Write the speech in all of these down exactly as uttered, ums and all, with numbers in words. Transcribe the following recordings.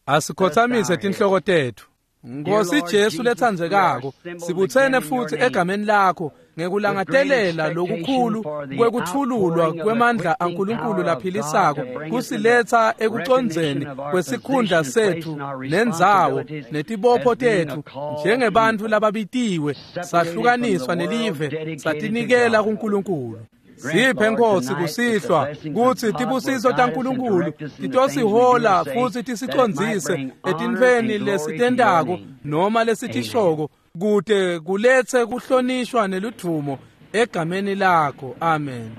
Asikhothamise tinhloko tetfu. Nkosi Jesu letsandzekako, sibutsene futsi egameni lakho ngekulangadelela lokukhulu kwekutfululwa kwemandla aNkulunkulu laphilisako kusiletsa ekucondzeni kwesikhundla setfu nendzawo netibopho tetfu njengebantfu lababitiwe, sahlukaniswa nelive, satinikela kuNkulunkulu. Siphe Nkosi kusihlwa kutsi tibusiso taNkulunkulu titosihola futsi tisicondzise etintfweni lesitentako noma lesitishoko kute kuletse kuhlonishwa neludvumo egameni lakho. Amen.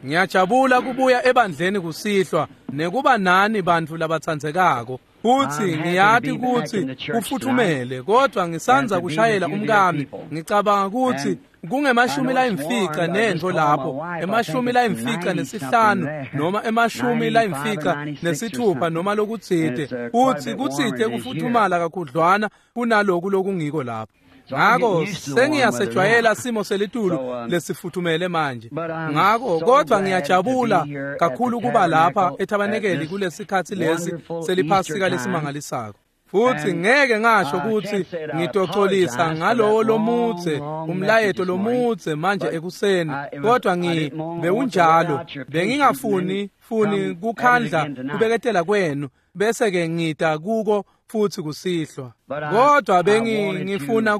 Ngiyajabula kubuya ebandleni kusihlwa nekuba nani bantfu labatsandzekako. Futsi ngiyati kutsi kufuthumele, kodwa ngisandza kushayela umkami. Ngicabanga kutsi kungemashumi layimfica nentfo lapho, emashumi layimfica nesihlanu noma emashumi layimfica nesithupha noma lokutsite. Futsi kutsite kufuthumala kakhudlwana kunaloku lokungiko lapho. Ngako sengiyasejwayela simo selitulu lesifuthumele manje. Ngako kodwa ngiyajabula kakhulu kuba lapha ethabanekeli kulesikhatsi lesi seliphasika lesimangalisako. Futsi ngeke ngasho kutsi ngitocolisa ngalowo lomudze umlayeto lomudze manje ekuseni, kodwa ngi bewunjalo bengingafuni funi kukhandla kubeketela kwenu bese ke ngita kuko futsi kusihlwa. Kodwa bengifuna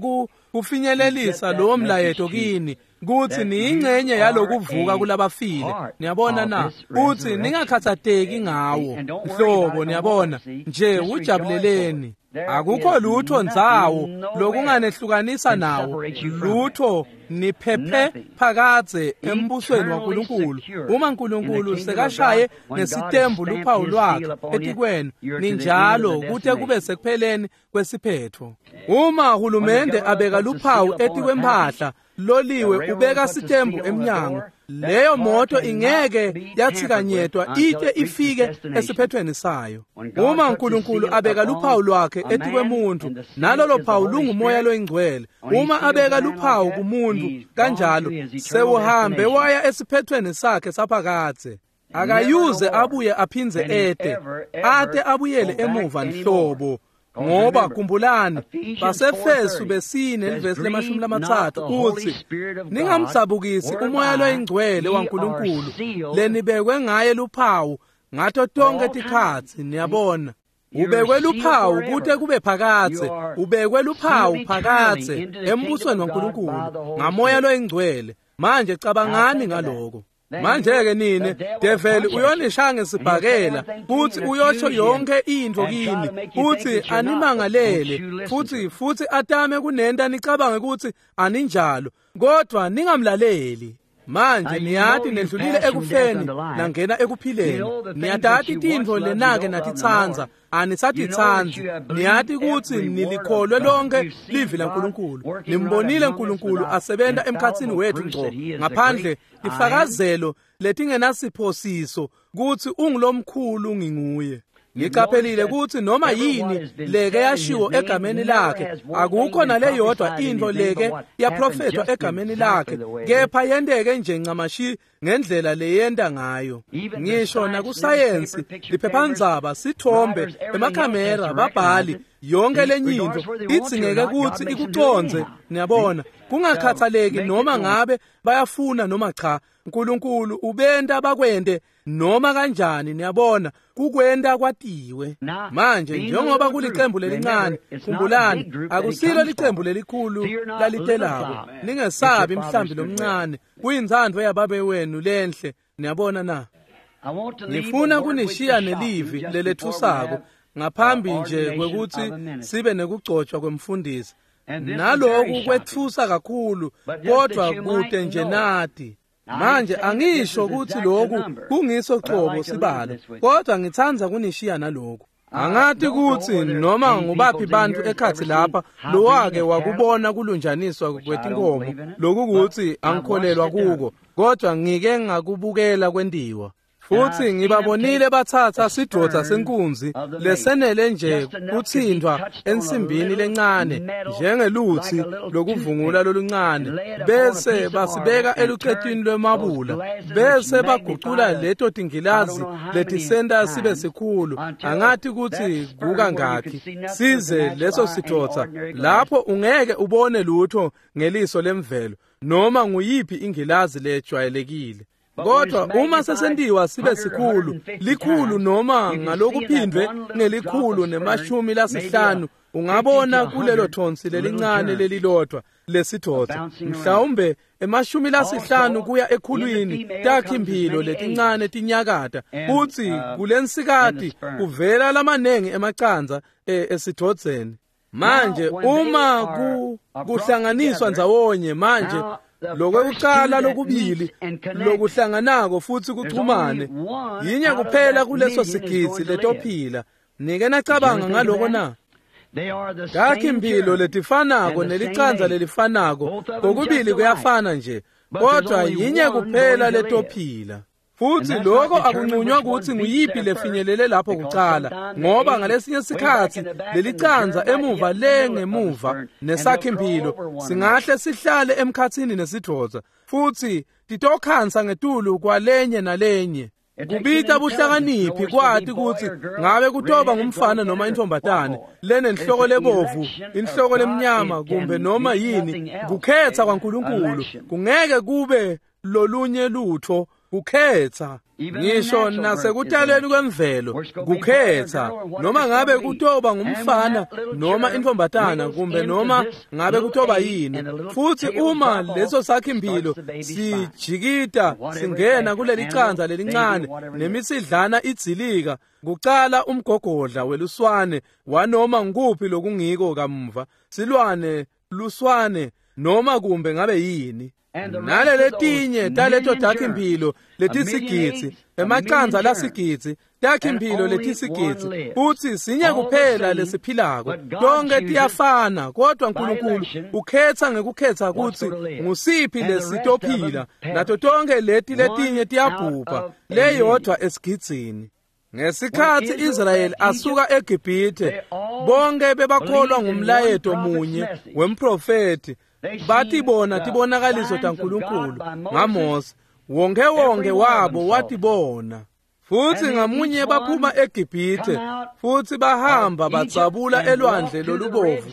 kufinyelelisa lowo mlayeto kini kutsi niyingcenye yalokuvuka kulabafile. Niyabona na? Kutsi ningakhatsateki ngawo nhlobo, niyabona nje ujabuleleni. Akukho lutho ndzawo lokunganehlukanisa nawo, lutho niphephe phakadze embusweni waNkulunkulu. Uma uNkulunkulu sekashaye ngesitembu luphawu lwakhe etikwenu, ninjalo kute kube sekupheleni kwesiphetho. Uma hulumende abeka luphawu etikwemphahla, loliwe ubeka sitembu emnyango, leyo moto ingeke yathikanyetwa ite ifike esiphethweni sayo. Uma uNkulunkulu abeka luphawu lwakhe etikwemuntu, nalolo phawu lungumoya loyingcwele. Uma abeka luphawu kumuntu kanjalo, sewuhambe waya esiphethweni sakhe saphakadze. Akayuze abuye aphindze ete, ate abuyele emuva nhlobo. Ngoba khumbulani, baseFesu besine livesi lemashumi lamatsatfu utsi, ningamdzabukisi umoya loyingcwele waNkulunkulu lenibekwe ngaye luphawu ngato tonke tikhatsi. Niyabona, ubekwe luphawu kute kube phakadze, ubekwe luphawu phakadze embusweni waNkulunkulu ngamoya loyingcwele. Manje cabangani ngaloko. Manje-ke nine, develi uyonishaya ngesibhakela futsi uyosho yonke intfo kini, futsi animangalele, futsi futsi atame kunenta nicabange kutsi aninjalo, kodwa ningamlaleli. Manje niyati nendlulile ekufeni nangena ekuphileni. Niyatati tintfo lenake natitsandza, anisatitsandzi. Niyati kutsi nilikholwe lonke livi laNkulunkulu. Nimbonile uNkulunkulu asebenta emkhatsini wethu ngco, ngaphandle tifakazelo letingenasiphosiso kutsi ungulomkhulu nginguye. Ngiqaphelile kutsi noma yini leke yashiwo egameni lakhe, akukho naleyodwa intfo leke yaprofethwa egameni lakhe, kepha yenteke nje ncamashi ngendlela leyenta ngayo. Ngisho nakusayensi, liphephandzaba, sithombe, emakhamera, babhali, yonke lenyintfo idzingeke kutsi ikucondze. Niyabona, kungakhathaleki noma ngabe bayafuna noma cha, uNkulunkulu ubenta bakwente noma kanjani. Niyabona, kukwenta kwatiwe. Manje njengoba kulicembu lelincane, khumbulani, akusilo licembu lelikhulu lalitelako. Ningesabi mhlambi lomncane, kuyintsandvo yababe wenu lenhle. Niyabona na? Ngifuna kunishiya nelivi lelethusako ngaphambi nje kwekutsi sibe nekugcotshwa kwemfundisi. Naloku kwetfusa kakhulu, kodwa kute nje nati. Manje angisho kutsi lokhu kungiso cobo sibalo, kodwa ngitsandza kunishiya nalokhu. Angati kutsi noma ngubaphi bantfu ekhatsi lapha lowake wakubona kulunjaniswa kwetinkomo, loku kutsi angikholelwa kuko, kodwa ngike ngakubukela kwentiwa. Futhi ngibabonile batsatsa sidvodza senkunzi lesenele nje kutsintfwa ensimbini lencane njengelutsi lokuvungula loluncane, bese basibeka elucetwini lwemabula, bese bagucula leto tingilazi letisenta sibe sikhulu, angathi kutsi kukangakhi, size leso sidvodza lapho ungeke ubone lutho ngeliso lemvelo noma nguyiphi ingilazi lejwayelekile. Kodwa uma sesentiwa sibe sikhulu, likhulu noma ngalokuphindwe ngelikhulu nemashumi lasihlanu, ungabona kulelo thonsi lelincane lelilodwa lesidvodza, mhlawumbe emashumi lasihlanu kuya ekhulwini, takhi-mphilo letincane tinyakata, futsi kulensikati kuvela lamanengi emacandza esidvodzeni. Manje uma ku kuhlanganiswa ndzawonye manje lokwekucala lokubili lokuhlanganako futhi kuchumane, yinye kuphela kuleso sigidzi letophila. Nike nacabanga ngaloko na? Takhi-mphilo letifanako nelicandza lelifanako, kokubili kuyafana nje, kodwa yinye kuphela letophila. Futhi lokho akunqunywa ukuthi nguyiphi lefinyelele lapho kucala, ngoba ngalesinye sikhatsi lelicandza emuva le ngemuva nesakhi-mphilo singahle sihlale emkhatsini nesidvodza, futhi titokhansa ngetulu kwalenye nalenye. Kubita buhlakaniphi kwati kutsi ngabe kutoba ngumfana noma intombatane lenenhloko lebovu, inhloko lemnyama, kumbe noma yini. Kukhetha kwaNkulunkulu kungeke kube lolunye lutho, kukhetha. Ngisho nasekutaleni kwemvelo kukhetha, noma ngabe kutoba ngumfana noma intombatana, kumbe noma ngabe kutoba yini. Futhi uma leso sakhi-mphilo sijikita singena kuleli candza lelincane nemisidlana idzilika, kucala umgogodla weluswane wanoma ngukuphi lokungiko kamuva, silwane, luswane, noma kumbe ngabe yini. Naleletinye taleto takhi-mphilo letisigidzi, emacandza lasigidzi, takhi-mphilo letisigidzi, futsi sinye kuphela lesiphilako. Tonke tiyafana, kodwa Nkulunkulu ukhetha ngekukhetha kutsi ngusiphi lesitophila, nato tonke leti letinye tiyabhubha, leyodwa esigidzini. Ngesikhatsi Israyeli asuka eGibhithe, bonke bebakholwa ngumlayeto munye wemprofethi, batibona tibonakaliso taNkulunkulu ngaMose, wonke wonke wabo watibona. Futhi ngamunye baphuma eGibhithe, futhi bahamba batsabula elwandle lolubovu,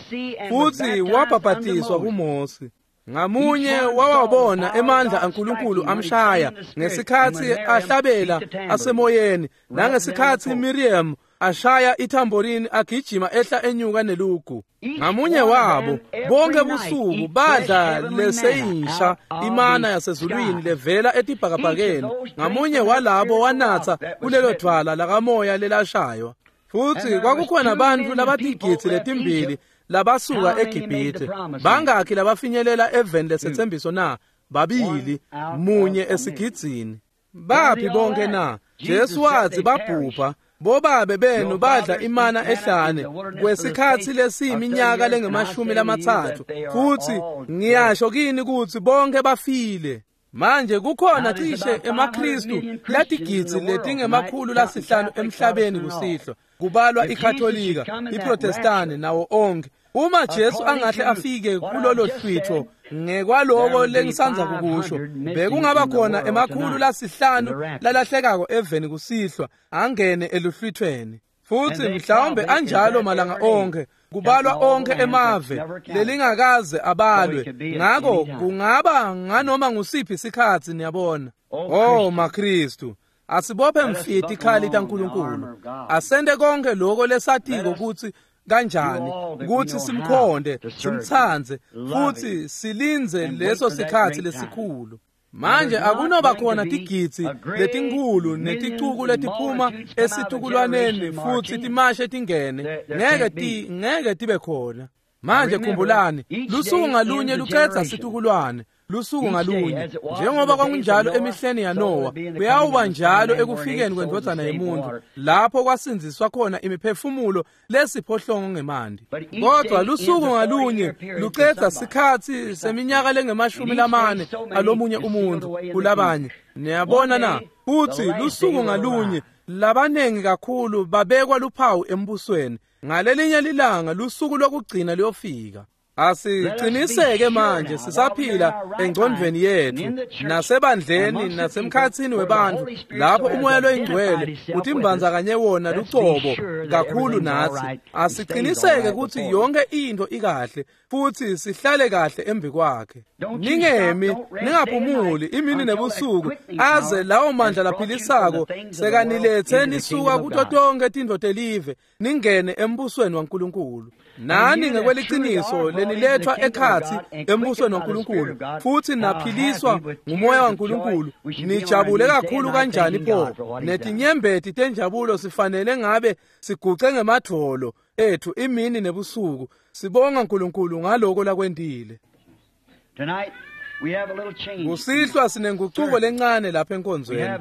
futhi wabhabhatiswa kuMose. Ngamunye wawabona emandla aNkulunkulu amshaya ngesikhatsi ahlabela asemoyeni, nangesikhatsi Miriam ashaya ithamborini agijima ehla enyuka nelugu. Ngamunye wabo bonke busuku badla leseyisha imana yasezulwini levela etibhakabhakeni. Ngamunye walabo wanatsa kulelo dvwala lakamoya lelashaywa. Futhi kwakukhona bantfu labatigidzi letimbili labasuka eGibhithe. Bangakhi labafinyelela eveni lesetsembiso na? Babili, munye esigidzini. Baphi bonke na? Jesu wathi babhubha. Bobabe benu badla imana ehlane kwesikhatsi lesiyiminyaka lengemashumi lamatsatfu, futhi ngiyasho kini kutsi bonke bafile. Manje kukhona cishe emaKristu latigidzi letingemakhulu lasihlanu emhlabeni kusihlwa, kubalwa iKatolika, iProtestane nawo onke. Uma Jesu angahle afike kulolo hlwitho ngekwaloko lengisandza kukusho, bekungaba khona emakhulu lasihlanu lalahlekako eveni kusihlwa angene eluhlwithweni. Futhi mhlawumbe anjalo malanga onke, kubalwa onke emave lelingakaze abalwe. Ngako kungaba nganoma ngusiphi isikhatsi, niyabona. Oh maKristu, asibophe mfiti ikhali taNkulunkulu, asente konke lokho lesatiko kutsi kanjani kutsi simkhonde, simtsandze, futhi silindze leso sikhatsi lesikhulu. Manje akunoba khona tigidzi letinkhulu neticuku letiphuma esitukulwaneni futhi timashe tingene, ngeke ti ngeke tibe khona. Manje khumbulani, lusuku ngalunye lucedza situkulwane, lusuku ngalunye. Njengoba kwakunjalo emihleni yaNowa, kuyawuba njalo ekufikeni kwendvodzana yemuntu, lapho kwasindziswa khona imiphefumulo lesiphohlongo ngemanti. Kodwa lusuku ngalunye lucedza sikhatsi seminyaka lengemashumi lamane alomunye umuntu kulabanye. Niyabona na? Futsi lusuku ngalunye labanengi kakhulu babekwa luphawu embusweni. Ngalelinye lilanga lusuku lokugcina luyofika. Asiqiniseke manje sisaphila engcondvweni yethu nasebandleni nasemkhatsini webantfu lapho umoya loyingcwele utimbandzakanye wona lucobo kakhulu natsi. Asiqiniseke kutsi yonke into ikahle futsi sihlale kahle embi kwakhe. Ningemi, ningaphumuli imini nebusuku aze lawo mandla laphilisako sekanilethe nisuka kuto tonke tintfo telive ningene embusweni waNkulunkulu. Nani ngekweliciniso lenilethwa ekhatsi embusweni waNkulunkulu futsi naphiliswa ngumoya waNkulunkulu, nijabule kakhulu kanjani pho! Netinyembeti tenjabulo sifanele ngabe siguce ngemadvolo ethu imini nebusuku sibonga uNkulunkulu ngaloko lakwentile. Kusihlwa sinengucuko lencane lapha enkonzweni.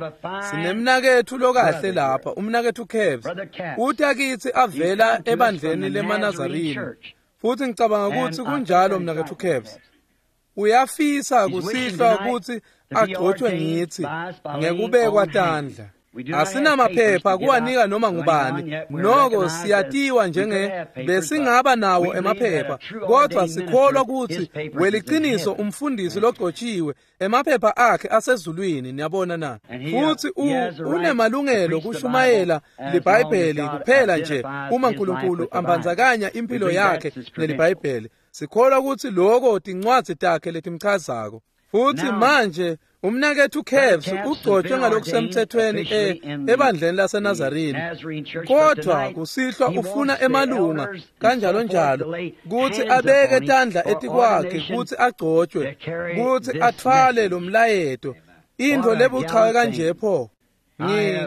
Sinemnaketfu lokahle lapha, umnaketfu Kevs. Uta kitsi avela ebandleni lemaNazarini. Futsi ngicabanga kutsi kunjalo mnaketfu Kevs. Uyafisa kusihlwa kutsi agcotshwe ngitsi ngekubekwa tandla. Asinamaphepha kuwanika noma ngubani, noko siyatiwa njenge besingaba nawo emaphepha, kodwa sikholwa kutsi weliciniso umfundisi logcotshiwe emaphepha akhe asezulwini. Niyabona na? Futsi unemalungelo kushumayela liBhayibheli kuphela nje uma uNkulunkulu ambandzakanya impilo yakhe neliBhayibheli. Sikholwa kutsi loko tincwadzi takhe letimchazako. Futsi manje umnaketfu Kevs ugcotshwe ngalokusemthethweni ebandleni laseNazarini, kodwa kusihlwa ufuna emalunga kanjalo njalo kutsi abeke tandla etikwakhe kutsi agcotshwe kutsi atfwale lo mlayeto. Intfo lebuchawe kanje pho!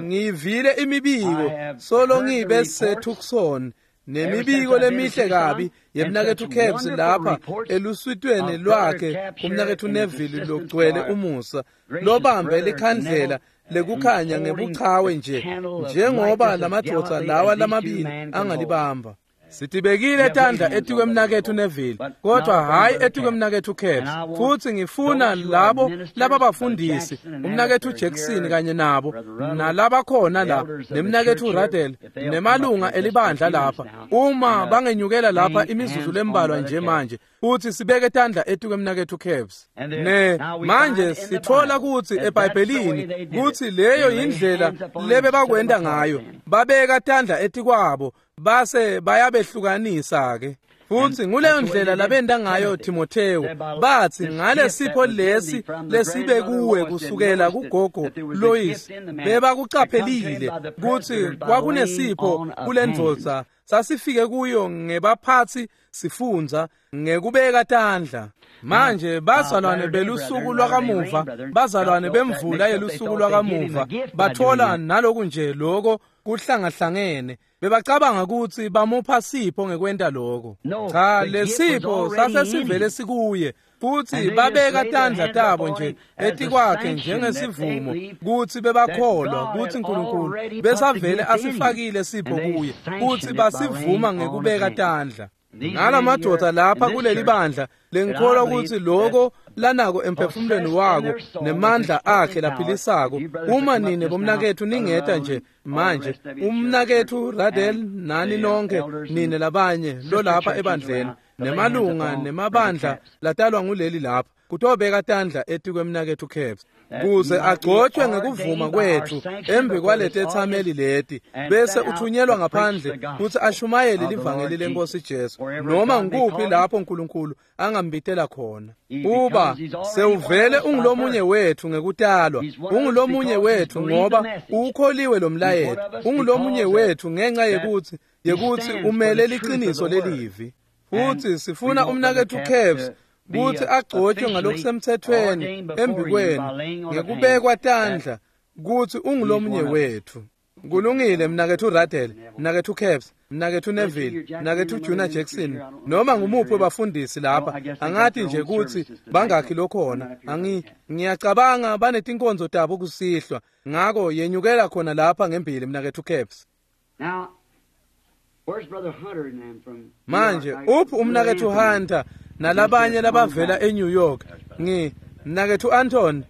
Ngiyivile imibiko solo ngibe seTucson nemibiko lemihle kabi yemnaketfu Kevs lapha eluswitweni lwakhe umnaketfu Neville logcwele umusa lobambe likhandlela lekukhanya ngebuchawe nje njengoba lamadvodza lawa lamabili angalibamba. Sitibekile tandla etikwemnaketfu Neville, kodwa hhayi etikwemnaketfu Kevs. Futsi ngifuna labo lababafundisi, umnaketfu Jackson kanye nabo, nalabakhona la, nemnaketfu Radel, nemalunga elibandla lapha, uma bangenyukela lapha imizuzu lembalwa nje manje, futsi sibeke tandla etikwemnaketfu Kevs. Ne manje sitfola kutsi eBhayibhelini kutsi leyo yindlela lebebakwenta ngayo, babeka tandla etikwabo base bayabehlukanisa ke. Futsi nguleyo ndlela labenta ngayo Timotheo. Batsi ngale sipho lesi lesibe kuwe kusukela kugogo Lois, bebakucaphelile kutsi kwakunesipho kulendvodza sasifike kuyo ngebaphatsi sifundza ngekubeka tandla. Manje bazalwane belusuku lwakamuva, bazalwane bemvula yelusuku lwakamuva bathola naloku nje loko kuhlangahlangene. Bebacabanga kutsi bamupha sipho ngekwenta lokho. Cha, lesipho sasesivele sikuye, futsi babeka tandla tabo nje etikwakhe njengesivumo kutsi bebakholwa kutsi uNkulunkulu besavele asifakile sipho kuye, futsi basivuma ngekubeka tandla. Ngalamadoda lapha kuleli bandla lengikholwa kutsi loko lanako emphefumulweni wako nemandla akhe laphilisako. Uma nine bomnaketfu ningeta nje manje, umnaketfu Radel nani nonke nine labanye lolapha ebandleni nemalunga nemabandla latalwa nguleli lapha, kutobeka tandla etikwemnaketfu Kevs kuze agcotshwe ngekuvuma kwetfu embi kwaletetsameli leti, bese uthunyelwa ngaphandle kutsi ashumayele livangeli lenkosi Jesu noma ngikuphi lapho uNkulunkulu angambitela khona. Uba sewuvele ungulomunye wetfu ngekutalwa, ungulomunye wetfu ngoba ukholiwe lo mlayeto, ungulomunye wetfu ngenxa yekutsi yekutsi umele liciniso lelivi. Futsi sifuna umnaketfu Kevs kutsi agcotshwe ngalokusemthethweni embi kwenu ngekubekwa tandla kutsi ungulomunye wetfu. Kulungile mnaketfu Radel, mnaketfu Caps, mnaketfu Neville, mnaketfu Junior Jackson, noma ngumuphi webafundisi lapha, angati nje kutsi bangakhi lokhona. Angi ngiyacabanga banetinkonzo tabo kusihlwa. Ngako yenyukela khona lapha ngembili mnaketfu Caps. Now, where's Brother Hunter and them from Manje uphi umnaketfu Hunter nalabanye labavela eNew York? Ngi mnaketfu Anton,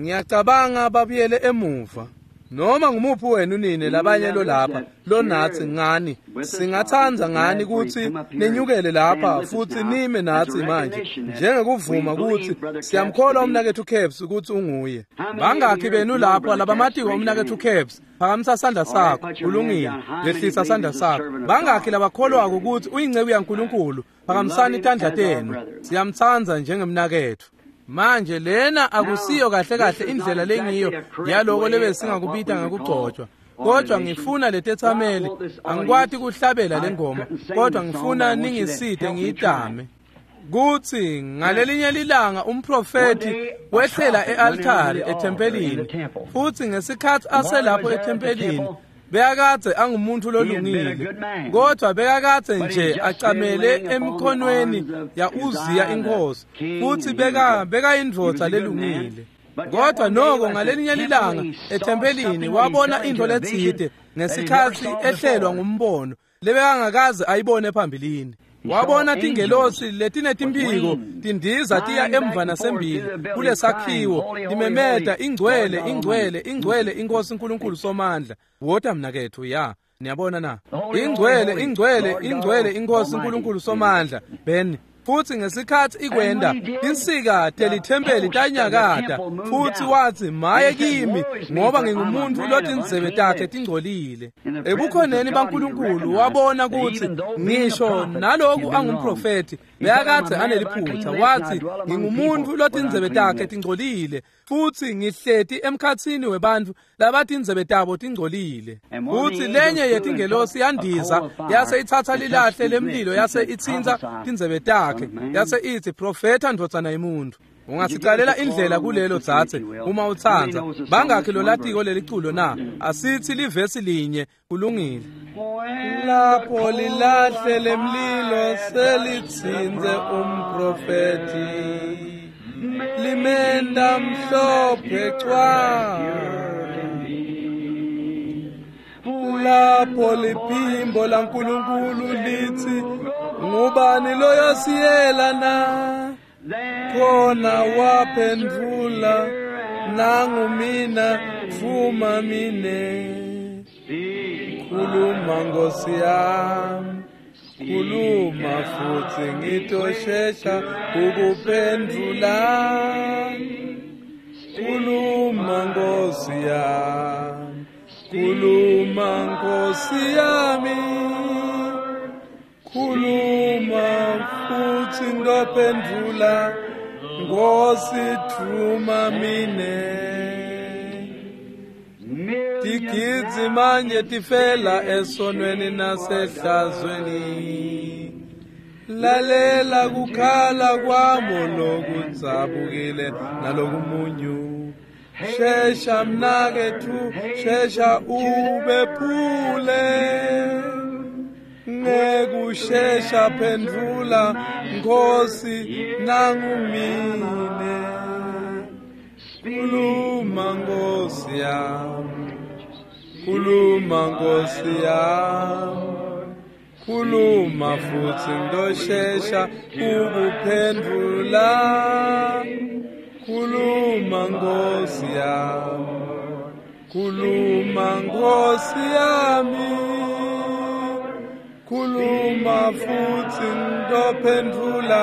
ngiyacabanga babuyele emuva. Noma ngumuphi wenu nine labanye lo lapha lonatsi ngani singatsandza ngani kutsi nenyukele lapha futsi nime natsi manje njengekuvuma kutsi siyamkholwa umnaketfu Caps kutsi unguye. Bangakhi benu lapha labamatiko umnaketfu Caps? Phakamisa sandla sakho. Kulungile, lehlisa sandla sakho. Bangakhi labakholwako kutsi uyinceku yaNkulunkulu? Phakamisani tandla tenu. Siyamtsandza njengemnaketfu. Manje lena akusiyo kahle kahle indlela lengiyo yaloko lebesingakubita ngekugcotshwa, kodwa ngifuna letetsameli. Angikwati kuhlabela lengoma, kodwa ngifuna ningisite ngiyitame. Kutsi ngalelinye lilanga umprofethi wehlela e-altari ethempelini, futsi ngesikhatsi aselapho ethempelini bekakadze angumuntu lolungile, kodwa bekakadze nje acamele emkhonweni ya-Uziya inkosi, futsi beka bekayindvodza lelungile. Kodwa noko ngalelinye lilanga ethempelini wabona into letsite ngesikhatsi ehlelwa ngumbono lebekangakaze ayibone phambilini. Wabona tingelosi letinetimphiko tindiza tiya emva nasembili kulesakhiwo timemeta, ingcwele, ingcwele, ingcwele inkosi uNkulunkulu Somandla. Wota mnaketfu, ya niyabona na? Ingcwele, ingcwele, ingcwele inkosi uNkulunkulu Somandla. Ben futsi ngesikhatsi ikwenda insika telithempeli tanyakata, futsi watsi, maye kimi, ngoba ngingumuntu lotindzebe takhe tingcolile. Ebukhoneni baNkulunkulu wabona kutsi ngisho naloku angumprofethi bekakadze aneliphutha. Watsi, ngingumuntu lotindzebe takhe tingcolile, futsi ngihleti emkhatsini webantfu labatindzebe tabo tingcolile. Futsi lenye yetingelosi yandiza yase itsatsa lilahle lemlilo yase itsintsa tindzebe takhe, yase itsi, profetha ndvodzana yemuntfu. Ungasicalela indlela kulelo dzadze uma utsandza. Bangakhi lolatiko leliculo na? Asithi livesi linye. Kulungile. Lapho lilahle lemlilo selitsintse umprofethi, limenda mhlophe cwa. Lapho liphimbo laNkulunkulu litsi, ngubani loyosiyela na? Khona waphendvula, nangumina, tfuma mine. Khuluma Nkosi yami, khuluma futsi ngitoshesha ukuphendvula. Khuluma Nkosi yami, khuluma Nkosi yami, khuluma futsi ngitophendvula, Nkosi tfuma mine. Tigidzi manje tifela esonweni nasehlazweni. Lalela kukhala kwamo lokudzabukile nalokumunyu. Shesha mnaketfu, shesha ubephule. Ngekushesha phendvula Nkosi nangumine. Khuluma Nkosi yami, khuluma Nkosi yami, khuluma futsi ngitoshesha ukuphendvula. Khuluma Nkosi yami, khuluma Nkosi yami, khuluma futsi ngitophendvula,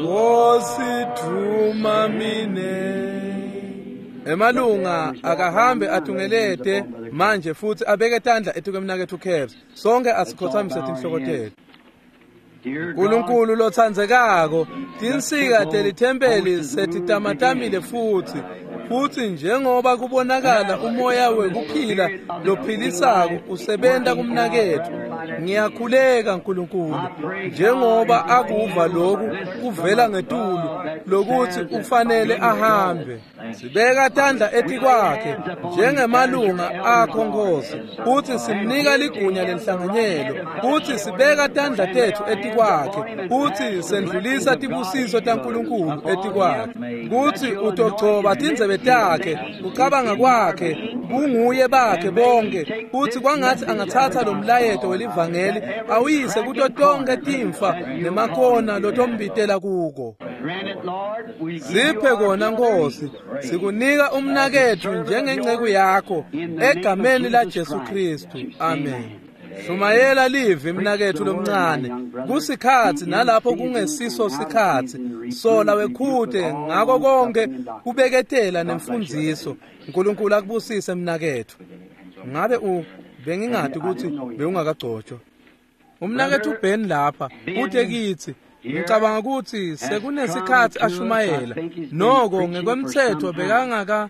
Nkosi tfuma mine. Emalunga akahambe atungelete manje futsi abeke tandla etukwemnaketfu Caps. Sonke asikhotsamise tinhloko tetfu. Nkulunkulu lotsandzekako, tinsika telithempeli setitamatamile futsi, Futhi njengoba kubonakala umoya wekuphila lophilisako usebenta kumnaketfu, ngiyakhuleka Nkulunkulu, njengoba akuva lokhu kuvela ngetulu lokuthi ufanele ahambe. Sibeka tandla etikwakhe njengemalunga akho Nkosi, futhi simnika ligunya lenhlanganyelo, futhi sibeka tandla tethu etikwakhe, futhi sendlulisa tibusiso taNkulunkulu etikwakhe, kutsi utogcoba tindzebe takhe, kucabanga kwakhe, bunguye bakhe bonke, futhi kwangathi angatsatsa lo mlayeto welivangeli awuyise kuto tonke timfa nemakona lotombitela kuko. Siphe kona Nkosi, sikunika umnaketfu njengenceku yakho egameni la Jesu Kristu. Amen. Shumayela livi mnaketfu lomncane, kusikhatsi nalapho kungesiso sikhatsi, sola wekhute ngako konke kubeketela nemfundziso. Nkulunkulu akubusise mnaketfu. Ngabe u bengingati ukuthi bewungakagcotshwa. Umnaketfu Ben lapha ute kitsi, ngicabanga ukuthi sekunesikhatsi ashumayela, noko ngekwemtsetfo bekangaka,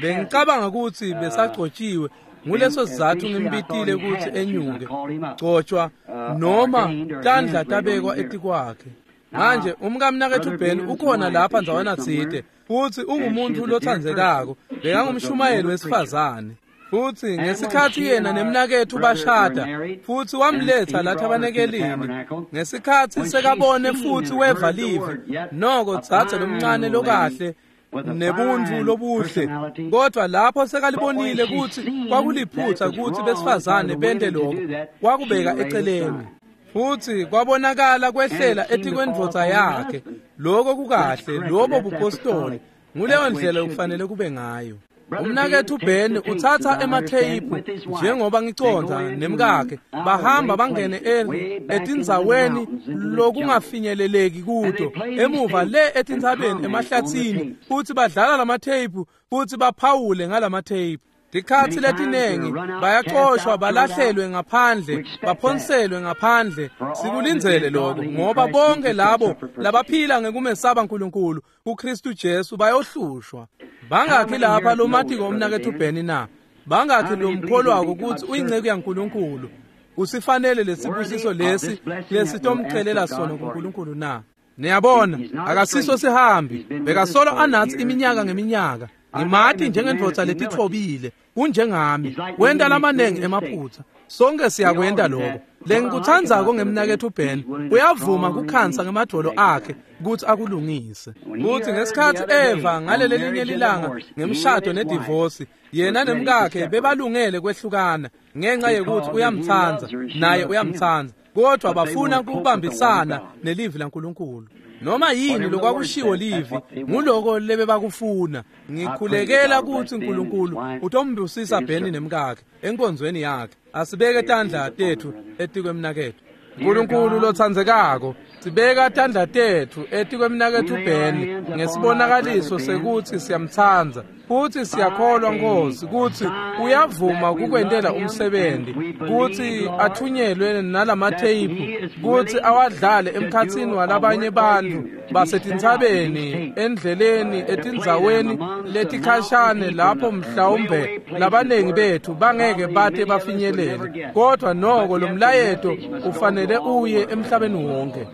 bengicabanga ukuthi besagcotshiwe. Nguleso sizatfu ngimbitile ukuthi enyuke, gcotshwa noma tandla tabekwa etikwakhe. Manje umkamnaketfu Ben ukhona lapha ndzawana tsite, futhi ungumuntu lotsandzekako, bekangumshumayeli wesifazane. Futhi ngesikhatsi yena nemnaketfu bashada, futhi wamletha la thabanekelini, ngesikhatsi sekabone futhi weva livi, noko dzadze lomncane lokahle nebuntfu lobuhle, kodwa lapho sekalibonile ukuthi kwakuliphutha ukuthi besifazane bente lokho, wakubeka eceleni. Futhi kwabonakala kwehlela etikwendvodza yakhe. Lokho kukahle, lobo bupostoli, nguleyo ndlela okufanele kube ngayo. Umnaketfu Ben utsatsa ematheyiphu njengoba ngicondza nemkakhe, bahamba bangene etindzaweni lokungafinyeleleki kuto, emuva le etintsabeni emahlatsini, futhi badlala lamatheyiphu futhi baphawule ngalamatheyiphu. Tikhatsi letinengi bayacoshwa, balahlelwe ngaphandle, baphonselwe ngaphandle. Sikulindzele lokho, ngoba bonke labo labaphila ngekumesaba Nkulunkulu kuKristu Jesu bayohlushwa. Bangakhi lapha lomatiko umnaketfu Ben na? Bangakhi lomkholwako ukuthi uyinceku yaNkulunkulu? Usifanele lesibusiso lesi lesitomcelela sona kuNkulunkulu na? Niyabona, akasiso sihambi, bekasolo anatsi iminyaka ngeminyaka. Ngimati njengendvodza letitfobile, kunjengami, wenta lamanengi emaphutsa. Sonke siyakwenta lokho. Lengikutsandzako ngemnaketfu Ben, uyavuma kukhansa ngemadvolo akhe kutsi akulungise. Kutsi ngesikhatsi eva ngaleli linye lilanga ngemshado nedivosi, yena nemkakhe bebalungele kwehlukana ngenxa yekuthi uyamtsandza naye uyamtsandza, kodwa bafuna ukubambisana nelivi laNkulunkulu. Noma yini lokwakushiwo livi, nguloko lebebakufuna. Ngikhulekela kutsi Nkulunkulu utombusisa Ben nemkakhe enkonzweni yakhe. Asibeke tandla tetfu etikwemnaketfu. Nkulunkulu lotsandzekako, sibeka tandla tetfu etikwemnaketfu Ben ngesibonakaliso sekutsi siyamtsandza, futhi siyakholwa Nkosi kutsi uyavuma kukwentela umsebenzi, kutsi athunyelwe nalamatheyiphu, kutsi awadlale emkhatsini walabanye bantfu basetintsabeni, endleleni, etindzaweni letikhashane lapho mhlawumbe labanengi bethu bangeke bate bafinyelele, kodwa noko lo mlayeto ufanele uye emhlabeni wonke.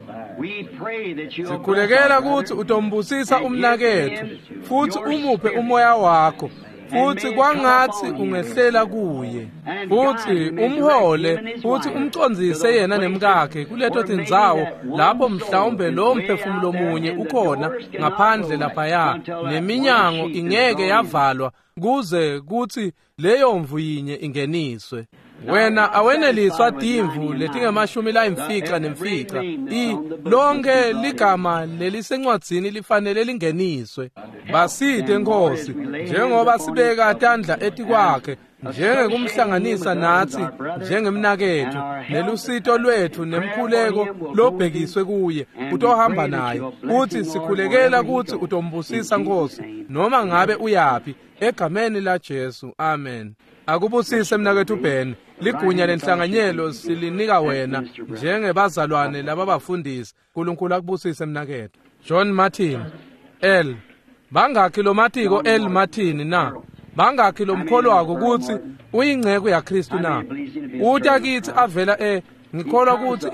Sikhulekela kutsi utombusisa umnaketfu futhi umuphe umoya wakho, futhi kwangatsi ungehlela kuye, futhi umhole futhi umcondzise yena nemkakhe kuleto tindzawo lapho mhlawumbe lo mphefumulo munye ukhona ngaphandle laphaya, neminyango ingeke yavalwa kuze kutsi leyo mvu yinye ingeniswe. Wena aweneliswa timvu letingemashumi layimfica nemfica. I lonke ligama lelisencwadzini lifanele lingeniswe. Basite Nkosi, njengoba sibeka tandla etikwakhe, njengekumhlanganisa natsi njengemnaketfu, nelusito lwetfu nemkhuleko lobhekiswe kuye utohamba naye, futhi sikhulekela kutsi utombusisa Nkosi noma ngabe uyapi, egameni la Jesu. Amen. Akubusise mnaketfu Ben, ligunya lenhlanganyelo silinika wena njengebazalwane lababafundisi. Nkulunkulu akubusise mnaketfu. John Martin L. Bangakhi lomatiko El Martin na? Bangakhi lomkholwako kutsi uyingceko yaKristu na? Uta kitsi avela e ngikholwa kutsi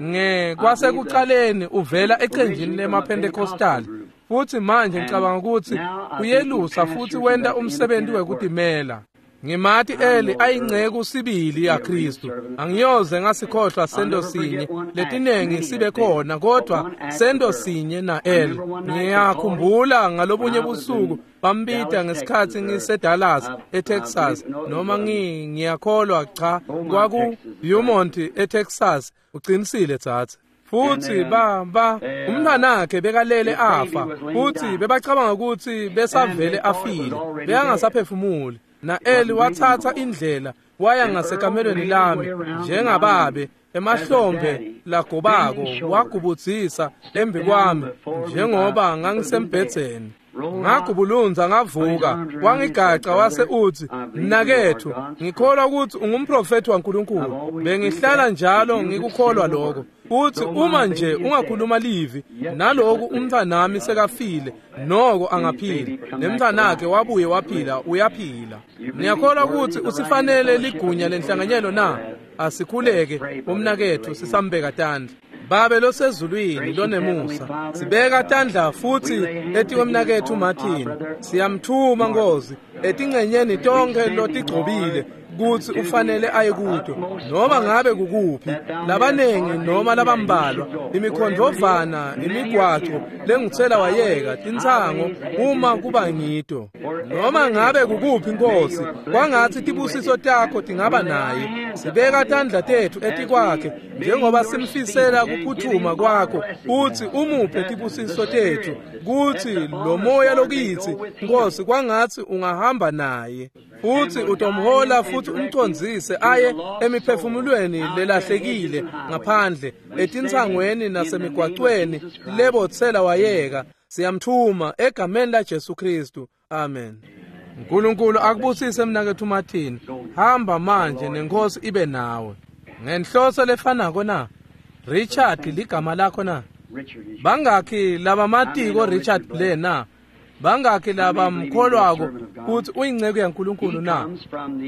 nge kwasekuqaleni uvela ecenjini lemaPentecostal. Futhi manje ngicabanga ukuthi uyelusa futhi wenda umsebenzi wekutimela. Ngimati Eli ayingceku sibili yaKristu. Angiyoze ngasikhohlwa sento sinye letinengi sibe khona kodwa sento sinye na Eli. Ngiyakhumbula ngalobunye busuku bambita ngesikhathi ngise Dallas eTexas noma ngi ngiyakholwa cha kwaku Beaumont eTexas uqinisile tsatsi. Futhi ba ba umntanakhe bekalele afa futhi bebacabanga ukuthi besavele afile beyangasaphefumuli. Na Eli wathatha indlela waya ngasekamelweni lami njengababe emahlombe lagobako wagubudzisa embi kwami njengoba ngangisembhedzeni. Ngagubulunza ngavuka wangigaca wase uthi mnakethu ngikholwa ukuthi ungumprofeti waNkulunkulu bengihlala njalo ngikukholwa lokho uthi uma nje ungakhuluma livi naloku umntwanami sekafile noko angaphila nemntwanakhe wabuye waphila uyaphila. Ngiyakholwa ukuthi usifanele ligunya lenhlanganyelo na? Asikhuleke umnakethu sisambeka tandla. Babe losezulwini lonemusa sibeka tandla futhi etikwemnakethu Martin siyamthuma Nkosi etingcenyeni tonke lotigcobile kutsi ufanele aye kuto noma ngabe kukuphi labanengi noma labambalwa imikhondvovana imigwaco lenguthela wayeka tinsango uma kuba ngito noma ngabe kukuphi Nkosi kwangatsi tibusiso takho tingaba naye. Sibeka tandla tethu etikwakhe njengoba simfisela kuphuthuma kwakho uthi umuphe tibusiso tethu kutsi lo moya lokitsi Nkosi kwangatsi ungahamba naye futhi utomhola futhi umcondzise aye emiphefumulweni lelahlekile ngaphandle etinsangweni nasemigwacweni lebotsela wayeka. Siyamthuma egameni la Jesu Kristu, amen. uNkulunkulu akubusise mnakethu Martin. Hamba manje nenkosi ibe nawe. Ngenhloso lefanako na? Richard ligama lakho na? Bangakhi labamatiko Richard Blair na? Bangakhi labamkholwako kuthi uyingceko yaNkulunkulu na?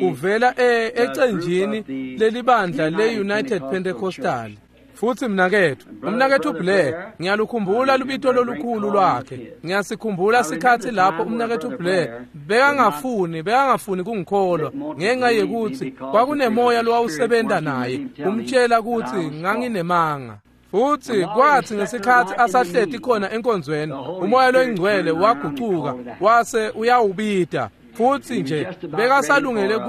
Uvela ecenjini lelibandla le-United Pentecostal. Futhi mnakethu umnakethu Blair ngiyalukhumbula lubito lolukhulu lwakhe. Ngiyasikhumbula sikhathi lapho umnakethu Blair bekangafuni bekangafuni kungikholwa ngenxa yekuthi kwakunemoya lowawusebenta naye umtshela ukuthi nganginemanga. Futhi kwathi ngesikhathi asahleti khona enkonzweni umoya loyingcwele wagucuka wase uyawubida futhi nje bekasalungele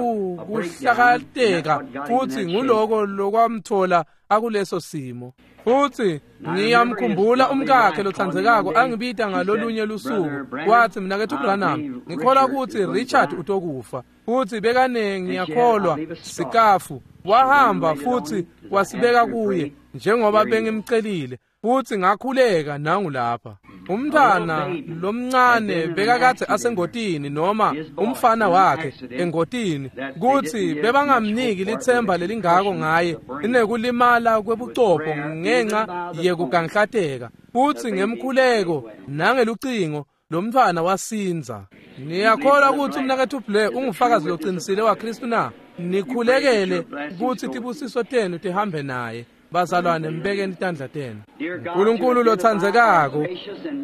kuhlakateka futhi nguloko lokwamthola akuleso simo. Futhi ngiyamkhumbula umkakhe lothandzekako angibita ngalolunye lusuku wathi mnakethu Branham ngikholwa ukuthi Richard utokufa. Futhi bekane ngiyakholwa sikafu wahamba futhi wasibeka kuye njengoba bengimcelile futhi ngakhuleka nangu lapha. Umntana lomncane bekakade asengotini noma umfana wakhe engotini kuthi bebangamniki lithemba lelingako ngaye inekulimala kwebucopho ngenxa yekuganhlateka futhi ngemkhuleko nangelucingo lo mntwana wasinza. Niyakholwa ukuthi umnakethu Blair ungufakazi loqinisile waKristu na? Nikhulekele ukuthi tibusiso tenu tihambe naye. Bazalwane mbekeni tandla tenu. uNkulunkulu lothandzekako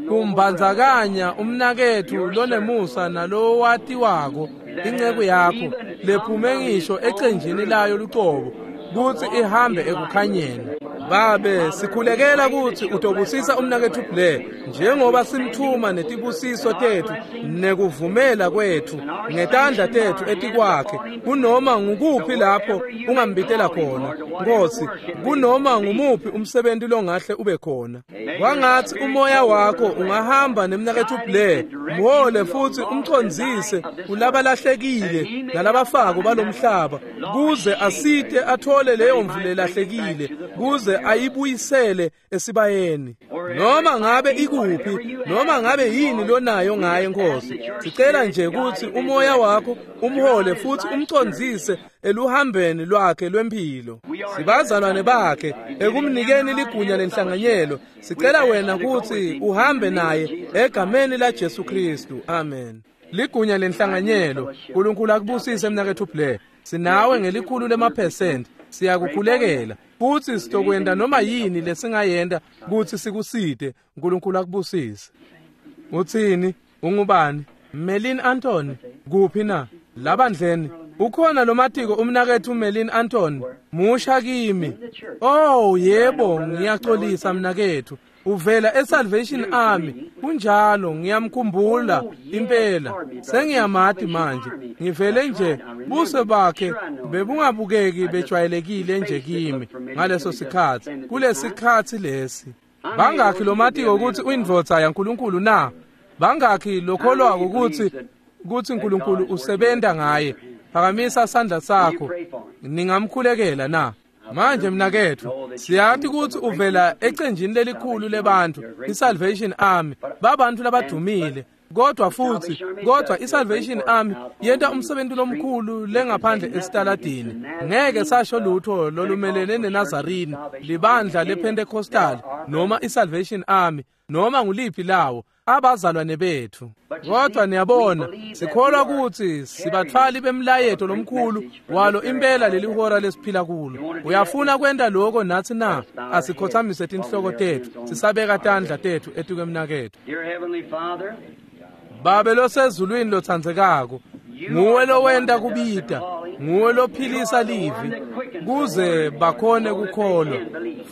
kumbandzakanya umnakethu lonemusa nalowatiwako inceku yakho lephume ngisho ecenjini layo lucobo kutsi ihambe ekukhanyeni. Babe sikhulekela kutsi utobusisa umnakethu Blair njengoba simthuma netibusiso tethu nekuvumela kwethu ngetandla tethu etikwakhe kunoma ngukuphi lapho ungambitela khona Nkosi kunoma ngumuphi umsebenzi longahle ube khona. Kwangatsi umoya wakho ungahamba nemnakethu Blair mhole futhi umcondzise kulabalahlekile nalabafako balomhlaba kuze asite athole leyo mvu lelahlekile kuze ayibuyisele esibayeni. Noma ngabe ikuphi, noma ngabe yini lonayo ngaye Nkosi, sicela nje ukuthi umoya wakho umhole futhi umcondzise eluhambeni lwakhe lwempilo. Sibazalwane bakhe ekumnikeni ligunya lenhlanganyelo, sicela wena ukuthi uhambe naye egameni la Jesu Kristu. Amen. Ligunya lenhlanganyelo, uNkulunkulu akubusise mnakethu Blair. Sinawe ngelikhulu lemaphesenti, siyakukhulekela futhi sitokwenda noma yini lesingayenda ukuthi sikuside. uNkulunkulu akubusise. Uthini? Ungubani? Melin Anthony. Kuphi na? Labandleni ukhona lomatiko umnakethu Melin Anthony musha kimi. Oh yebo, ngiyaxolisa mnakethu, uvela eSalvation Army. Kunjalo, ngiyamkhumbula impela, sengiyamati manje. Ngivele nje buso bakhe bebungabukeki bejwayelekile nje kimi ngaleso sikhathi, kulesikhathi lesi. Bangakhi lomatiko ukuthi uyindvodza yaNkulunkulu na? Bangakhi lokholwako ukuthi ukuthi uNkulunkulu usebenta ngaye? Phakamisa sandla sakho. Ningamkhulekela na? Manje mnakethu, siyathi ukuthi uvela ecenjini lelikhulu lebantu, iSalvation Army, babantu labadumile. Kodwa futhi, kodwa iSalvation Army yenta umsebenzi lomkhulu lengaphandle esitaladini. Ngeke sasho lutho lolumelene neNazarene, libandla lePentecostal noma iSalvation Army noma nguliphi lawo, abazalwane bethu. Kodwa niyabona, sikholwa ukuthi sibathwali bemlayeto lomkhulu walo impela leli hora lesiphila kulo. Uyafuna kwenta lokho nathi na? Asikhothamise tinhloko tethu, sisabeka tandla tethu etukwemnakethu. Babe losezulwini lotsandzekako, nguwe lowenta kubita, nguwe lophilisa livi kuze bakhone kukholwa.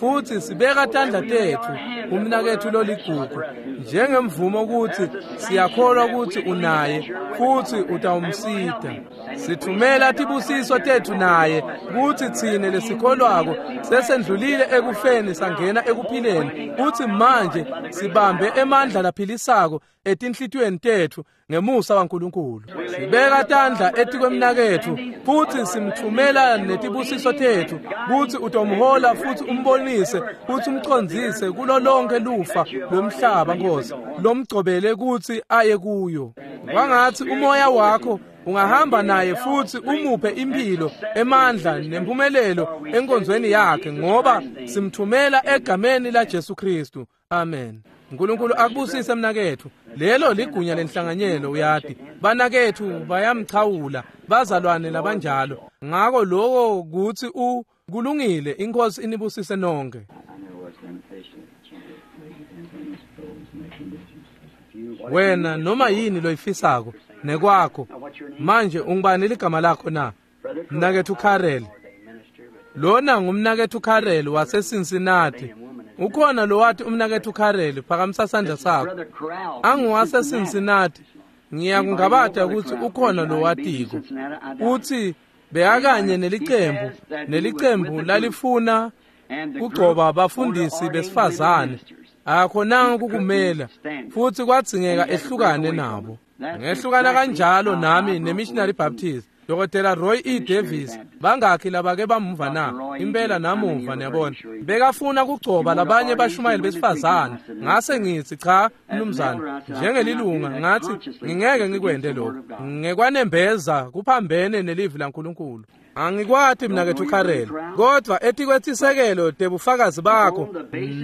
Futhi sibeka tandla tethu umnakethu loligugu njengemvumo ukuthi siyakholwa ukuthi unaye futhi utawumsida. Sithumela tibusiso tethu naye kuthi tsine lesikholwako sesendlulile ekufeni sangena ekuphileni, kuthi manje sibambe emandla laphilisako etinhlitiyweni tethu ngemusa waNkulunkulu. Sibeka tandla etikwemnakethu futhi simthumela netibusiso tethu kuthi utomhola futhi umbonise futhi umcondzise kulo lonke lufa lomhlaba Nkosi lomgcobele kuthi aye kuyo. Kwangathi umoya wakho ungahamba naye futhi umuphe impilo, emandla nempumelelo enkonzweni yakhe, ngoba simthumela egameni la Jesu Kristu. Amen. uNkulunkulu akubusise mnakethu. Lelo ligunya lenhlanganyelo, uyati banakethu bayamchawula bazalwane labanjalo. Ngako lokho kuthi u kulungile. Inkosi inibusise nonke. Wena noma yini loyifisako nekwakho. Manje ungibani ligama lakho na? Mnakethu Karel. Lona ngumnakethu Karel wase Cincinnati. Ukhona lo wathi umnakethu Karel, phakamisa sandla sakho. Angiwase Cincinnati. Ngiyakungabata ukuthi ukhona lo watiko. Uthi bekakanye nelicembu, nelicembu lalifuna kugcoba abafundisi besifazane. Akakhonanga ukukumela futhi kwadzingeka ehlukane nabo. Ngehlukana kanjalo nami neMissionary Baptist. Dokotela Roy E. Davis, bangakhi labake bamuva na? Impela namuva, niyabona. Bekafuna kugcoba labanye bashumayeli besifazane. Ngase ngithi cha mnumzane, njengelilunga ngathi ngingeke ngikwende lokho. Ngekwanembeza kuphambene nelivi laNkulunkulu. Angikwati mnakethu Karel, kodwa etikwethisekelo tebufakazi bakho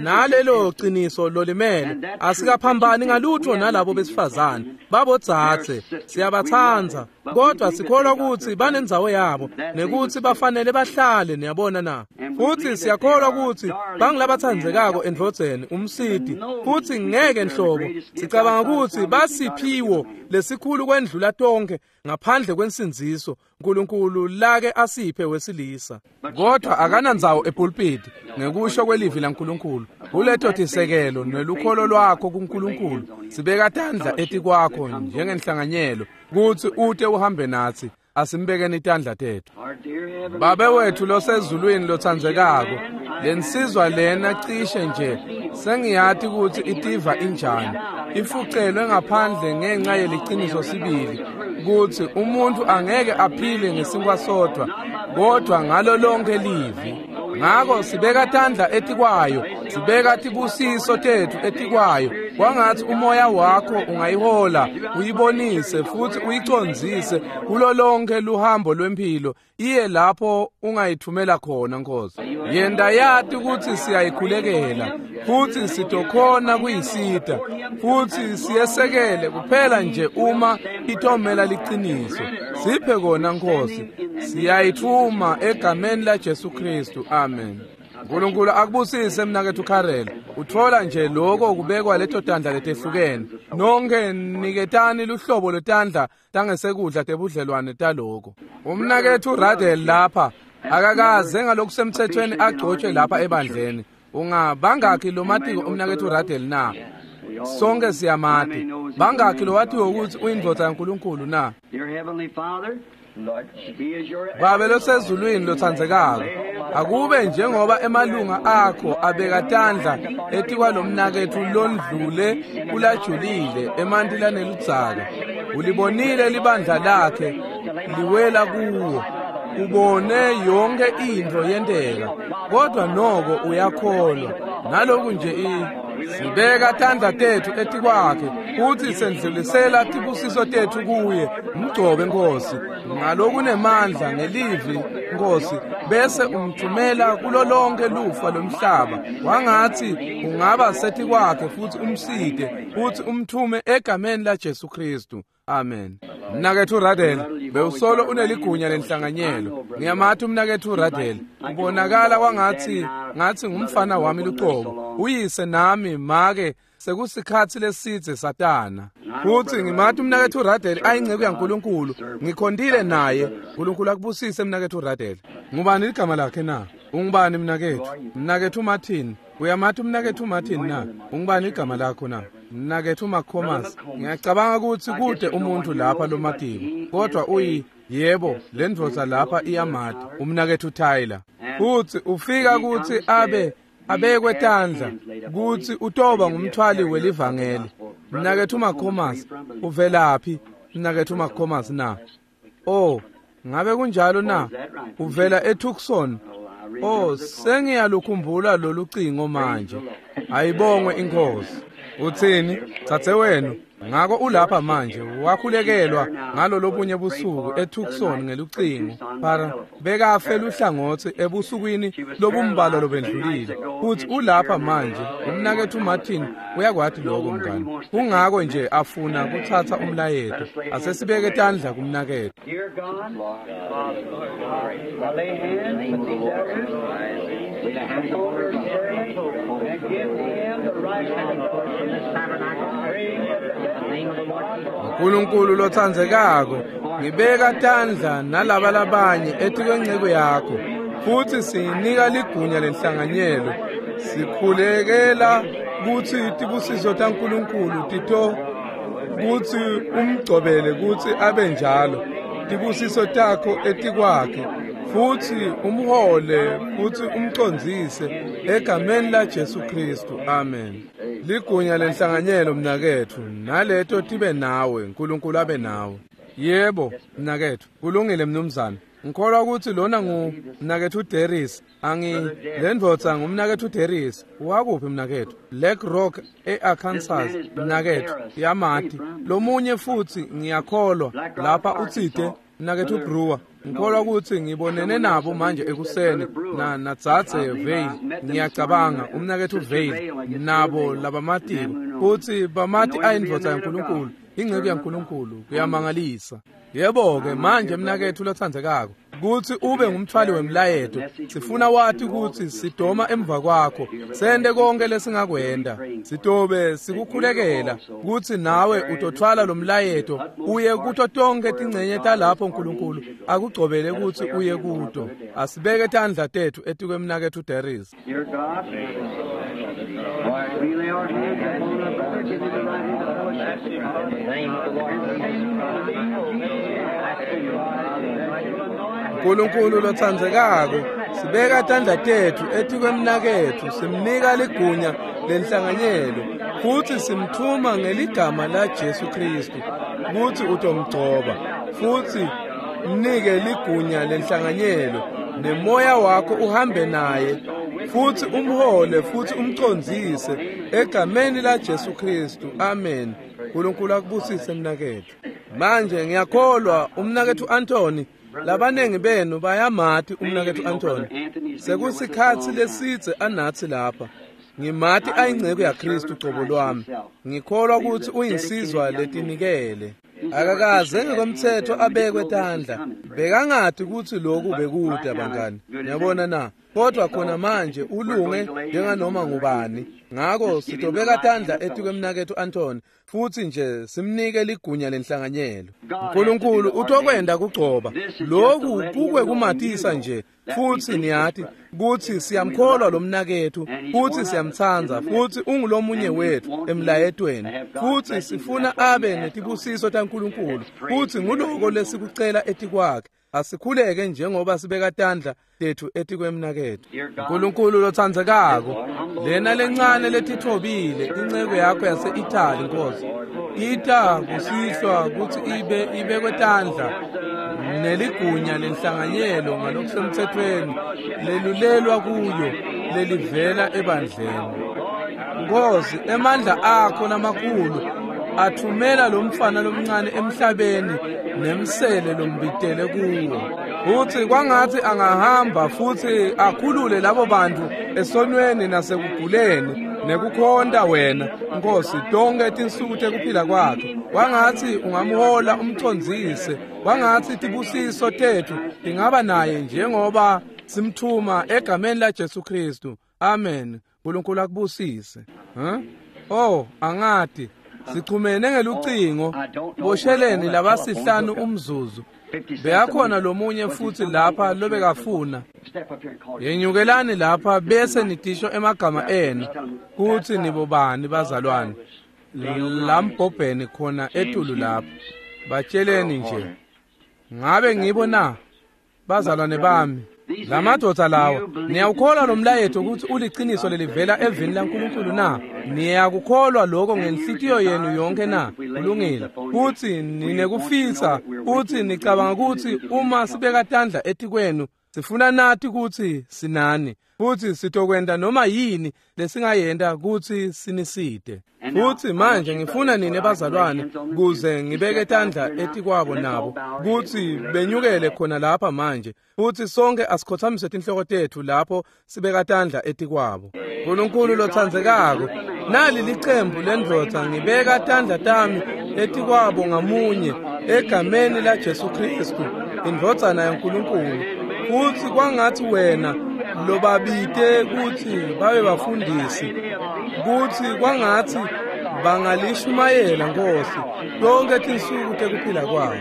nalelo qiniso lolimele asikaphambani ngalutho nalabo besifazane babodzatse. Siyabathandza, kodwa sikholwa ukuthi banendzawo yabo nekuthi bafanele bahlale, niyabona na? Futhi siyakholwa ukuthi bangilabathandzekako endvodzeni umsidi, futhi ngeke nhlobo sicabanga ukuthi basiphiwo lesikhulu kwendlula tonke ngaphandle kwensindziso uNkulunkulu lake asiphe wesilisa. Kodwa akanandzawo epulpiti ngekusho kwelivi laNkulunkulu. Kuleto tisekelo nelukholo lwakho kuNkulunkulu sibeka tandla etikwakho njengenhlanganyelo kuthi ute uhambe nathi. Asimbekeni itandla tethu. Babe wethu losezulwini lothandzekako, lensizwa lena cishe nje sengiyati ukuthi itiva injani, ifucelwe ngaphandle ngenxa yeliciniso sibili ukuthi umuntu angeke aphile ngesinkwa sodwa kodwa ngalo lonke livi. Ngako sibeka tandla etikwayo, Sibeka tibusiso tetfu etikwayo. Kwangatsi umoya wakho ungayihola, uyibonise futsi uyicondzise kulo lonke luhambo lwempilo iye lapho ungayithumela khona Nkosi. Yenta yati kutsi siyayikhulekela futsi sitokhona kuyisita futsi siyesekele kuphela nje uma itomela liciniso. Siphe kona Nkosi. Siyayithuma egameni la Jesu Kristu. Amen. Nkulunkulu akubusise mnaketfu Karel. Uthola nje lokho kubekwa leto tandla letehlukene. Nonke niketani luhlobo lwetandla tangesekudla tebudlelwane taloko. Umnaketfu Radel lapha akakaze ngalokusemthethweni agcotshwe lapha ebandleni. Ungabangakhi lomatiko umnaketfu Radel na? Sonke siyamati. Bangakhi lowatiwe ukuthi uyindvodza yaNkulunkulu na? Babe losezulwini lotsandzekako, akube njengoba emalunga akho abeka tandla etikwalomnaketfu londlule kulajulile emanti laneludzaka. Ulibonile libandla lakhe liwela kuwo, ubone yonke intfo yenteka, kodwa noko uyakholwa. Naloku nje i sibeka tandla tetfu etikwakhe futsi sendlulisela tibusiso tetfu kuye. Mgcobe Nkosi ngalokunemandla ngelivi Nkosi, bese umthumela kulo lonke lufa lomhlaba. Wangatsi ungaba setikwakhe futsi umsite futsi umthume egameni la Jesu Kristu. Amen. Mnaketfu Radel, bewusolo uneligunya lenhlanganyelo. Ngiyamati umnaketfu Radel. Ubonakala kwangatsi ngathi ngumfana wami luqobo. Uyise nami make sekusikhatsi lesidze satana. Futsi ngimati umnaketfu Radel ayinceku yaNkulunkulu. Ngikhontile naye. Nkulunkulu akubusise mnaketfu Radel. Ngubani ligama lakhe na? Ungubani mnaketfu? Mnaketfu Martin. Uyamati umnaketfu Martin na? Ungubani igama lakho na? Mnaketfu Makhomas. Ngiyacabanga kutsi kude umuntu lapha lomatiko, kodwa uyi yebo lendvodza lapha iyamati umnaketfu Tyler. Futsi ufika kutsi abe abekwe tandla kutsi utoba ngumthwali welivangeli. Mnaketfu Makhomas, uvelaphi mnaketfu Makhomas na? Oh, ngabe kunjalo na? Uvela eTucson. Oh, sengiyalukhumbula lolu cingo manje. Ayibongwe inkosi. Utsini? Tsatse wenu. Ngako ulapha manje wakhulekelwa ngalolobunye busuku eTucson ngelucingo. Para bekafe luhlangotsi ebusukwini lobumbalwa lobendlulile. Futhi ulapha manje. Umnaketfu Martin uyakwati lokho mngani. Kungako nje afuna kutsatsa umlayeto. Asesibeke tandla kumnaketfu. Nkulunkulu lotsandzekako, ngibeka tandla nalaba labanye etikwenceku yakho, futsi siyinika ligunya lenhlanganyelo. Sikhulekela kutsi tibusiso taNkulunkulu tito kutsi umgcobele kutsi abe njalo. Tibusiso takho etikwakhe, futsi umhole futsi umcondzise egameni la Jesu Kristu. Amen. Ligunya lenhlanganyelo mnaketfu, naleto tibe nawe, Nkulunkulu abe nawe. Yebo mnaketfu, kulungile mnumzane. Ngikholwa kutsi lona ngu mnaketfu Deris. Angi lendvodza ngumnaketfu Deris. Wakuphi mnaketfu? Black Rock eArkansas mnaketfu. Yamati. Lomunye futsi ngiyakholwa lapha utsite mnaketfu Brewer. Ngikholwa kutsi ngibonene nabo manje ekuseni na nadzadze Vale. Ngiyacabanga umnaketfu Vale nabo labamatiko kutsi bamati ayindvodza yaNkulunkulu, inceku yaNkulunkulu. Kuyamangalisa. Yebo ke manje mnaketfu lotsandzekako, kutsi ube ngumthwali wemlayeto. Sifuna wati kutsi sidoma emva kwakho, sente konke lesingakwenta. Sitobe sikukhulekela kutsi nawe utothwala lo mlayeto uye kuto tonke tincenye talapho Nkulunkulu akugcobele kutsi uye kuto. Asibeke tandla tetfu etikwemnaketfu Deris. Nkulunkulu lotsandzekako, sibeka tandla tetfu etikwemnaketfu, simnika ligunya lenhlanganyelo futsi simthuma ngeligama la Jesu Kristu kutsi utomgcoba futsi mnike ligunya lenhlanganyelo, nemoya wakho uhambe naye futsi umhole futsi umcondzise egameni laJesu Kristu. Amen. Nkulunkulu akubusise mnaketfu. Manje ngiyakholwa umnaketfu Anthony, labanengi benu bayamati umnaketfu Anthony. Sekusikhatsi lesidze anatsi lapha. Ngimati ayinceku yaKristu cobo lwami. Ngikholwa kutsi uyinsizwa letinikele. Akakaze ngekomthetho abekwe tandla. Bekangati kutsi lokhu bekuda bangani. Niyabona na? Kodwa khona manje ulunge njenganoma ngubani. Ngako sitobeka tandla etikwemnaketfu Anthony futsi nje simnike ligunya lenhlanganyelo. Nkulunkulu utokwenda kugcoba. Lokhu kukwe kumatisa nje futsi niyati kutsi siyamkholwa lo mnaketfu futsi siyamtsandza futsi ungulomunye wetfu emlayetweni futsi sifuna abe netibusiso taNkulunkulu futsi nguloko lesikucela etikwakhe. Asikhuleke njengoba sibeka tandla tetfu etikwemnaketfu. Nkulunkulu lotsandzekako, lena lencane letitfobile inceku yakho yase-Italy Nkosi, ita kusihlwa kutsi ibe ibekwe tandla neligunya lenhlanganyelo ngalokusemtsetfweni lelulelwa kuyo lelivela ebandleni. Nkosi, emandla akho lamakhulu athumela lo mfana lomncane emhlabeni nemsele lombitele kuwo. Futsi kwangatsi angahamba futsi akhulule labo bantu esonweni nasekuguleni nekukhonta wena Nkosi tonke tinsuku tekuphila kwakhe. Kwangatsi ungamhola umcondzise, kwangatsi tibusiso tetfu tingaba naye njengoba simthuma egameni laJesu Kristu. Amen. Nkulunkulu akubusise. Huh? Oh, angati sichumene ngelucingo bosheleni labasihlanu umzuzu. Beyakhona lomunye futsi lapha lobekafuna. Yenyukelani lapha bese nitisho emagama enu kutsi nibobani bazalwane. Lambhobheni khona etulu lapha. Batsheleni nje. Ngabe ngibo na? Bazalwane bami. Lamadvodza lawa, niyawukholwa lo mlayeto ukuthi uliqiniso lelivela evini laNkulunkulu na? Niyakukholwa lokho ngenhlitiyo yenu yonke na? Kulungile. Futhi ninekufisa, futhi nicabanga ukuthi uma sibeka tandla etikwenu, sifuna nathi ukuthi sinani, futhi sitokwenda noma yini lesingayenta ukuthi siniside. Futhi manje ngifuna nine bazalwane kuze ngibeke tandla etikwabo nabo kuthi benyukele khona lapha manje, futhi sonke asikhothamise tinhloko tetfu lapho sibeka tandla etikwabo. Nkulunkulu lotsandzekako, nali licembu lendvodza, ngibeka tandla tami etikwabo ngamunye egameni laJesu Kristu, indvodzana yaNkulunkulu. Futhi kwangathi wena lobabite kuthi babe bafundisi, kuthi kwangathi bangalishumayela Nkosi tonke tinsuku tekuphila kwabo.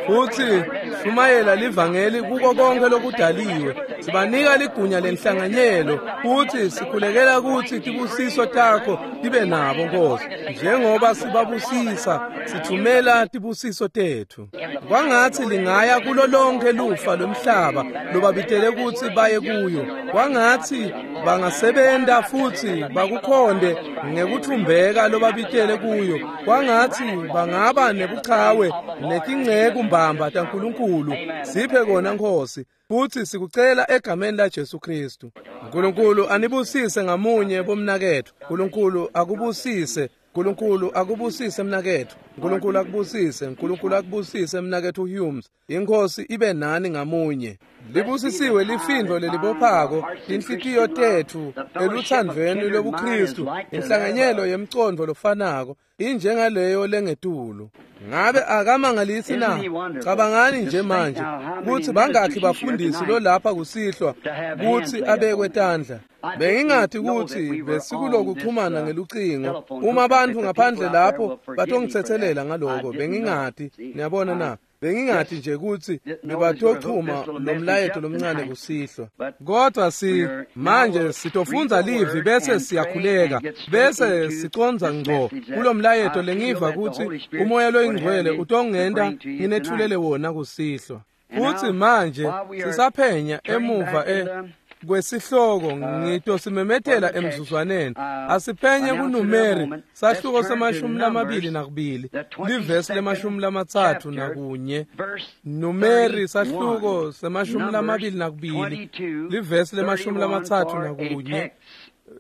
Futhi shumayela livangeli kuko konke lokudaliwe. Sibanika ligunya lenhlanganyelo futhi sikhulekela ukuthi tibusiso takho tibe nabo Nkosi. Njengoba sibabusisa, sithumela tibusiso tetfu. Kwangathi lingaya kulo lonke lufa lomhlaba lobabitele ukuthi baye kuyo. Kwangathi bangasebenta futhi bakukhonde ngekuthumbeka lobabitele kuyo. Kwangathi bangaba nebuchawe netinceku mbamba taNkulunkulu. Siphe kona Nkosi, futhi sikucela egameni laJesu Kristu. Nkulunkulu anibusise ngamunye bomnaketfu. Nkulunkulu akubusise. Nkulunkulu akubusise mnaketfu. Nkulunkulu akubusise. Nkulunkulu akubusise mnaketfu Humes. Inkosi ibe nani ngamunye. Libusisiwe lifindvo lelibophako tinhlitiyo tetfu eluthandvweni lobuKristu, inhlanganyelo yemcondvo lofanako injengaleyo lengetulu. Ngabe akamangalisi na? Cabangani nje manje kutsi bangakhi bafundisi lo lapha kusihlwa kutsi abekwe tandla. Bengingathi kutsi besikulokuxhumana ngelucingo. Uma abantu ngaphandle lapho batongitsetselela ngaloko, bengingati. Niyabona na? Bengingathi nje kutsi bebatochuma lomlayeto lomncane kusihlwa. Kodwa si manje sitofundza livi bese siyakhuleka bese siconza ngco kulomlayeto lengiva kutsi umoya loyingcwele utongenta nginethulele wona kusihlwa. Futhi manje sisaphenya emuva e Kwesihloko ngitosimemetela emzuzwaneni. Asiphenye kuNumeri sahluko semashumi lamabili nakubili livesi lemashumi lamatsatfu nakunye. Numeri sahluko semashumi lamabili nakubili livesi lemashumi lamatsatfu nakunye.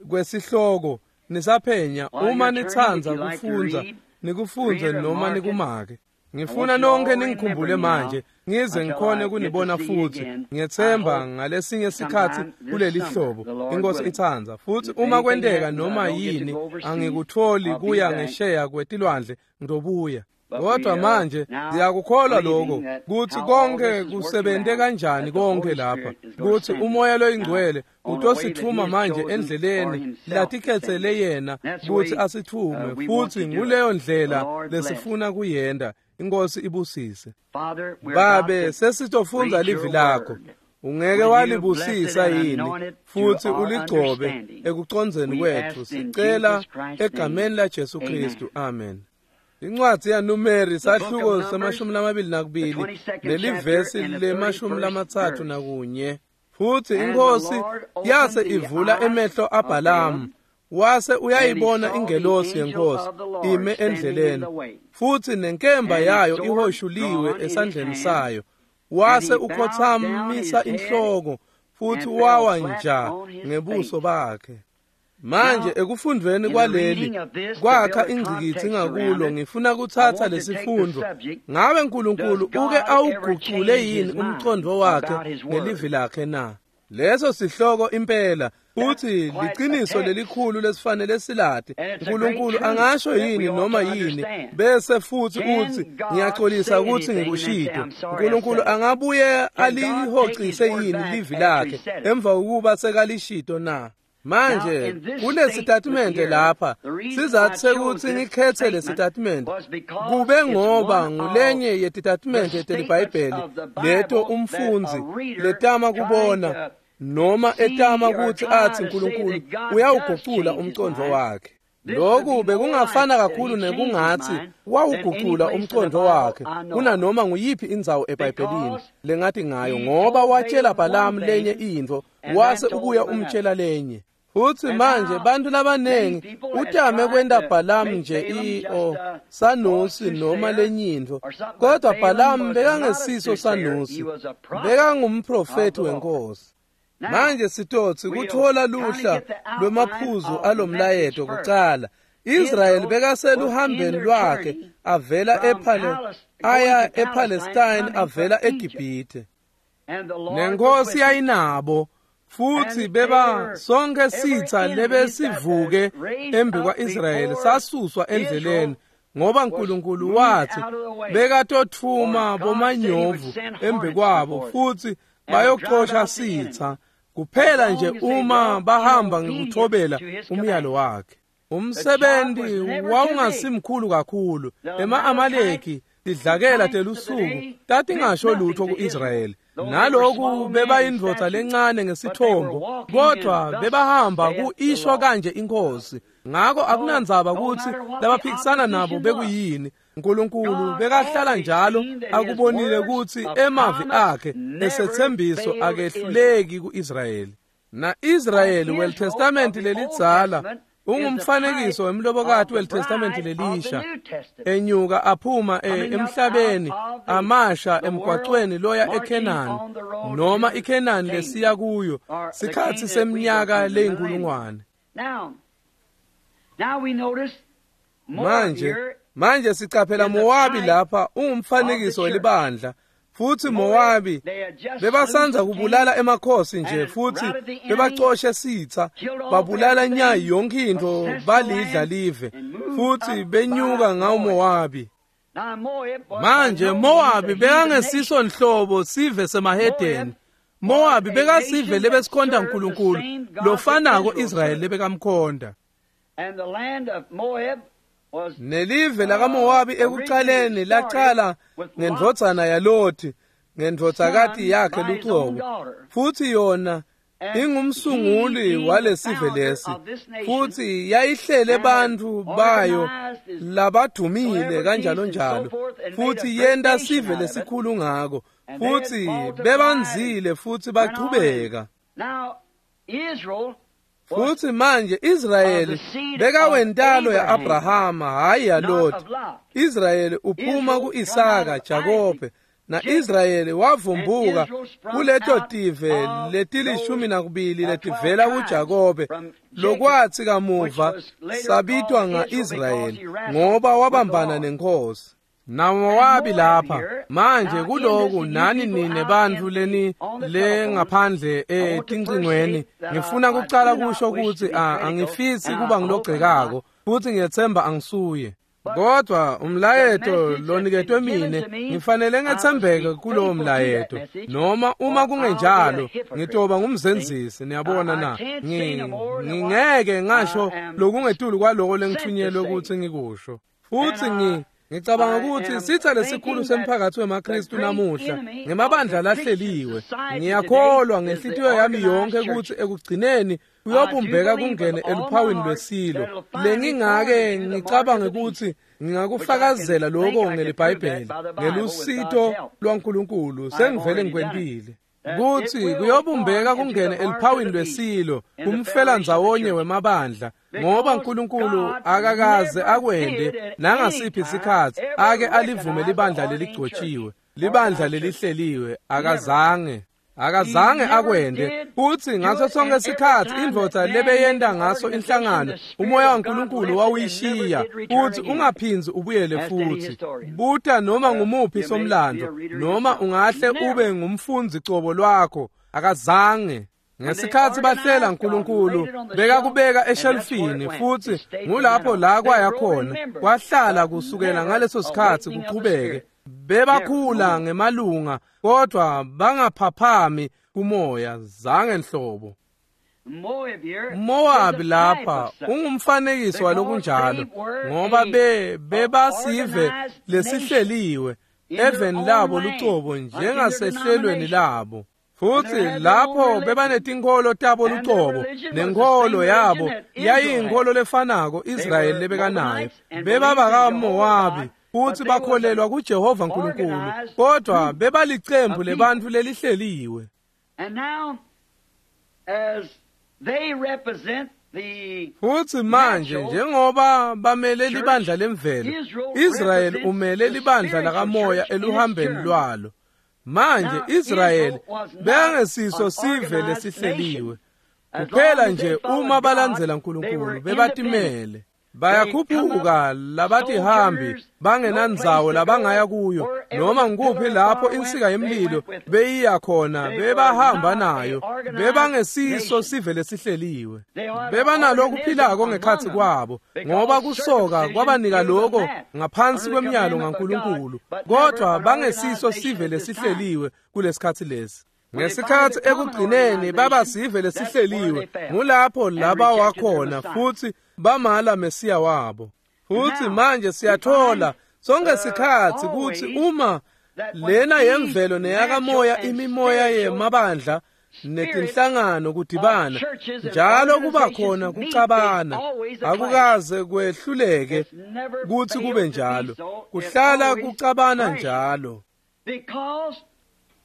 Kwesihloko nisaphenya uma nitsandza kufundza nikufundze noma nikumake. Ngifuna nonke ningikhumbule manje ngize ngikhone kunibona futhi. Ngiyethemba ngalesinye sikhathi kuleli hlobo inkosi itsandza. Futhi uma kwenteka noma yini angikutholi kuya ngesheya kwetilwandle ngizobuya. Kodwa manje siyakukholwa lokho kuthi konke kusebente kanjani konke lapha, kuthi umoya loyingcwele utosithuma manje endleleni latikhetsele yena kuthi asithume, futhi nguleyo ndlela lesifuna kuyenda. Inkosi ibusise. Babe, sesitofundza livi lakho. Ungeke walibusisa yini futhi uligcobe ekucondzeni kwethu? Sicela egameni la Jesu Kristu, amen. Incwadi yaNumeri sahluko semashumi lamabili nakubili nelivesi lemashumi lamatsatfu nakunye. Futhi inkosi yase ivula emehlo aBhalamu, wase uyayibona ingelosi yenkosi ime endleleni, futhi nenkemba yayo ihoshuliwe esandleni sayo. Wase ukhothamisa inhloko futhi wawa nja ngebuso bakhe. Manje ekufundweni kwaleli kwakha ingcikitsi ngakulo, ngifuna kuthatha lesifundo. Ngabe uNkulunkulu uke awugucule yini umcondo wakhe ngelivi lakhe na? Leso sihloko impela uthi liqiniso lelikhulu lesifanele silati. uNkulunkulu angasho yini noma yini bese futhi uthi ngiyaxolisa ukuthi ngikushito? uNkulunkulu angabuye alihocise yini livi lakhe emva kokuba sekalishito na? Manje kulesitatimende lapha sizathu sekuthi ngikhethe lesitatimende kube ngoba ngulenye yetitatimende teliBhayibheli leto umfundzi letama kubona noma etama ukuthi athi uNkulunkulu uyawugucula umcondo wakhe. Lokhu bekungafana kakhulu nekungathi wawugucula umcondo wakhe kunanoma nguyiphi indzawo eBhayibhelini lengathi ngayo, ngoba watshela Balamu lenye intfo wase ubuya umtshela lenye. Futhi manje bantu labanengi utame kwenta Balamu nje i-o sanusi noma lenyintfo, kodwa Balamu bekangesiso sanusi, bekangumprofethi wenkosi. Manje sitotsi kuthola luhla lwemaphuzu alomlayeto kucala. Israel bekaseluhambeni lwakhe avela ePhale aya ePalestine avela eGibhithe. Nenkosi yayinabo futhi beba sonke sitha lebesivuke embi kwa-Israyeli sasuswa endleleni, ngoba uNkulunkulu wathi bekatothuma bomanyovu embi kwabo futhi bayoxosha sitha kuphela nje uma bahamba ngekuthobela umyalo wakhe. Umsebenzi wawungasimkhulu kakhulu. Ema-Amaleki tidlakela telusuku tatingasho lutho ku-Israyeli. Naloku bebayindvodza lencane ngesithombo, kodwa bebahamba ku-isho kanje inkosi. Ngako akunandzaba ukuthi labaphikisana nabo bekuyini. uNkulunkulu bekahlala njalo akubonile ukuthi emavi akhe esethembiso akehluleki ku-Israyeli. Na-Israyeli weTestament lelidzala ungumfanekiso wemlobokati weTestament lelisha, enyuka aphuma emhlabeni amasha emgwaqweni loya eKhenani noma iKhenani lesiya kuyo sikhathi seminyaka leyinkulungwane. Manje manje sicaphela Mowabi lapha ungumfanekiso welibandla. Futhi Mowabi bebasandza kubulala emakhosi nje futhi bebacoshe sitha, babulala nya yonke into balidla live futhi benyuka ngawo Mowabi. Manje Mowabi bekangesiso nhlobo sive semahedeni. Mowabi bekasive lebesikhonda uNkulunkulu lofanako Israyeli lebekamkhonda. Nelive lakaMowabi ekucaleni lacala ngendvodzana yaLothi ngendvodzakati yakhe lucobo, futhi yona ingumsunguli walesive lesi, futhi yayihlele bantfu bayo labadumile kanjalo njalo, futhi yenta sive lesikhulu ngako, futhi bebanzile futhi bachubeka. Futhi manje Israyeli bekawentalo ya-Abrahama, hhayi yaLoti. Israyeli uphuma ku-Isaka, Jakobe, na-Israyeli wavumbuka kuleto tive letilishumi nakubili letivela kuJakobe, lokwathi kamuva sabitwa nga-Israyeli ngoba wabambana nenkosi. NaMowabi lapha manje kuloku nani nine bantfu leni lengaphandle etincingweni, ngifuna kucala kusho kutsi angifisi kuba ngilogcekako futhi ngiyethemba angisuye. Kodwa umlayeto loniketwe mine ngifanele ngethembeke kulowo mlayeto, noma uma kungenjalo ngitoba ngumzenzisi. Niyabona na, ngingeke ngasho lokungetulu kwaloko lengithunyelwe ukuthi ngikusho. Futhi ngi ngicabanga ukuthi sitha lesikhulu semphakathi wemaKristu namuhla ngemabandla lahleliwe. Ngiyakholwa ngenhlitiyo yami yonke ukuthi ekugcineni kuyobumbeka kungene eluphawini lwesilo. Lengingake ngicabange ukuthi ngingakufakazela lokho ngeliBhayibheli ngelusito lwaNkulunkulu sengivele ngikwentile. Kuthi kuyobumbeka kungene eluphawini lwesilo kumfela ndzawonye wemabandla, ngoba uNkulunkulu akakaze akwende nangasiphi isikhathi ake alivume libandla leligcotshiwe, libandla lelihleliwe. Akazange akazange akwende. Futhi ngaso sonke isikhathi indvodza lebeyenda ngaso inhlangano, umoya waNkulunkulu wawuyishiya futhi ungaphindzi ubuyele futhi. Buta noma ngumuphi somlando, noma ungahle ube ngumfundzi cobo lwakho, akazange. Ngesikhathi bahlela uNkulunkulu bekakubeka eshelfini, futhi ngulapho la kwaya khona, kwahlala kusukela ngaleso sikhathi kuqhubeke. Bebakhula ngemalunga kodwa bangaphaphami kumoya zange nhlobo. Mowabi lapha ungumfanekiso walokunjalo, ngoba be bebasive lesihleliwe eveni labo lucobo njengasehlelweni labo. Futhi lapho bebanetinkolo tabo lucobo, nenkolo yabo yayiyinkolo lefanako Israyeli lebekanayo. BebabakaMowabi futhi bakholelwa kuJehova uNkulunkulu, kodwa bebalicembu lebantfu lelihleliwe. Futhi manje njengoba bamele libandla lemvelo, Israyeli umele libandla lakamoya eluhambeni lwalo. Manje Israyeli bekangesiso sive lesihleliwe kuphela nje uma balandzela uNkulunkulu bebatimele. Bayakhuphuka labatihambi bangenandzawo labangaya kuyo, noma ngikuphi lapho insika yemlilo beyiya khona bebahamba nayo. Bebangesiso sive lesihleliwe, bebanalokuphilako ngekhatsi kwabo, ngoba kusoka kwabanika lokho ngaphansi kwemiyalo ngaNkulunkulu, kodwa bangesiso sive lesihleliwe kulesikhatsi lesi. Ngesikhathi ekugcineni baba sive lesihleliwe, ngulapho laba wakhona futhi bamala Mesiya wabo. Futhi manje siyathola sonke sikhathi ukuthi uma lena yemvelo neyakamoya imimoya yemabandla netinhlangano kudibana njalo kuba khona kucabana, akukaze kwehluleke kuthi kube njalo, kuhlala kucabana njalo.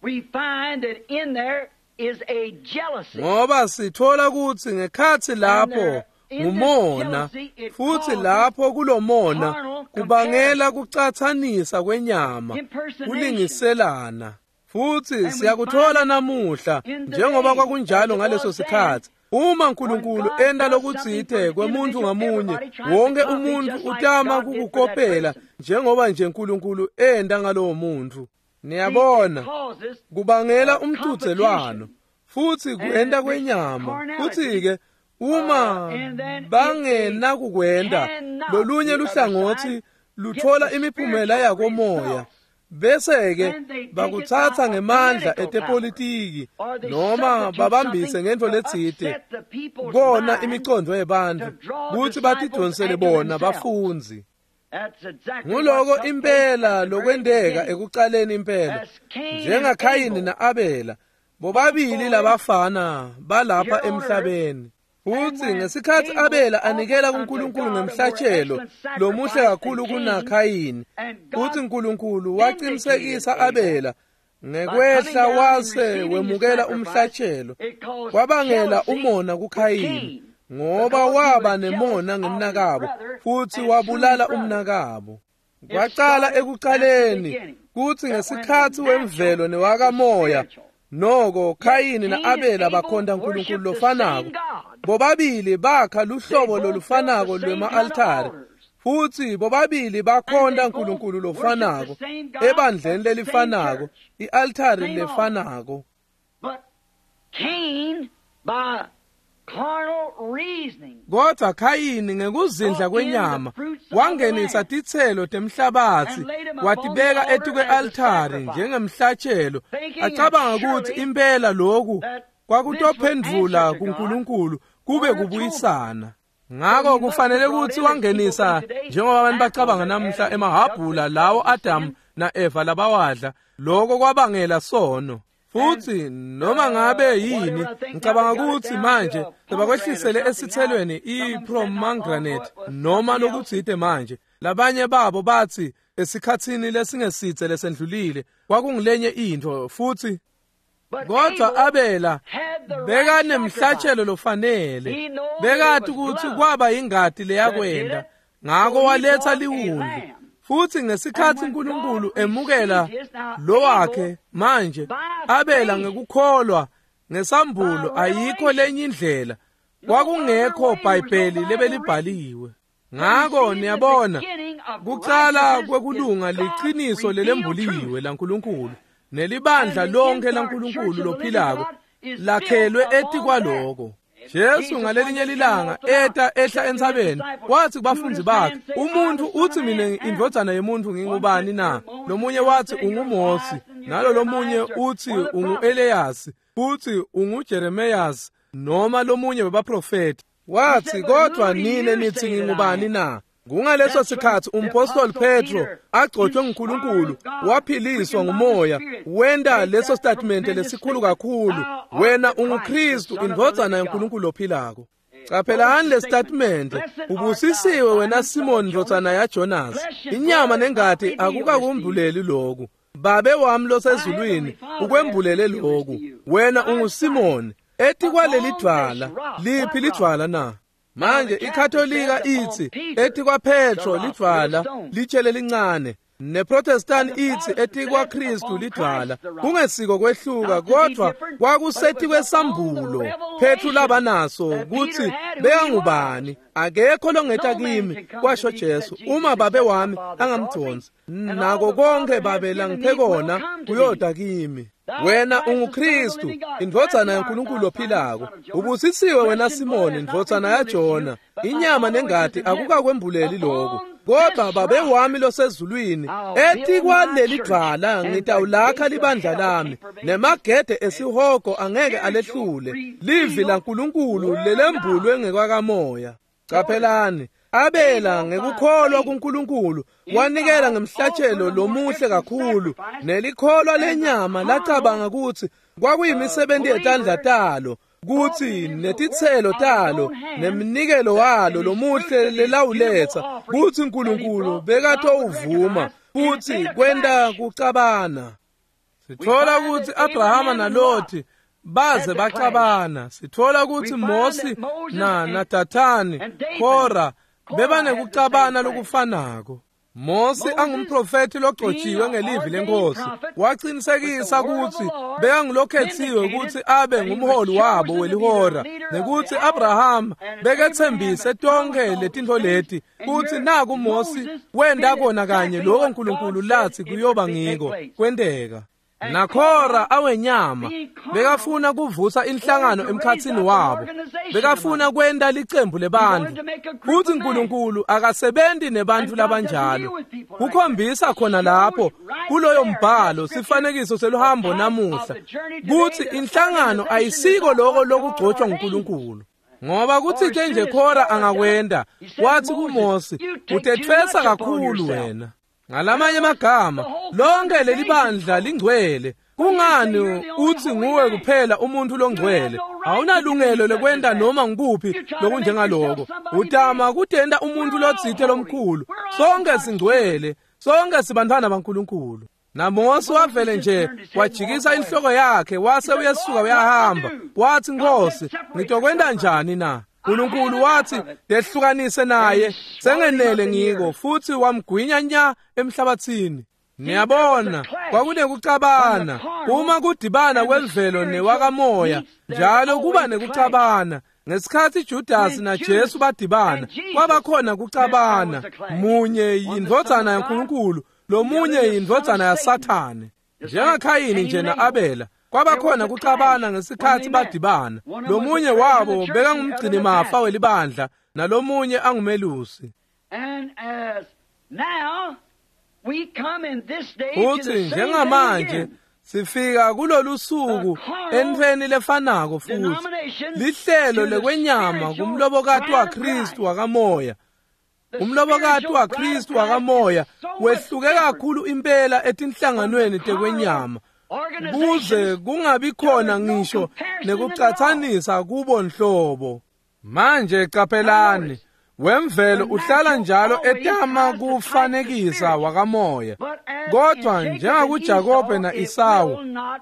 We find that in there is a jealousy. Ngoba sithola ukuthi ngekhathi lapho ngumona, futhi lapho kulomona kubangela kucathanisa kwenyama, kulingiselana. Futhi siyakuthola namuhla njengoba kwakunjalo ngaleso sikhathi. Uma uNkulunkulu enda lokutsite kwemuntu ngamunye, wonke umuntu utama kukukopela njengoba nje uNkulunkulu enda ngalowo muntu. Niyabona, kubangela umcudzelwano futhi kuenda kwenyama. Futhi-ke uma bangenakukwenda lolunye luhlangothi luthola imiphumela yakomoya, bese-ke bakuthatha ngemandla etepolitiki noma babambise ngento letsite kona imicondo yebantfu kutsi batidonsele bona bafundzi. Nguloko impela lokwenteka ekucaleni impela, njengaKhayini na-Abela, bobabili labafana balapha emhlabeni. Futhi ngesikhathi Abela anikela kuNkulunkulu ngemhlatshelo lomuhle kakhulu kunaKhayini, futhi uNkulunkulu waqinisekisa Abela Ngekwehla wase wemukela umhlatshelo, kwabangela umona kuKhayini, ngoba waba nemona ngemnakabo futhi wabulala umnakabo. Kwaqala ekuqaleni kuthi ngesikhathi wemvelo newakamoya, noko Khayini na-Abela bakhonta uNkulunkulu lofanako. Bobabili bakha luhlobo lolufanako lwema-altare, futhi bobabili bakhonta uNkulunkulu lofanako ebandleni lelifanako, i-altare lefanako. Kodwa Khayini ngekuzindla kwenyama wangenisa titselo temhlabatsi watibeka etikwe-altare njengemhlatshelo, acabanga ukuthi impela lokhu kwakutophendvula kuNkulunkulu kube kubuyisana. Ngako kufanele ukuthi wangenisa, njengoba abantu bacabanga namuhla, emahabhula lawo Adam na-Eva labawadla, lokho kwabangela sono. Futhi noma ngabe yini, ngicabanga ukuthi manje sebakwehlisele esithelweni i-pomegranate noma lokutsite manje. Labanye babo bathi esikhatsini lesingesitse lesendlulile kwakungilenye intfo futhi. Kodwa Abela bekanemhlatshelo lofanele, bekati ukuthi kwaba ingati leyakwenda, ngako waletha liwundlu. Futhi ngesikhathi uNkulunkulu emukela lo wakhe manje, Abela ngekukholwa ngesambulo, ayikho lenye indlela, kwakungekho Bhayibheli lebelibhaliwe. Ngako niyabona, kucala kwekulunga liqiniso lelembuliwe laNkulunkulu, nelibandla lonke laNkulunkulu lophilako lakhelwe etikwaloko. Jesu ngalelinye lilanga eta ehla entsabeni, wathi kubafundzi bakhe, umuntu uthi mina indvodzana yemuntu ngingubani na? Lomunye wathi unguMosi, nalo lomunye uthi ungu-Eliyasi, futhi unguJeremiyasi noma lomunye webaprofeti. Wathi, kodwa nine nithi ngingubani na? Kungaleso sikhathi umpostoli Petro agcotshwe nguNkulunkulu, waphiliswa ngumoya, wenda leso statement lesikhulu kakhulu, wena unguKristu indvodzana yaNkulunkulu ophilako. Qaphelani le statement, ubusisiwe wena Simon ndvodzana yaJonas, inyama nengati akukakumbuleli lokhu, Babe wami losezulwini ukwembulele lokhu, wena unguSimon, etikwaleli dvwala. Liphi lidvwala na? Manje iKatolika ithi etikwaPetro lidvwala litshe lelincane, neProtestant ithi etikwaKristu lidvwala. Kungesiko kwehluka, kodwa kwakusetikwesambulo Petru labanaso ukuthi bekangubani. Akekho longeta kimi, kwasho Jesu, uma Babe wami angamdonsi, nako konke Babe langiphe kona kuyoda kimi. Wena unguKristu indvodzana yaNkulunkulu ophilako. Ubusisiwe wena Simoni indvodzana yaJona, inyama nengati akukakwembuleli lokhu, kodwa Babe wami losezulwini. Etikwaleli dvwala ngitawulakha libandla lami, nemagede esihogo angeke alehlule. Livi laNkulunkulu lelembulwe ngekwakamoya. Qaphelani, Abela ngekukholwa kuNkulunkulu wanikela ngemhlatshelo lomuhle kakhulu, nelikholwa lenyama lacabanga ukuthi kwakuyimisebenzi yetandla talo, kuthi netitselo talo neminikelo walo lomuhle lelawuletha, kuthi uNkulunkulu bekatowuvuma futhi kwenta kucabana. Sithola ukuthi Abrahama naLothi baze bacabana. Sithola ukuthi Mosi na naDathani, Kora bebanekucabana lokufanako. Mosi angumprofeti logcotshiwe ngelivi lenkosi, waqinisekisa ukuthi bekangulokhethiwe ukuthi abe ngumholi wabo welihora, nekuthi Abraham bekethembise tonke letintfo leti, kuthi naku Mosi wenda kona kanye lokho uNkulunkulu lathi kuyoba ngiko kwenteka. Nakhora awenyama bekafuna kuvusa inhlangano emkhatsini wabo, bekafuna kwenta licembu lebantfu, futhi uNkulunkulu akasebenzi nebantfu labanjalo. Kukhombisa khona lapho kuloyo mbhalo sifanekiso seluhambo namuhla kuthi inhlangano ayisiko lokho lokugcotshwa nguNkulunkulu. Ngoba kuthi nje Khora angakwenda, wathi kuMosi, utethwesa kakhulu wena. Ngalamanye amagama, lonke leli bandla lingcwele. Kungani uthi nguwe kuphela umuntu longcwele? Awunalungelo lokwenda noma ngikuphi lokunjengaloko. Utama kutenta umuntu lotsite lomkhulu. Sonke singcwele, sonke sibantwana baNkulunkulu. NaMose wavele nje wajikisa inhloko yakhe wase uyesuka uyahamba. Wathi, Nkosi, ngitokwenta njani na? uNkulunkulu wathi, "Dehlukanise naye, sengenele ngiko," futhi wamgwinya nya emhlabathini. Niyabona, kwakunekucabana. Uma kudibana kwemvelo newakamoya, njalo kuba nekucabana. Ngesikhathi Judas naJesu badibana, kwabakhona kucabana. Munye yindvodzana yaNkulunkulu, lomunye yindvodzana yaSathane. NjengaKhayini nje na-Abela, kwabakhona kucabana ngesikhathi badibana. Lomunye wabo bekangumgcinimafa welibandla, nalomunye angumelusi. Futhi njengamanje sifika kulolu suku entweni lefanako futhi, lihlelo lekwenyama kumlobokati waKristu wakamoya. Umlobokati waKristu wakamoya wehluke kakhulu impela etinhlanganweni tekwenyama, kuze kungabi khona ngisho nekucatsanisa kubo nhlobo. Manje qaphelani, wemvelo uhlala njalo etama kufanekisa wakamoya, kodwa njengakuJakobe na-Esawu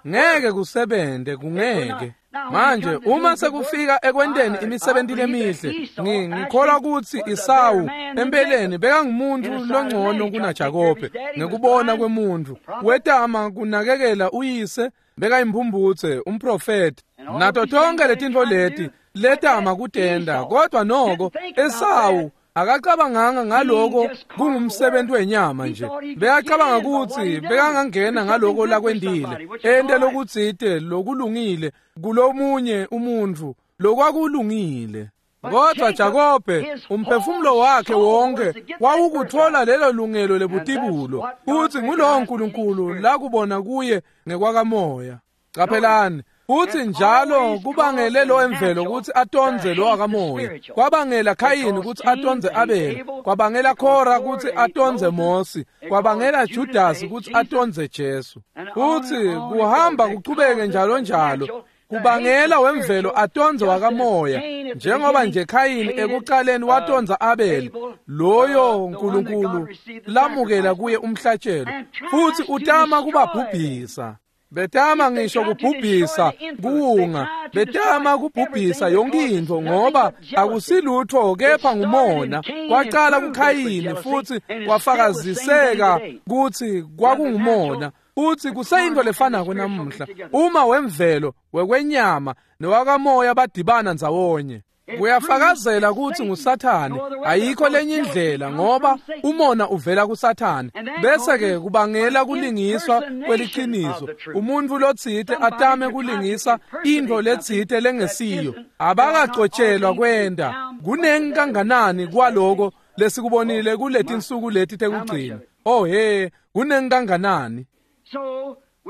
ngeke kusebente, kungeke. Manje uma sekufika ekwenteni imisebenti lemihle, ngikholwa ukuthi Esawu empeleni bekangumuntu longcono kunaJakobe ngekubona kwemuntu. Wetama kunakekela uyise, bekayimphumphutse, umprofeti, nato tonke letintfo leti letama kutenda, kodwa noko Esawu akacabanganga ngaloko kungumsebenzi wenyama nje. Bekacabanga ukuthi bekangangena ngaloko lakwendile, ente lokutsite lokulungile kulomunye umuntu lokwakulungile. Kodwa Jakobe umphefumulo wakhe wonke wawukuthola lelo lungelo lebutibulo, futhi ngulowo uNkulunkulu lakubona kuye ngekwakamoya. Qaphelani, futhi njalo kubangele lo emvelo ukuthi atonze lo wakamoya, kwabangela Khayini ukuthi atonze Abel, kwabangela Khora ukuthi atonze Mose, kwabangela Judas ukuthi atonze Jesu. Futhi kuhamba kuchubeke njalo njalo, kubangela wemvelo atonze wakamoya, njengoba nje Khayini ekuqaleni watonza Abel, loyo uNkulunkulu lamukela kuye umhlatshelo, futhi utama kubabhubhisa. Betama ngisho kubhubhisa kuwunga, betama kubhubhisa yonke intfo, ngoba akusilutho kepha ngumona. Kwaqala kuKhayini futhi kwafakaziseka kutsi kwakungumona, futhi kuseyintfo lefanako namuhla. Uma wemvelo wekwenyama newakamoya badibana ndzawonye, kuyafakazela kutsi nguSathane. Ayikho lenye indlela, ngoba umona uvela kuSathane, bese-ke kubangela kulingiswa kweliqiniso. Umuntu lotsite atame kulingisa intfo letsite lengesiyo, abakagcotshelwa kwenta. Kunengi kanganani kwaloko lesikubonile kuletinsuku leti tekugcina? Oh he, kunengi kanganani!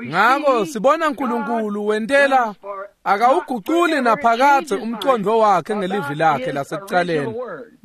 Ngako sibona uNkulunkulu wentela akawuguculi naphakadze umqondo wakhe ngelivi lakhe lasekucaleni,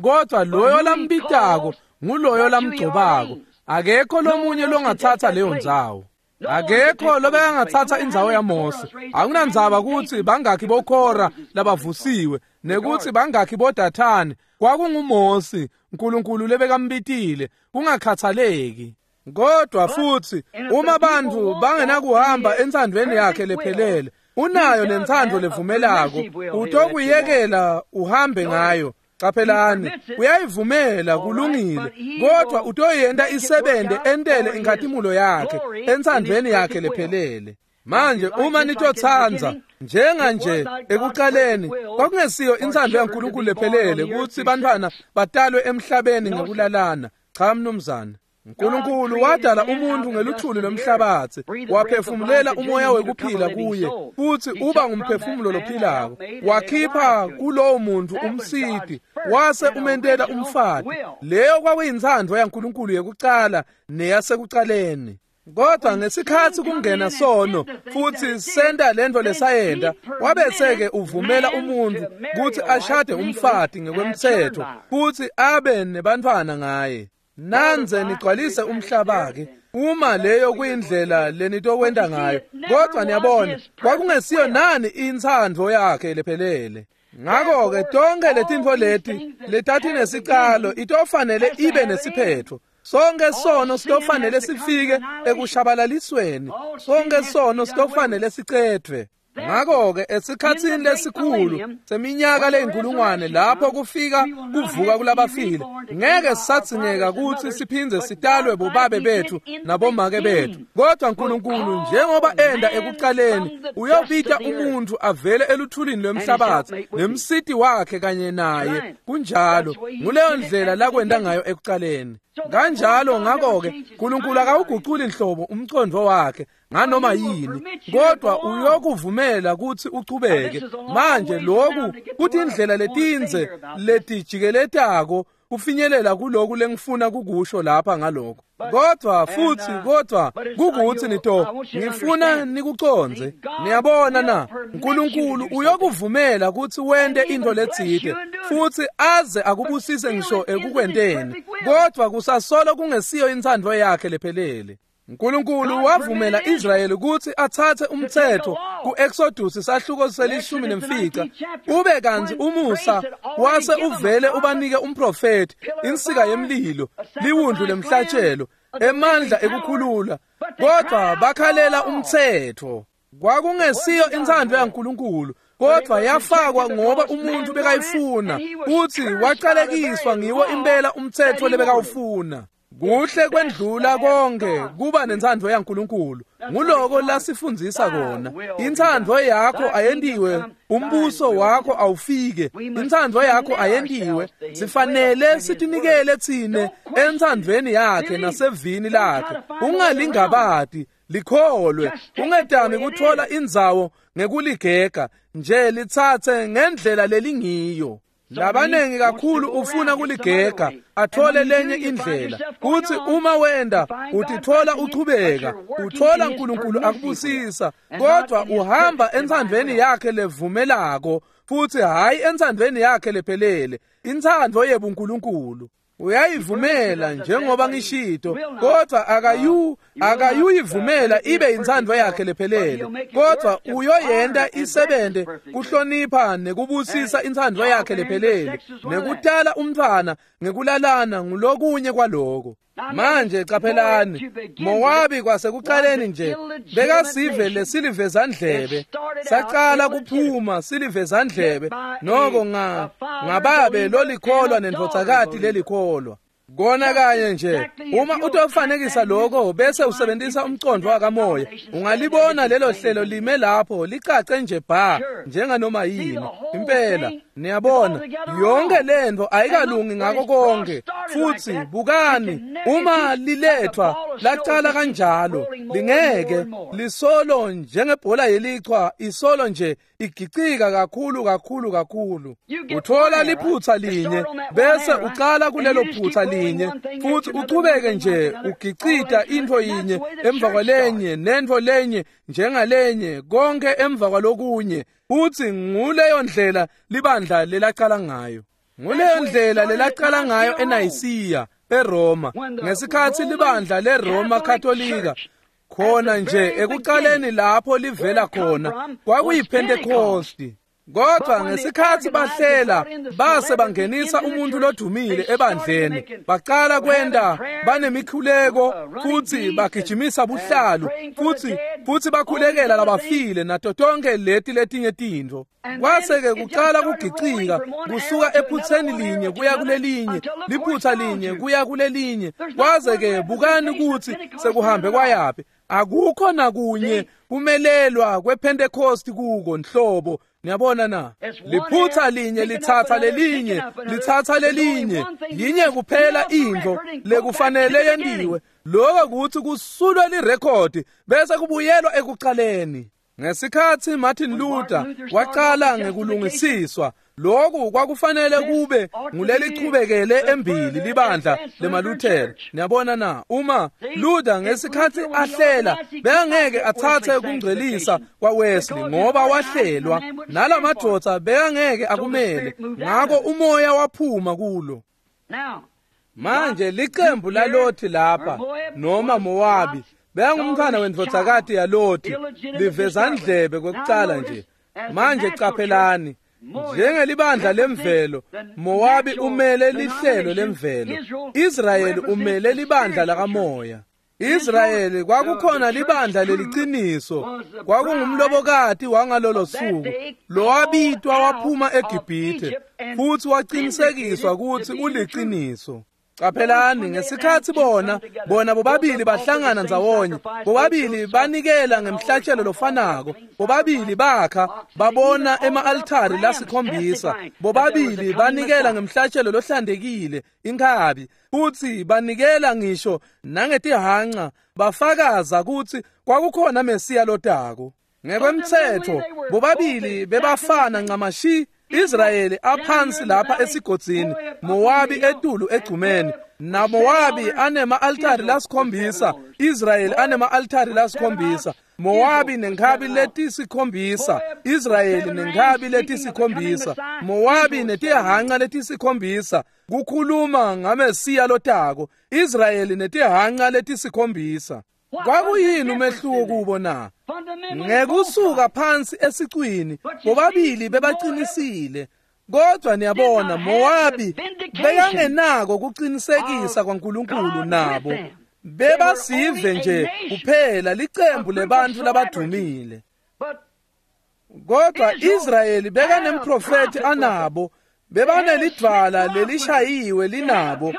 kodwa loyo lambitako nguloyo lamgcobako. Akekho lomunye longathatha leyo ndzawo. Akekho lobekangathatha indzawo yaMose. Akunandzaba kutsi bangakhi boKhora labavusiwe nekuthi bangakhi boDathani, kwakunguMose uNkulunkulu lebekambitile, kungakhathaleki. Kodwa futhi uma bantu bangenakuhamba entsandvweni yakhe lephelele, unayo nentsandvo levumelako, utokuyekela uhambe ngayo. Qaphelani, uyayivumela, kulungile, kodwa utoyenta isebente entele inkhatimulo yakhe entsandvweni yakhe lephelele. Manje uma nitotsandza, njenga nje ekuqaleni kwakungesiyo intsandvo yaNkulunkulu lephelele kutsi bantfwana batalwe emhlabeni ngekulalana. Cha mnumzane. uNkulunkulu wadala umuntu ngeluthuli lomhlabathi, waphefumulela umoya wekuphila kuye, futhi uba ngumphefumulo lophilako. Wakhipha kulowo muntu umsiti, wase umentela umfati. Leyo kwakuyintsandvo yaNkulunkulu yekucala neyasekucaleni. Kodwa ngesikhathi kungena sono futhi senta lento lesayenta, wabese-ke uvumela umuntu kutsi ashade umfati ngekwemtsetfo futhi abe nebantfwana ngaye. Nanze nigcwalise umhlaba-ke, uma leyo kuyindlela lenitokwenta ngayo. Kodwa niyabona, kwakungesiyo nani intsandvo yakhe lephelele. Ngako-ke tonke letintfo leti letathi nesicalo itofanele ibe nesiphetfo. Sonke sono sitofanele sifike ekushabalalisweni. Sonke sono sitofanele sicedvwe. Ngakho-ke esikhatsini lesikhulu seminyaka leyinkulungwane lapho kufika kuvuka kulabafile, ngeke sisadzingeka kutsi siphindze sitalwe bobabe bethu nabomake bethu. Kodwa Nkulunkulu njengoba enda ekucaleni uyobita umuntfu avele eluthulini lwemhlabatsi nemsiti wakhe kanye naye. Kunjalo, nguleyo ndlela lakwenta ngayo ekucaleni. Kanjalo ngakho-ke Nkulunkulu akawuguculi nhlobo umcondvo wakhe nganoma yini, kodwa uyokuvumela kutsi uchubeke. Manje lokhu kutindlela letindze letijikeletako kufinyelela kuloku lengifuna kukusho lapha ngalokho. Kodwa futhi kodwa kukuthi nito ngifuna nikucondze. Niyabona na, Nkulunkulu uyokuvumela kutsi wente into letsite futhi aze akubusise ngisho ekukwenteni, kodwa kusasolo kungesiyo intsandvo yakhe lephelele. Nkulunkulu wavumela Israyeli kutsi atsatse umtsetfo ku-Exodus sahluko selishumi nemfica, ube kantsi umusa wase uvele ubanike umprofethi, insika yemlilo, liwundlu lemhlatshelo, emandla ekukhulula, kodwa bakhalela umtsetfo. Kwakungesiyo intsandvo yaNkulunkulu, kodwa yafakwa ngoba umuntu bekayifuna, futhi wacalekiswa ngiwo impela umtsetfo lebekawufuna. Kuhle kwendlula konke kuba nentsandvo yaNkulunkulu. Nguloko lasifundzisa kona. Intsandvo yakho ayentiwe, umbuso wakho awufike. Intsandvo yakho ayentiwe. Sifanele sitinikele tsine entsandvweni yakhe nasevini lakhe. Ungalingabati, likholwe. Ungetami kuthola indzawo ngekuligega, nje litsatse ngendlela lelingiyo. Labanengi kakhulu ufuna kuligega athole lenye indlela. Kuthi uma wenda utithola uchubeka, uthola Nkulunkulu akubusisa, kodwa uhamba entsandvweni yakhe levumelako futhi hayi entsandvweni yakhe lephelele, intsandvo yebuNkulunkulu. Uyayivumela njengoba ngishito, kodwa akayu akayuyivumela ibe intsandvo yakhe lephelele, kodwa uyoyenta isebente kuhlonipha nekubusisa intsandvo yakhe lephelele, nekutala umntfwana ngekulalana ngulokunye kwaloko. Manje caphelani, Mowabi kwasekucaleni nje bekasive lesilivezandlebe, sacala kuphuma silivezandlebe noko nga ngababe lolikholwa nendvodzakati lelikholwa. Kona kanye nje uma utofanekisa lokho bese usebenzisa umcondvo wakamoya, ungalibona lelo hlelo lime lapho licace nje bha njenganoma yini. Impela niyabona yonke lento ayikalungi ngako konke. Futhi bukani, uma lilethwa lacala kanjalo, lingeke lisolo njengebhola yelichwa, isolo nje igicika kakhulu kakhulu kakhulu. Uthola liphutha linye bese ucala kulelo phutha linye futhi uchubeke nje ugicita into yinye emva kwalenye nento lenye njengalenye, konke emva kwalokunye. Futhi nguleyo ndlela libandla lelacala ngayo. Nguleyo ndlela lelacala ngayo eNayisiya eRoma, ngesikhathi libandla leRoma Katolika khona nje ekucaleni lapho livela khona kwakuyiPentecosti. Kodwa ngesikhathi bahlela base bangenisa umuntu lodumile ebandleni, baqala kwenda banemikhuleko futhi bagijimisa buhlalu futhi futhi bakhulekela labafile nato tonke leti letinye tintfo. Kwase-ke kucala kugicika kusuka ephutheni linye kuya kulelinye, liphutha linye kuya kulelinye, kwaze-ke bukani kutsi sekuhambe kwayaphi. Akukho nakunye kumelelwa kwePentecost kuko nhlobo. Niyabona na, liphutha linye lithatha lelinye lithatha lelinye, yinye kuphela intfo lekufanele yentiwe, lokho kuthi kusulwe lirekhodi bese kubuyelwa ekucaleni. Ngesikhathi Martin Luther waqala ngekulungisiswa, lokhu kwakufanele kube ngulelichubekele embili libandla lemaLuthela. Niyabona na, uma Luther ngesikhathi ahlela bekangeke athathe kungcwelisa kwaWesley ngoba wahlelwa, nalamadvodza bekangeke akumele, ngako umoya waphuma kulo. Manje licembu laLothi lapha noma Mowabi bekangumntfwana wendvodzakati yaLothi, livezandlebe kwekucala nje. Manje caphelani, Njengelibandla lemvelo, Mowabi umele lihlelo lemvelo, Israyeli umele libandla lakamoya. Israyeli kwakukhona libandla leliciniso, kwakungumlobokati wangalolo suku lowabitwa waphuma eGibhithe futhi waqinisekiswa ukuthi uliciniso. Qaphelani ngesikhathi bona bona bobabili bahlangana ndzawonye, bobabili banikela ngemhlatshelo lofanako, bobabili bakha babona ema-altari lasikhombisa, bobabili banikela ngemhlatshelo lohlantekile inkhabi, futhi banikela ngisho nangetihanca, bafakaza ukuthi kwakukhona Mesiya lotako. Ngekwemthetho bobabili bebafana ncamashi. Israyeli aphansi lapha esigodzini, Mowabi etulu egcumeni, naMowabi anema-altari lasikhombisa, Israyeli anema-altari lasikhombisa, Mowabi nenkhabi letisikhombisa, Israyeli nenkhabi letisikhombisa, Mowabi netihanca letisikhombisa, kukhuluma ngaMesiya lotako, Israyeli netihanca letisikhombisa. Kwakuyini umehluko kubo na? Ngekusuka phansi esicwini bobabili bebaqinisile, kodwa niyabona Mowabi bekangenako kuqinisekisa kwaNkulunkulu nabo. Bebasive nje kuphela licembu lebantu labadumile. Kodwa Israyeli bekanemprofeti anabo, bebanelidvwala lelishayiwe linabo,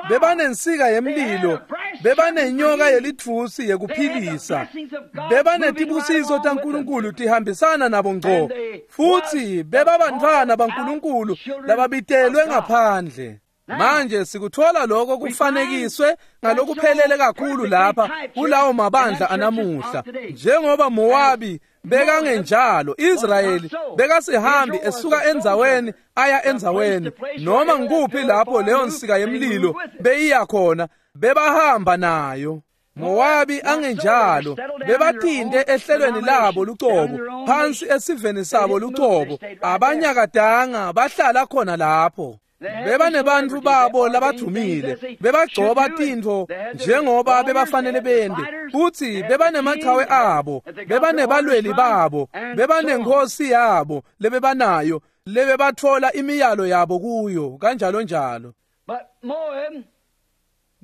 bebanensika yemlilo, bebanenyoka yelitfusi yekuphilisa, bebanetibusiso taNkulunkulu tihambisana nabo ngco, futhi bebabantfwana baNkulunkulu lababitelwe ngaphandle. Manje sikuthola lokho kufanekiswe ngalokuphelele kakhulu lapha kulawo mabandla anamuhla. Njengoba Mowabi bekangenjalo, Israyeli bekasihambi esuka endzaweni aya endzaweni, noma ngikuphi lapho leyo nsika yemlilo beyiya khona bebahamba nayo. Mowabi angenjalo, bebathinte ehlelweni labo lucobo, phansi esiveni sabo lucobo, abanyakadanga bahlala khona lapho. Bebanebantfu babo labadumile, bebagcoba tintfo njengoba bebafanele bende, futhi bebanemachawe abo, bebanebalweli babo, bebanenkosi yabo lebebanayo, lebebatfola imiyalo yabo kuyo, kanjalo njalo.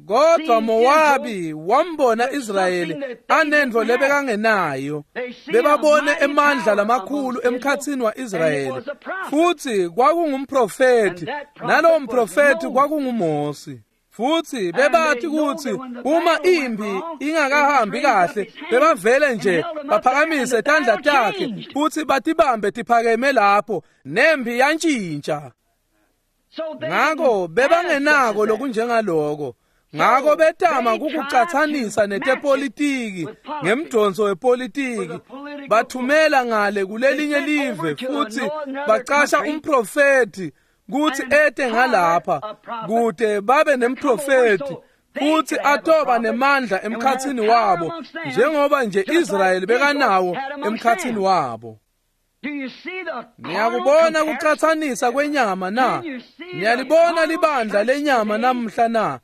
Kodwa Mowabi wambona Israyeli anendvo lebekangenayo, bebabone emandla lamakhulu emkhatsini wa-Israyeli, futhi kwakungumprofeti, nalowo mprofeti kwakunguMosi. Futhi bebathi ukuthi uma impi ingakahambi kahle, bebavele nje baphakamise tandla takhe futhi batibambe tiphakeme lapho, nempi yantshintsha. Ngako bebangenako lokunjengaloko. Ngako betama kukucatsanisa netepolitiki ngemdonso wepolitiki, bathumela ngale kulelinye live futhi bacasha umprofeti kuthi ete ngalapha kude babe nemprofeti futhi atoba nemandla emkhatsini wabo njengoba nje Israyeli bekanawo emkhatsini wabo. Niyakubona kucatsanisa kwenyama na? Niyalibona libandla lenyama namhla na?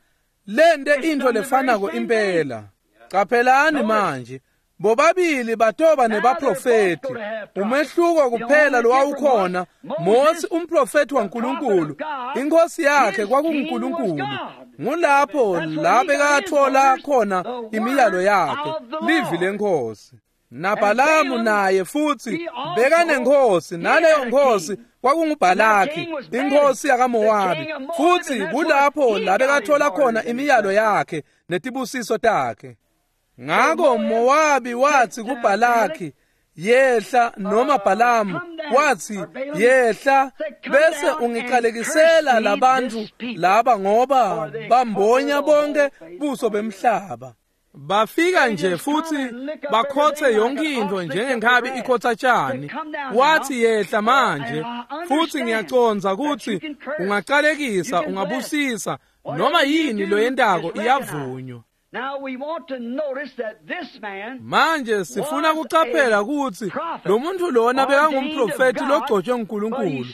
Lente into lefanako impela. Qaphelani manje, bobabili batoba nebaprofeti. Umehluko kuphela lowawukhona, Mosi umprofeti waNkulunkulu, inkosi yakhe kwakunguNkulunkulu. Ngulapho la bekathola khona imiyalo yakhe, livi lenkosi. NaBhalamu naye futhi bekanenkosi, naleyo nkosi kwakunguBhalaki, inkosi yakaMowabi, futhi kulapho la bekathola khona imiyalo yakhe netibusiso takhe. Ngako Mowabi wathi kuBhalaki, yehla, noma Bhalamu wathi, yehla bese ungiqalekisela labantu laba ngoba bambonya bonke buso bemhlaba. Bafika nje futhi bakhothe yonke into njengenkhabi ikhotha tshani. Wathi, yehla manje, futhi ngiyacondza ukuthi ungaqalekisa, ungabusisa, noma yini loyentako iyavunywa. Manje sifuna kucaphela ukuthi lo muntu lona bekangumprofeti logcotshwe nguNkulunkulu,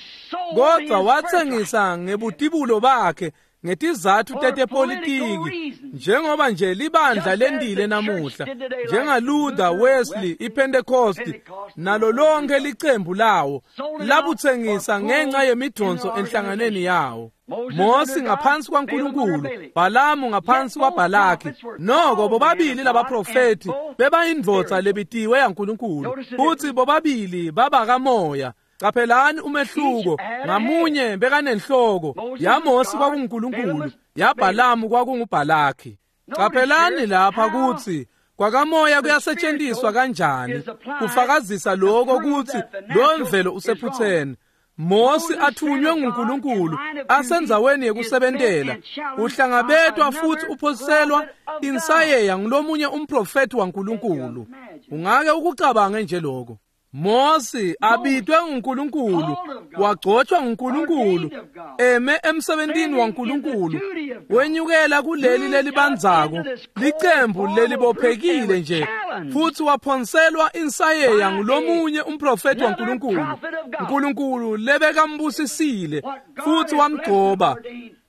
kodwa wathengisa ngebutibulo bakhe ngetizatfu tetepolitiki, njengoba nje libandla lendile namuhla, njengaLuther, Wesley, iPentecost nalo lonke licembu lawo labutsengisa ngenxa yemidonso enhlanganweni yawo. Mosi ngaphansi kwaNkulunkulu, Balamu ngaphansi kwaBhalaki. Noko bobabili labaprofethi bebayindvodza lebitiwe yaNkulunkulu, futhi bobabili babakamoya. Qaphelani umehluko, ngamunye bekanenhloko. YaMosi kwakunguNkulunkulu, yaBhalamu kwakunguBhalaki. Qaphelani lapha kutsi kwakamoya kuyasetshenziswa kanjani kufakazisa lokho kutsi lo mvelo usephutheni. Mosi athunywe nguNkulunkulu asendzaweni yekusebentela, uhlangabetwa futhi uphoselwa insayeya ngulomunye umprofethi waNkulunkulu. Ungake ukucabange nje lokho. Mosi abitwe nguNkulunkulu, wagcotshwa nguNkulunkulu, eme emsebentini waNkulunkulu, wenyukela kuleli lelibandzako licembu lelibophekile nje, futhi waphonselwa insayeya ngulomunye umprofethi waNkulunkulu, uNkulunkulu lebekambusisile futhi wamgcoba.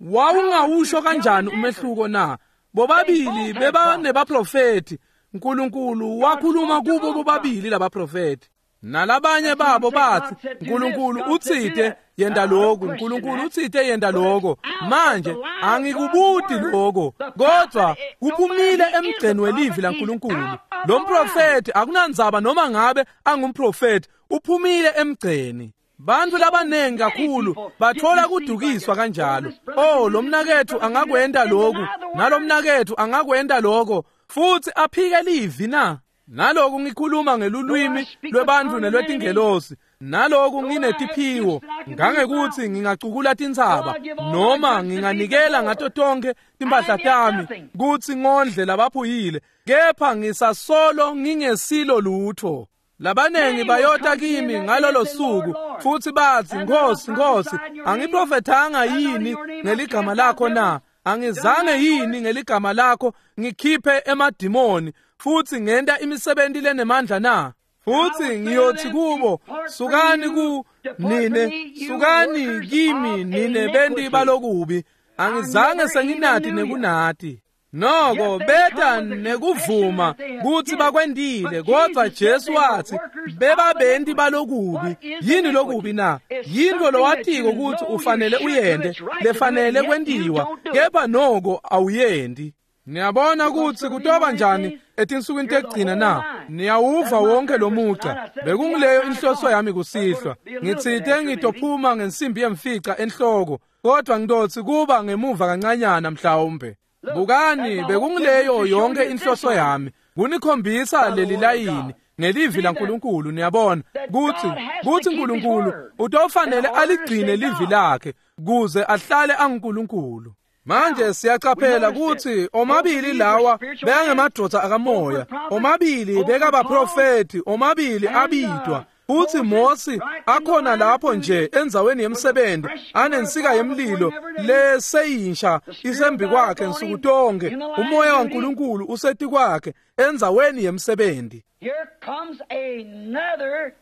Wawungawusho kanjani umehluko na? Bobabili bebanebaprofethi. uNkulunkulu wakhuluma kubo bobabili labaprofethi. Nalabanye babo bathi uNkulunkulu utsite yenda lokhu, uNkulunkulu utsite yenda lokho. Manje angikubuti lokho, kodwa kuphumile emgceni welivi laNkulunkulu. Lo mprofethi akunandzaba noma ngabe angumprofethi, uphumile emgceni. Bantu labanengi kakhulu bathola kudukiswa kanjalo. Oh, lo mnakethu angakwenda lokhu, nalomnakethu angakwenda lokho, futhi aphike livi na. Naloku ngikhuluma ngelulwimi lwebantu nelwetingelosi, naloku nginetiphiwo ngangekuthi ngingacukula tintsaba noma nginganikela ngato tonke timphahla tami kutsi ngondle labaphuyile, kepha ngisasolo ngingesilo lutho. Labanengi bayota kimi ngalolo suku futhi bathi, Nkosi, Nkosi, angiprofethanga yini ngeligama lakho na? Angizange yini ngeligama lakho ngikhiphe emadimoni futhi ngenta imisebenzi lenemandla na? Futhi ngiyothi kubo, sukani ku nine, sukani kimi nine benti balokubi, angizange senginati nekunati. Noko beta nekuvuma kutsi bakwendile, kodwa Jesu wathi bebabenti balokubi. Yini lokubi na? Yinto lowatiko kutsi ufanele uyende, lefanele kwentiwa, kepha noko awuyendi. Niyabona kutsi kutoba njani etinsukwini tekugcina na? Niyawuva wonke lo mugca. Bekungileyo inhloso yami kusihlwa. Ngitsite ngitophuma ngensimbi yemfica enhloko, kodwa ngitotsi kuba ngemuva kancanyana mhlawumbe. Bukani, bekungileyo yonke inhloso yami, kunikhombisa leli layini ngelivi laNkulunkulu. Niyabona kutsi kutsi uNkulunkulu utofanele aligcine livi lakhe kuze ahlale anguNkulunkulu. Manje siyacaphela kutsi omabili lawa bekangemadvodza akamoya, omabili bekabaprofethi, omabili abitwa. Futhi Mosi akhona lapho nje endzaweni yemsebenzi anensika yemlilo leseyintsha isembi kwakhe nsuku tonke, umoya waNkulunkulu usetikwakhe endzaweni yemsebenzi. Here comes another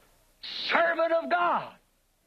servant of God.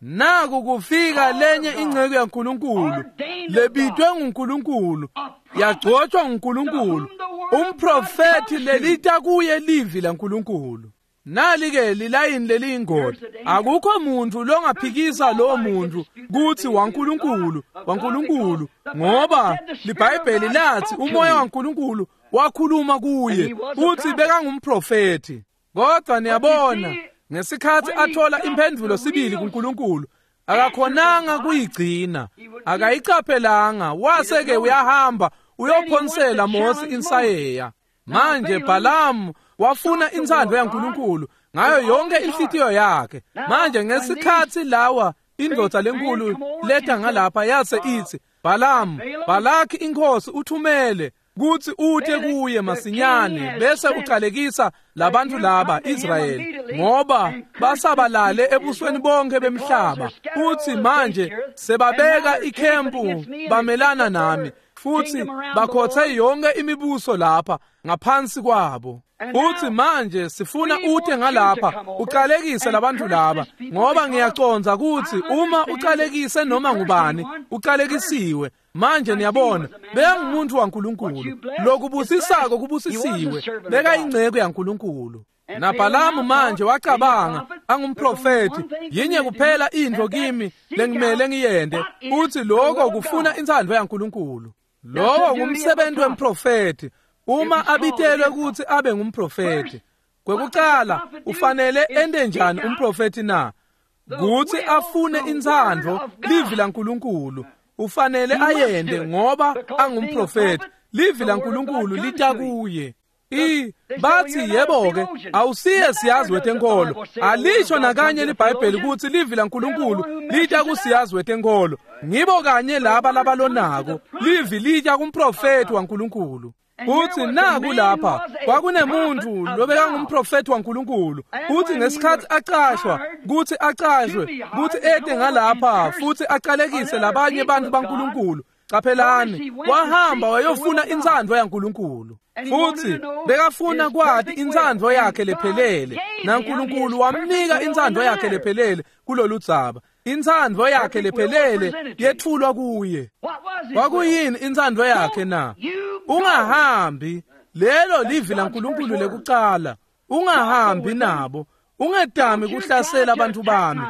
Naku kufika lenye inceku yaNkulunkulu lebitwe nguNkulunkulu, yagcotshwa nguNkulunkulu, umprofethi lelita kuye livi laNkulunkulu. Nali-ke lilayini leliyingoti. Akukho muntu longaphikisa lowo muntu kutsi waNkulunkulu, waNkulunkulu, ngoba liBhayibheli lathi umoya waNkulunkulu wakhuluma kuye uthi bekangumprofethi. Kodwa niyabona, ngesikhathi athola imphendvulo sibili kuNkulunkulu, akakhonanga kuyigcina, akayicaphelanga, wase-ke uyahamba uyophonsela Mosi insayeya. Manje Balamu wafuna intsandvo yaNkulunkulu ngayo yonke inhlitiyo yakhe. Manje ngesikhathi lawa indvodza lenkulu leta ngalapha yase itsi, Balamu, Balaki inkosi uthumele kutsi ute kuye masinyane bese ucalekisa labantu laba Israyeli, ngoba basabalale ebusweni bonke bemhlaba, futhi manje sebabeka ikhempu bamelana nami, futhi bakhothe yonke imibuso lapha ngaphansi kwabo. Futhi manje sifuna ute ngalapha ucalekise labantu laba, ngoba ngiyacondza kutsi uma ucalekise noma ngubani ucalekisiwe. Manje niyabona, bekangumuntu waNkulunkulu. Lokubusisako kubusisiwe, bekayingcebo yaNkulunkulu. NaBhalamu manje wacabanga angumprofeti, yinye kuphela intfo kimi lengimele ngiyente, uthi lokho kufuna intsandvo yaNkulunkulu. Lowo ngumsebenzi wemprofeti uma abitelwe ukuthi abe ngumprofeti. Kwekucala ufanele ente njani umprofeti na? Kuthi afune intsandvo, livi laNkulunkulu. Ufanele ayende ngoba angumprofeti. Livi laNkulunkulu lita kuye. I bathi yebo ke awusiye siyazi wetenkolo. Alisho nakanye liBhayibheli ukuthi livi laNkulunkulu lita kusiyazi wetenkolo. Ngibo kanye laba labalonako. Livi lita kumprofeti waNkulunkulu. Uthi naku lapha kwakunemuntu lobekangumprofeti waNkulunkulu. Uthi ngesikhathi acashwa, kuthi acashwe, kuthi ete ngalapha futhi aqalekise labanye abantu baNkulunkulu. Qaphelani, wahamba wayofuna intsandvo yaNkulunkulu. Futhi bekafuna kwati intsandvo yakhe lephelele, naNkulunkulu wamnika intsandvo yakhe lephelele kulolu dzaba. Intsandvo yakhe lephelele yetfulwa kuye. Kwakuyini intsandvo yakhe na? Ungahambi. Lelo livi laNkulunkulu lekucala. Ungahambi nabo. Ungetami kuhlasela abantu bami.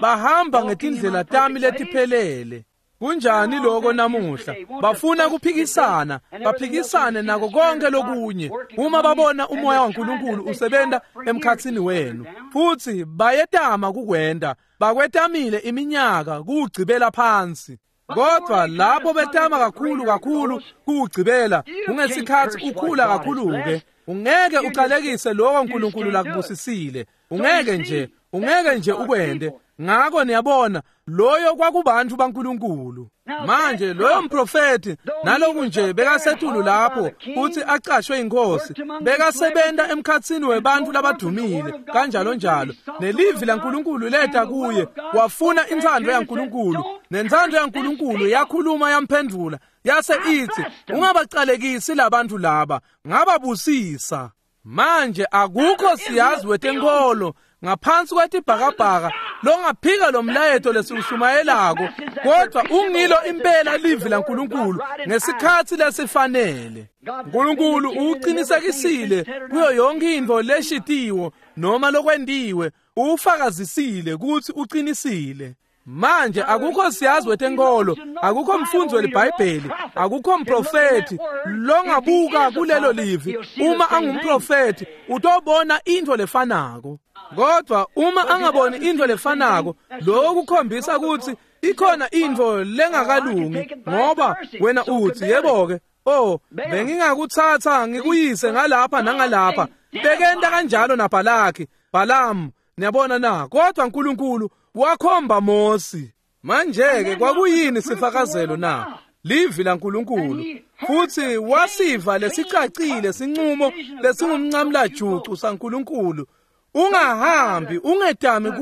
Bahamba ngetindlela tami letiphelele. Kunjani lokho namuhla? Bafuna kuphikisana, baphikisane nako konke lokunye. Uma babona umoya waNkulunkulu usebenta emkhatsini wenu, futhi bayetama kukwenda, bakwetamile iminyaka kuwugcibela phansi. Kodwa lapho betama kakhulu kakhulu kuwugcibela, ungesikhathi ukhula kakhulu-ke, ungeke uqalekise lokho uNkulunkulu lakubusisile. Ungeke nje, ungeke nje ukwende. Ngakho niyabona, loyo kwakubantu baNkulunkulu. Manje loyo mprofeti naloku nje bekasetulu lapho uthi acashwe inkosi, bekasebenta emkhatsini webantu labadumile kanjalo njalo. Nelivi laNkulunkulu leta kuye, wafuna intsandvo yaNkulunkulu, nentsandvo yaNkulunkulu yakhuluma yamphendvula, yase ithi ungabacalekisi labantu laba, ngababusisa. Manje akukho siyazi wetenkolo ngaphansi kwetibhakabhaka longaphika lo mlayeto lesiwushumayelako, kodwa ungilo impela livi laNkulunkulu ngesikhathi lesifanele. uNkulunkulu uqinisekisile kuyo yonke intfo leshitiwo noma lokwentiwe, ufakazisile ukuthi uqinisile. Manje akukho siyazi wetenkolo, akukho mfundzi weliBhayibheli, akukho mprofeti longabuka kulelo livi. Uma angumprofeti utobona intfo lefanako. Kodwa uma angaboni intfo lefanako, lokho kukhombisa ukuthi ikhona intfo lengakalungi, ngoba wena uthi yebo ke, oh bengingakuthatha ngikuyise ngalapha nangalapha. Bekenta kanjalo naBhalaki, Balamu, niyabona na? Kodwa uNkulunkulu wakhomba Mosi. Manje ke kwakuyini sifakazelo na? Livi laNkulunkulu. Futhi wasiva lesicacile sinqumo lesingumncamlajucu saNkulunkulu. Ungahambi, ungetami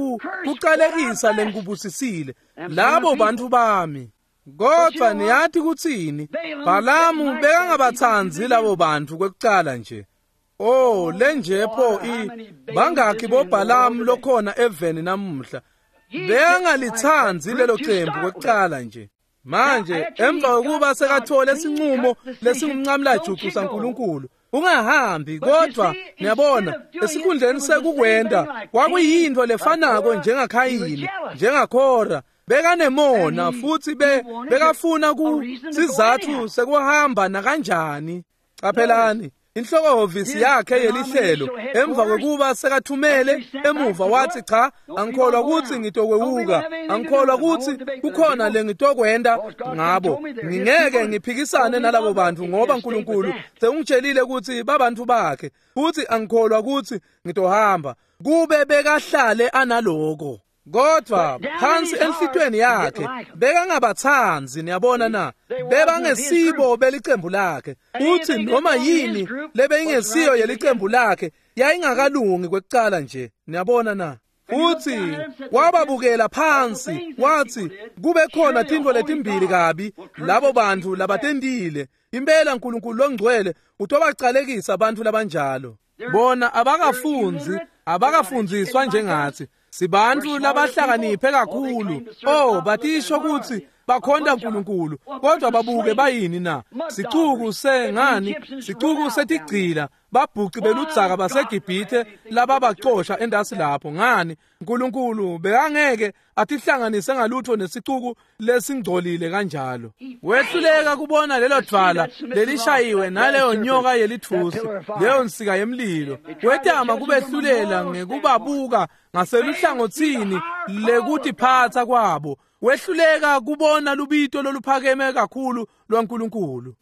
kuqalekisa lengubusisile labo bantu bami. Kodwa niyathi kuthini? Balamu bekangabathanzi labo bantu kwekucala nje. Oh, lenje pho i bangakhi boBhalamu lokhona eveni namuhla. Bekangalithandi lelo cembu kwekucala nje. Manje emva kokuba sekathole isinqumo lesingumncamlajucu saNkulunkulu, ungahambi. Kodwa niyabona, esikhundleni sekukwenda kwakuyintfo lefanako njengaKhayini, njengaKhora. Bekanemona futhi be bekafuna ku sizathu sekuhamba nakanjani. Qaphelani, inhloko-hhovisi yakhe yelihlelo emva kokuba sekathumele emuva wathi cha, angikholwa ukuthi ngitokwewuka, angikholwa ukuthi kukhona lengitokwenda ngabo, ngingeke ngiphikisane nalabo bantu ngoba uNkulunkulu sewungitshelile ukuthi babantu bakhe, futhi angikholwa ukuthi ngitohamba. Kube bekahlale analoko. Kodwa phansi enhlitweni yakhe bekangabathanzi, niyabona na? Bebangesibo belicembu lakhe. Uthi noma yini lebeyingesiyo yelicembu lakhe yayingakalungi kwekucala nje, niyabona na? Futhi wababukela phansi wathi kube khona tintfo letimbili kabi labo bantu labatentile. Impela uNkulunkulu longcwele utobacalekisa abantu labanjalo. Bona abakafunzi, abakafundziswa njengathi. Sibantu labahlakaniphe kakhulu. Oh, batisho ukuthi bakhonta uNkulunkulu, kodwa babuke bayini na? Sicuku sengani, sicuku setigcila, babhuci beludzaka baseGibhithe lababacosha endasi lapho. Ngani, uNkulunkulu bekangeke atihlanganise ngalutho nesicuku lesingcolile kanjalo. Wehluleka kubona lelo dvwala lelishayiwe naleyo nyoka yelithusi, leyo nsika yemlilo. Wetama kubehlulela ngekubabuka ngaseluhlangotsini lekutiphatsa kwabo. Wehluleka kubona lubito loluphakeme kakhulu lwaNkulunkulu.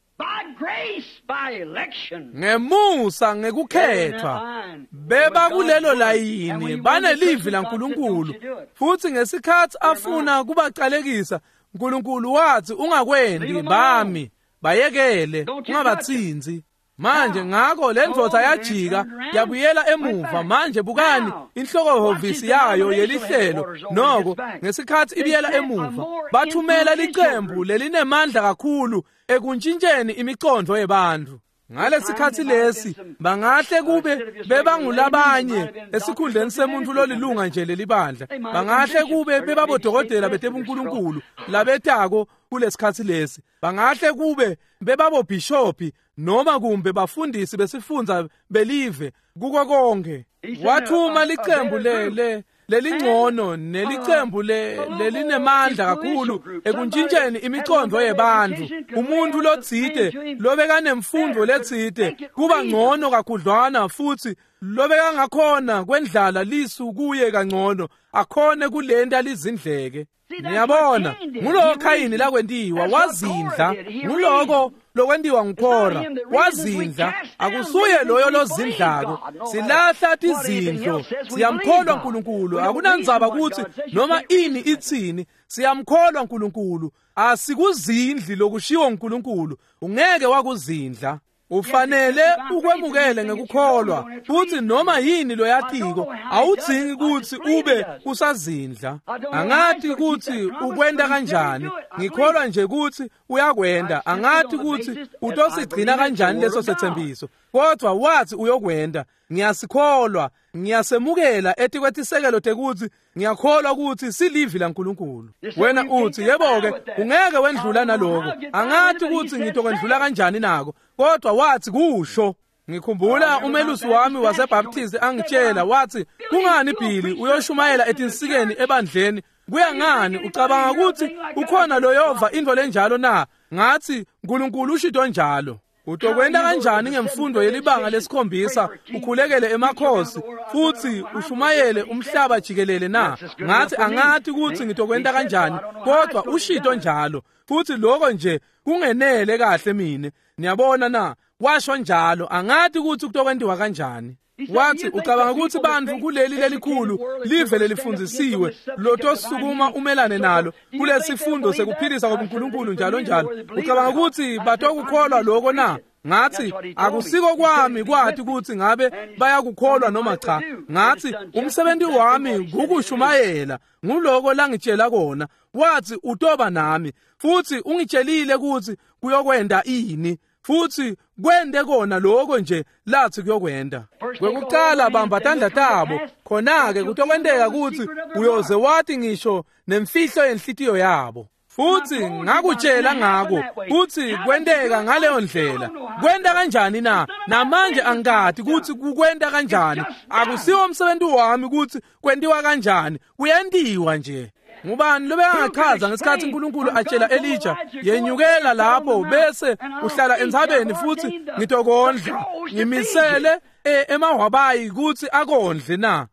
Ngemusa ngekukhethwa beba kulelo layini banelivi laNkulunkulu, futhi ngesikhathi afuna kubacalekisa uNkulunkulu wathi ungakwendi bami, bayekele, ungabatsinzi. Manje ngakho le ndvodza yajika yabuyela emuva. Manje bukani inhlokohhovisi yayo yelihlelo noko ngesikhathi ibuyela emuva bathumela licembu lelinemandla kakhulu ekuntshintsheni imicondo yebantfu. Ngalesikhathi lesi bangahle kube bebangulabanye esikhundleni semuntu lolilunga nje lelibandla, bangahle kube bebabodokotela betebunkulunkulu labetako kulesikhathi lesi, bangahle kube bebabobhishopi noma kumbe bafundisi besifundza belive. Kuko konke wathuma licembu le le lelingcono nelicembu le lelinemandla kakhulu ekuntshintsheni imicondo yebantfu. Umuntu lotsite lobekanemfundo letsite kuba ngcono kakhudlwana, futhi lobekangakhona kwendlala lisu kuye kangcono, akhone kulenta lizindleke. Niyabona, nguloko Khayini lakwentiwa, wazindla. Nguloko lokwentiwa nguKora, wazindla. Akusuye loyo lozindlako. Silahla tizindlo, siyamkholwa uNkulunkulu. Akunandzaba ukuthi noma ini itsini, siyamkholwa uNkulunkulu. Asikuzindli lokushiwo uNkulunkulu, ungeke wakuzindla. Ufanele ukwemukele ngekukholwa, futhi noma yini loyatiko awudzingi ukuthi ube usazindla. Angathi ukuthi ukwenta kanjani, ngikholwa nje ukuthi uyakwenda. Angathi ukuthi utosigcina kanjani leso sethembiso, kodwa wathi uyokwenda. Ngiyasikholwa, ngiyasemukela etikwetisekelo tekuthi ngiyakholwa ukuthi silivi laNkulunkulu. Wena uthi yebo-ke ungeke wendlula naloko. Angathi ukuthi ngitokwendlula kanjani nako, kodwa wathi kusho. Ngikhumbula umelusi wami waseBaptist angitshela, wathi kungani Billy uyoshumayela etinsikeni ebandleni? Kuya ngani ucabanga ukuthi ukhona loyova into lenjalo na? Ngathi uNkulunkulu ushito njalo. Utokwenta kanjani ngemfundo yelibanga lesikhombisa ukhulekele emakhosi futhi ushumayele umhlaba jikelele na? Ngathi angathi ukuthi ngitokwenta kanjani, kodwa ushito njalo, futhi lokho nje kungenele kahle mine. Niyabona na? Washo njalo, angathi ukuthi kutokwentiwa kanjani. Wathi ucabanga ukuthi bantfu kuleli lelikhulu live lelifundzisiwe lotosukuma umelane nalo kulesifundo sekuphilisa kwabuNkulunkulu njalo njalo, ucabanga ukuthi batokukholwa lokho na? Ngathi akusiko kwami kwathi ukuthi ngabe bayakukholwa noma cha. Ngathi umsebenzi wami ngukushumayela, nguloko langitshela kona. Wathi utoba nami, futhi ungitshelile ukuthi kuyokwenda ini, futhi kwende kona lokho nje lathi kuyokwenda. Kwekuqala bamba tandla tabo, khona-ke kutokwenteka ukuthi uyoze wathi ngisho nemfihlo yenhlitiyo yabo. Futhi ngakutshela ngako kuthi kwenteka ngaleyo ndlela. Kwenta kanjani na? Namanje angikati ukuthi kukwenta kanjani. Akusiwo umsebenzi wami ukuthi kwentiwa kanjani, kuyentiwa nje. Ngubani lobekangachaza ngesikhathi uNkulunkulu atshela Elijah, yenyukela lapho bese uhlala entsabeni futhi ngitokondla, ngimisele emahwabayi ukuthi akondle na?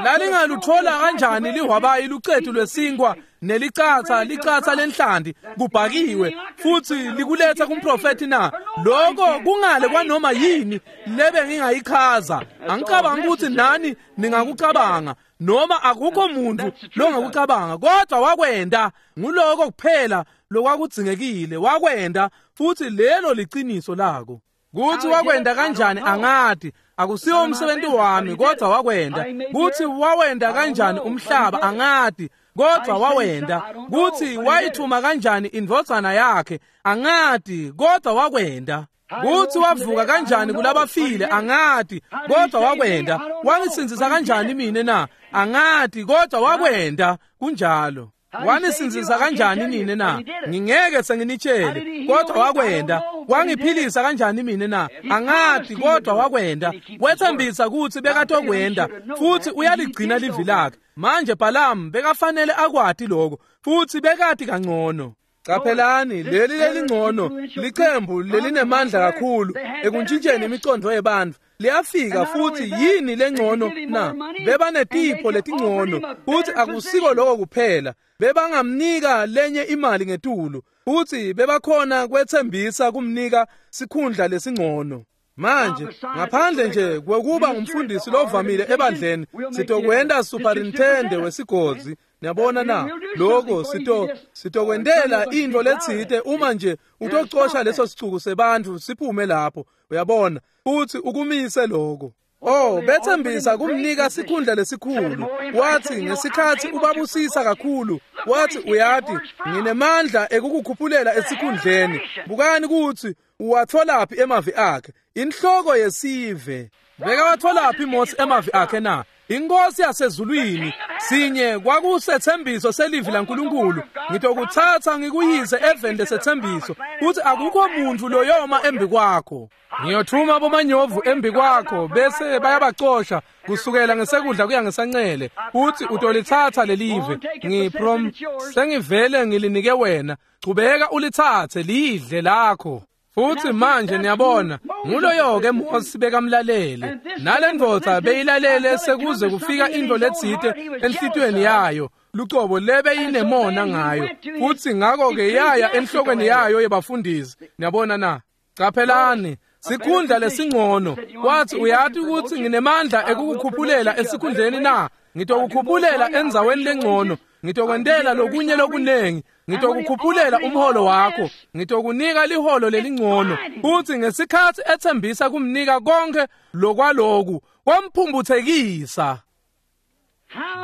Lalingaluthola kanjani lihwabayi lucethu lwesinkwa nelicatsa licatsa lenhlanti kubhakiwe futhi likuletha kumprofethi na? Lokho kungale kwanoma yini lebe ngingayichaza. Angicabanga ukuthi nani ningakucabanga, noma akukho muntu longakucabanga, kodwa wakwenda. Nguloko kuphela lokwakudzingekile, wakwenda, futhi lelo liciniso lako. Kuthi wakwenda kanjani angati, akusiwo umsebenzi wami, kodwa wakwenda. Kuthi wawenda kanjani umhlaba angati, kodwa wawenda. Kuthi wayithuma kanjani indvodzana yakhe angati, kodwa wakwenda. Kuthi wavuka kanjani kulabafile angati, kodwa wakwenda. Wangisindzisa kanjani mina na? Angati, kodwa wakwenda. Kunjalo. Wanisindzisa kanjani nine na? Ngingeke senginitshele, kodwa wakwenda. Wangiphilisa kanjani mine na? Angathi, kodwa wakwenda. Wethembisa kutsi bekatokwenda, futsi uyaligcina livi lakhe. Manje Balamu bekafanele akwati lokho, futsi bekati kangcono. Caphelani, leli lelingcono licembu lelinemandla kakhulu ekuntshintsheni imicondvo yebantfu liyafika, futsi yini lengcono na? Bebanetipho letingcono, futsi akusiko lokho kuphela, bebangamnika lenye imali ngetulu, futsi bebakhona kwetsembisa kumnika sikhundla lesingcono. Manje ngaphandle nje kwekuba ngumfundisi lovamile ebandleni, sitokwenta superintendent wesigodzi. Niyabona na? Lokho sito sitokwentela intfo letsite uma nje utocosha leso sicuku sebantfu siphume lapho, uyabona, futsi ukumise lokho. Oh, bethembisa kumnika sikhundla lesikhulu. Wathi ngesikhathi ubabusisa kakhulu, wathi uyati nginemandla ekukukhuphulela esikhundleni. Bukani kutsi uwatholaphi emavi akhe, inhloko yesive. Bekawatholaphi Mose emavi akhe na? Inkosi yasezulwini. Sinye kwakusethembiso selivi laNkulunkulu, ngitokutsatsa ngikuyise eveni lesethembiso, futhi akukho muntu loyoma embi kwakho. Ngiyothuma bomanyovu embi kwakho bese bayabacosha kusukela ngesekudla kuya ngesancele, futhi utolitsatsa lelive. Ngiprom sengivele ngilinike wena, chubeka ulitsatse lidle lakho. Futhi manje niyabona, nguloyo-ke Mose bekamlalele, nale ndvodza beyilalele sekuze kufika intfo letsite enhlitiyweni yayo lucobo lebeyinemona ngayo, futsi ngako-ke yaya enhlokweni yayo yebafundisi. Niyabona na? Caphelani, sikhundla lesingcono. Wathi uyati ukuthi nginemandla ekukukhuphulela esikhundleni na? Ngitokukhuphulela endzaweni lengcono, ngitokwentela lokunye lokunengi, ngitokukhuphulela umholo wakho, ngitokunika liholo lelingcono. Futhi ngesikhathi ethembisa kumnika konke lokwaloku, kwamphumbuthekisa.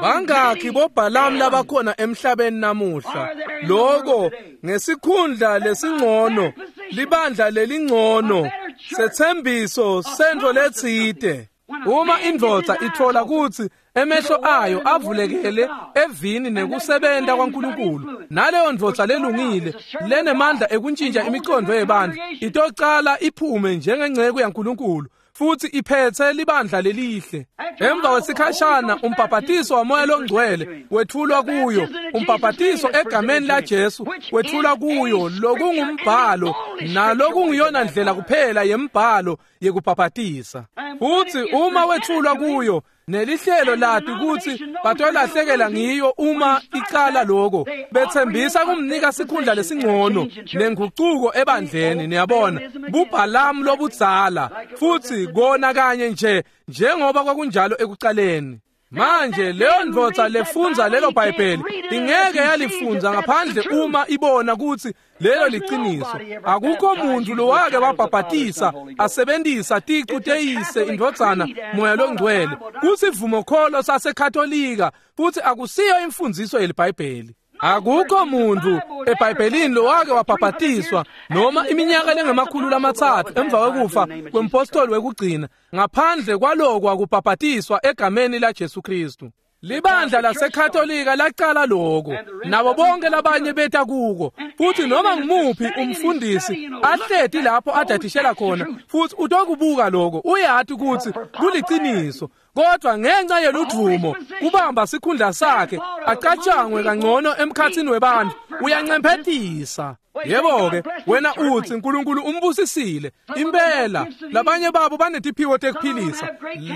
Bangakhi boBhalamu labakhona emhlabeni namuhla? Lokho ngesikhundla lesingcono, libandla lelingcono, sethembiso sentfo letsite. Uma indvodza itfola kutsi emehlo ayo avulekele evini nekusebenta kwaNkulunkulu, naleyo ndvodza lelungile lenemandla ekuntjintja imicondo yebantfu itocala iphume njengenceke yaNkulunkulu, futhi iphethe libandla lelihle. Emva kwesikhashana umbhabhatiso waMoya loNgcwele wethulwa kuyo, umbhabhatiso egameni laJesu wethulwa kuyo, lokungumbhalo nalokungiyona ndlela kuphela yembhalo yekubhabhatisa. Futhi uma wethulwa kuyo, nelihlelo lati kutsi batolahlekela ngiyo uma icala lokho, bethembisa kumnika sikhundla lesingcono nengucuko ebandleni. Niyabona, buBhalamu lobudzala, futhi kona kanye nje njengoba kwakunjalo ekucaleni. Manje leyo ndvodza lefundza lelo Bhayibheli ingeke yalifundza ngaphandle uma ibona kutsi lelo liciniso. Akukho muntu lowake wabhabhatisa asebenzisa ticu teyise, indvodzana, Moya loNgcwele. Kusivumokholo saseKatolika, futhi akusiyo imfundiso yeliBhayibheli. Akukho muntu eBhayibhelini lowake wabhabhatiswa noma iminyaka lengemakhulu lamatsatfu emva kwekufa kwempostoli wekugcina ngaphandle kwaloko akubhabhatiswa egameni laJesu Kristu. Libandla laseKatolika lacala lokho, nabo bonke labanye beta kuko, futhi noma ngimuphi umfundisi ahleti lapho adadishela khona, futhi utokubuka lokho, uyati ukuthi kuliciniso. Kodwa ngenxa yeludvumo kubamba sikhundla sakhe acatshangwe kangcono emkhathini webantu, uyancemphetisa. Yebo-ke, wena utsi uNkulunkulu umbusisile. Impela, labanye babo banetiphiwo tekuphilisa,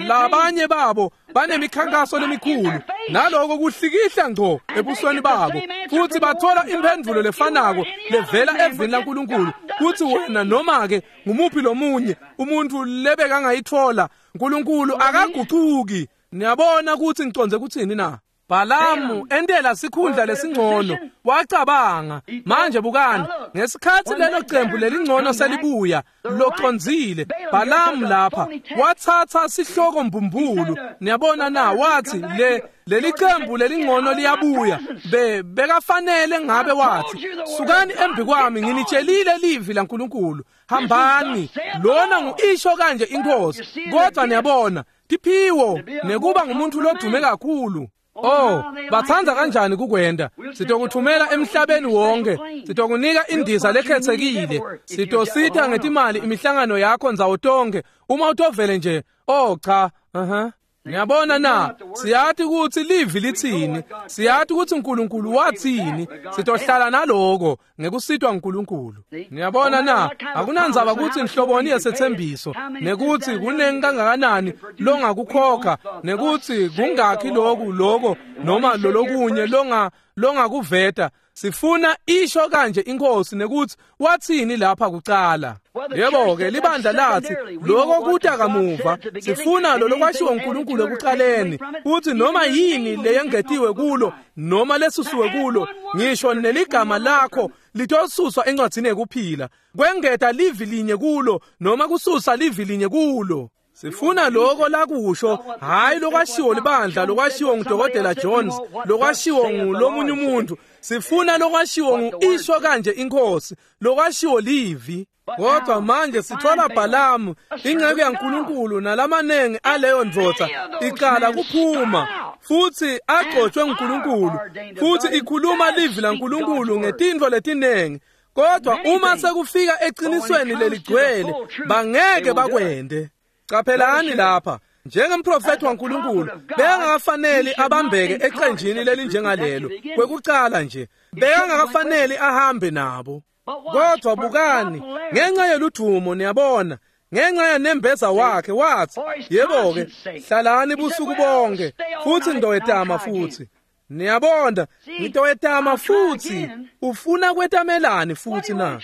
labanye babo banemikhankaso lemikhulu, naloko kuhlikihla ngco ebusweni babo, futhi bathola imphendvulo lefanako levela evini laNkulunkulu, kutsi wena noma-ke ngumuphi lomunye umuntu lebekangayitfola, uNkulunkulu akagucuki. Niyabona kutsi ngicondze kutsini na? Bhalamu entela sikhundla lesingcono, wacabanga. Manje bukani, ngesikhathi lelo cembu lelingcono selibuya locondzile, Bhalamu lapha watsatsa sihloko mbumbulu. Niyabona na? Wathi le leli cembu lelingcono liyabuya, be bekafanele ngabe wathi sukani embi kwami, nginitshelile livi laNkulunkulu, hambani, lona nguisho kanje inkosi. Kodwa niyabona, tiphiwo nekuba ngumuntu lodume kakhulu. Oh, batsandza kanjani kukwenta. Sitokuthumela emhlabeni wonke, sitokunika indiza lekhetsekile, sitositha ngetimali imihlangano yakho ndzawo tonke uma utovele nje. Oh cha, aha. Ngiyabona na, siyati ukuthi livi lithini, siyati ukuthi uNkulunkulu wathini, sitohlala naloko ngekusitwa uNkulunkulu. Ngiyabona na, akunandzaba ukuthi inhloboni yesethembiso, nekuthi kunengi kangakanani longakukhokha, nekuthi kungakhi loku loko noma lolokunye longa longakuveta. Sifuna isho kanje inkosi nekuthi wathini lapha kucala. Yebo-ke libandla lathi lokho kuta kamuva, sifuna lolokwashiwo uNkulunkulu ekuqaleni, futhi noma yini leyengetiwe kulo noma lesusiwe kulo, ngisho neligama lakho litosuswa encwadzini yekuphila. Kwengeta livi linye kulo noma kususa livi linye kulo. Sifuna lokho lakusho, hayi lokwashiwo libandla, lokwashiwo ngudokotela Jones, lokwashiwo ngulomunye umuntu. Sifuna lokwashiwo ngu-isho kanje inkosi, lokwashiwo livi. Kodwa manje sithola Bhalamu, inceku yaNkulunkulu, nalamanengi aleyo ndvodza iqala kuphuma futhi agcotshwe nguNkulunkulu, futhi ikhuluma livi laNkulunkulu ngetintfo letinengi. Kodwa uma sekufika eqinisweni leligcwele, bangeke bakwende. Qaphelani lapha, njengemprofethi waNkulunkulu bekangakafaneli abambeke eqenjini lelinjengalelo. Kwekucala nje bekangakafaneli ahambe nabo. Kodwa bukani, ngenxa yeludumo, niyabona, ngenxa yanembeza wakhe wathi, yebo-ke, hlalani busuku bonke futhi ngitowetama futhi. Niyabona, ngitowetama futhi. Ufuna kwetamelani futhi na?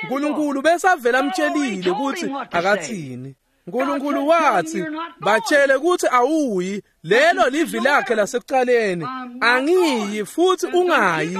uNkulunkulu besavela amtshelile ukuthi akathini. uNkulunkulu wathi, batshele ukuthi awuyi, lelo livi lakhe lasekuqaleni. Angiyi futhi ungayi,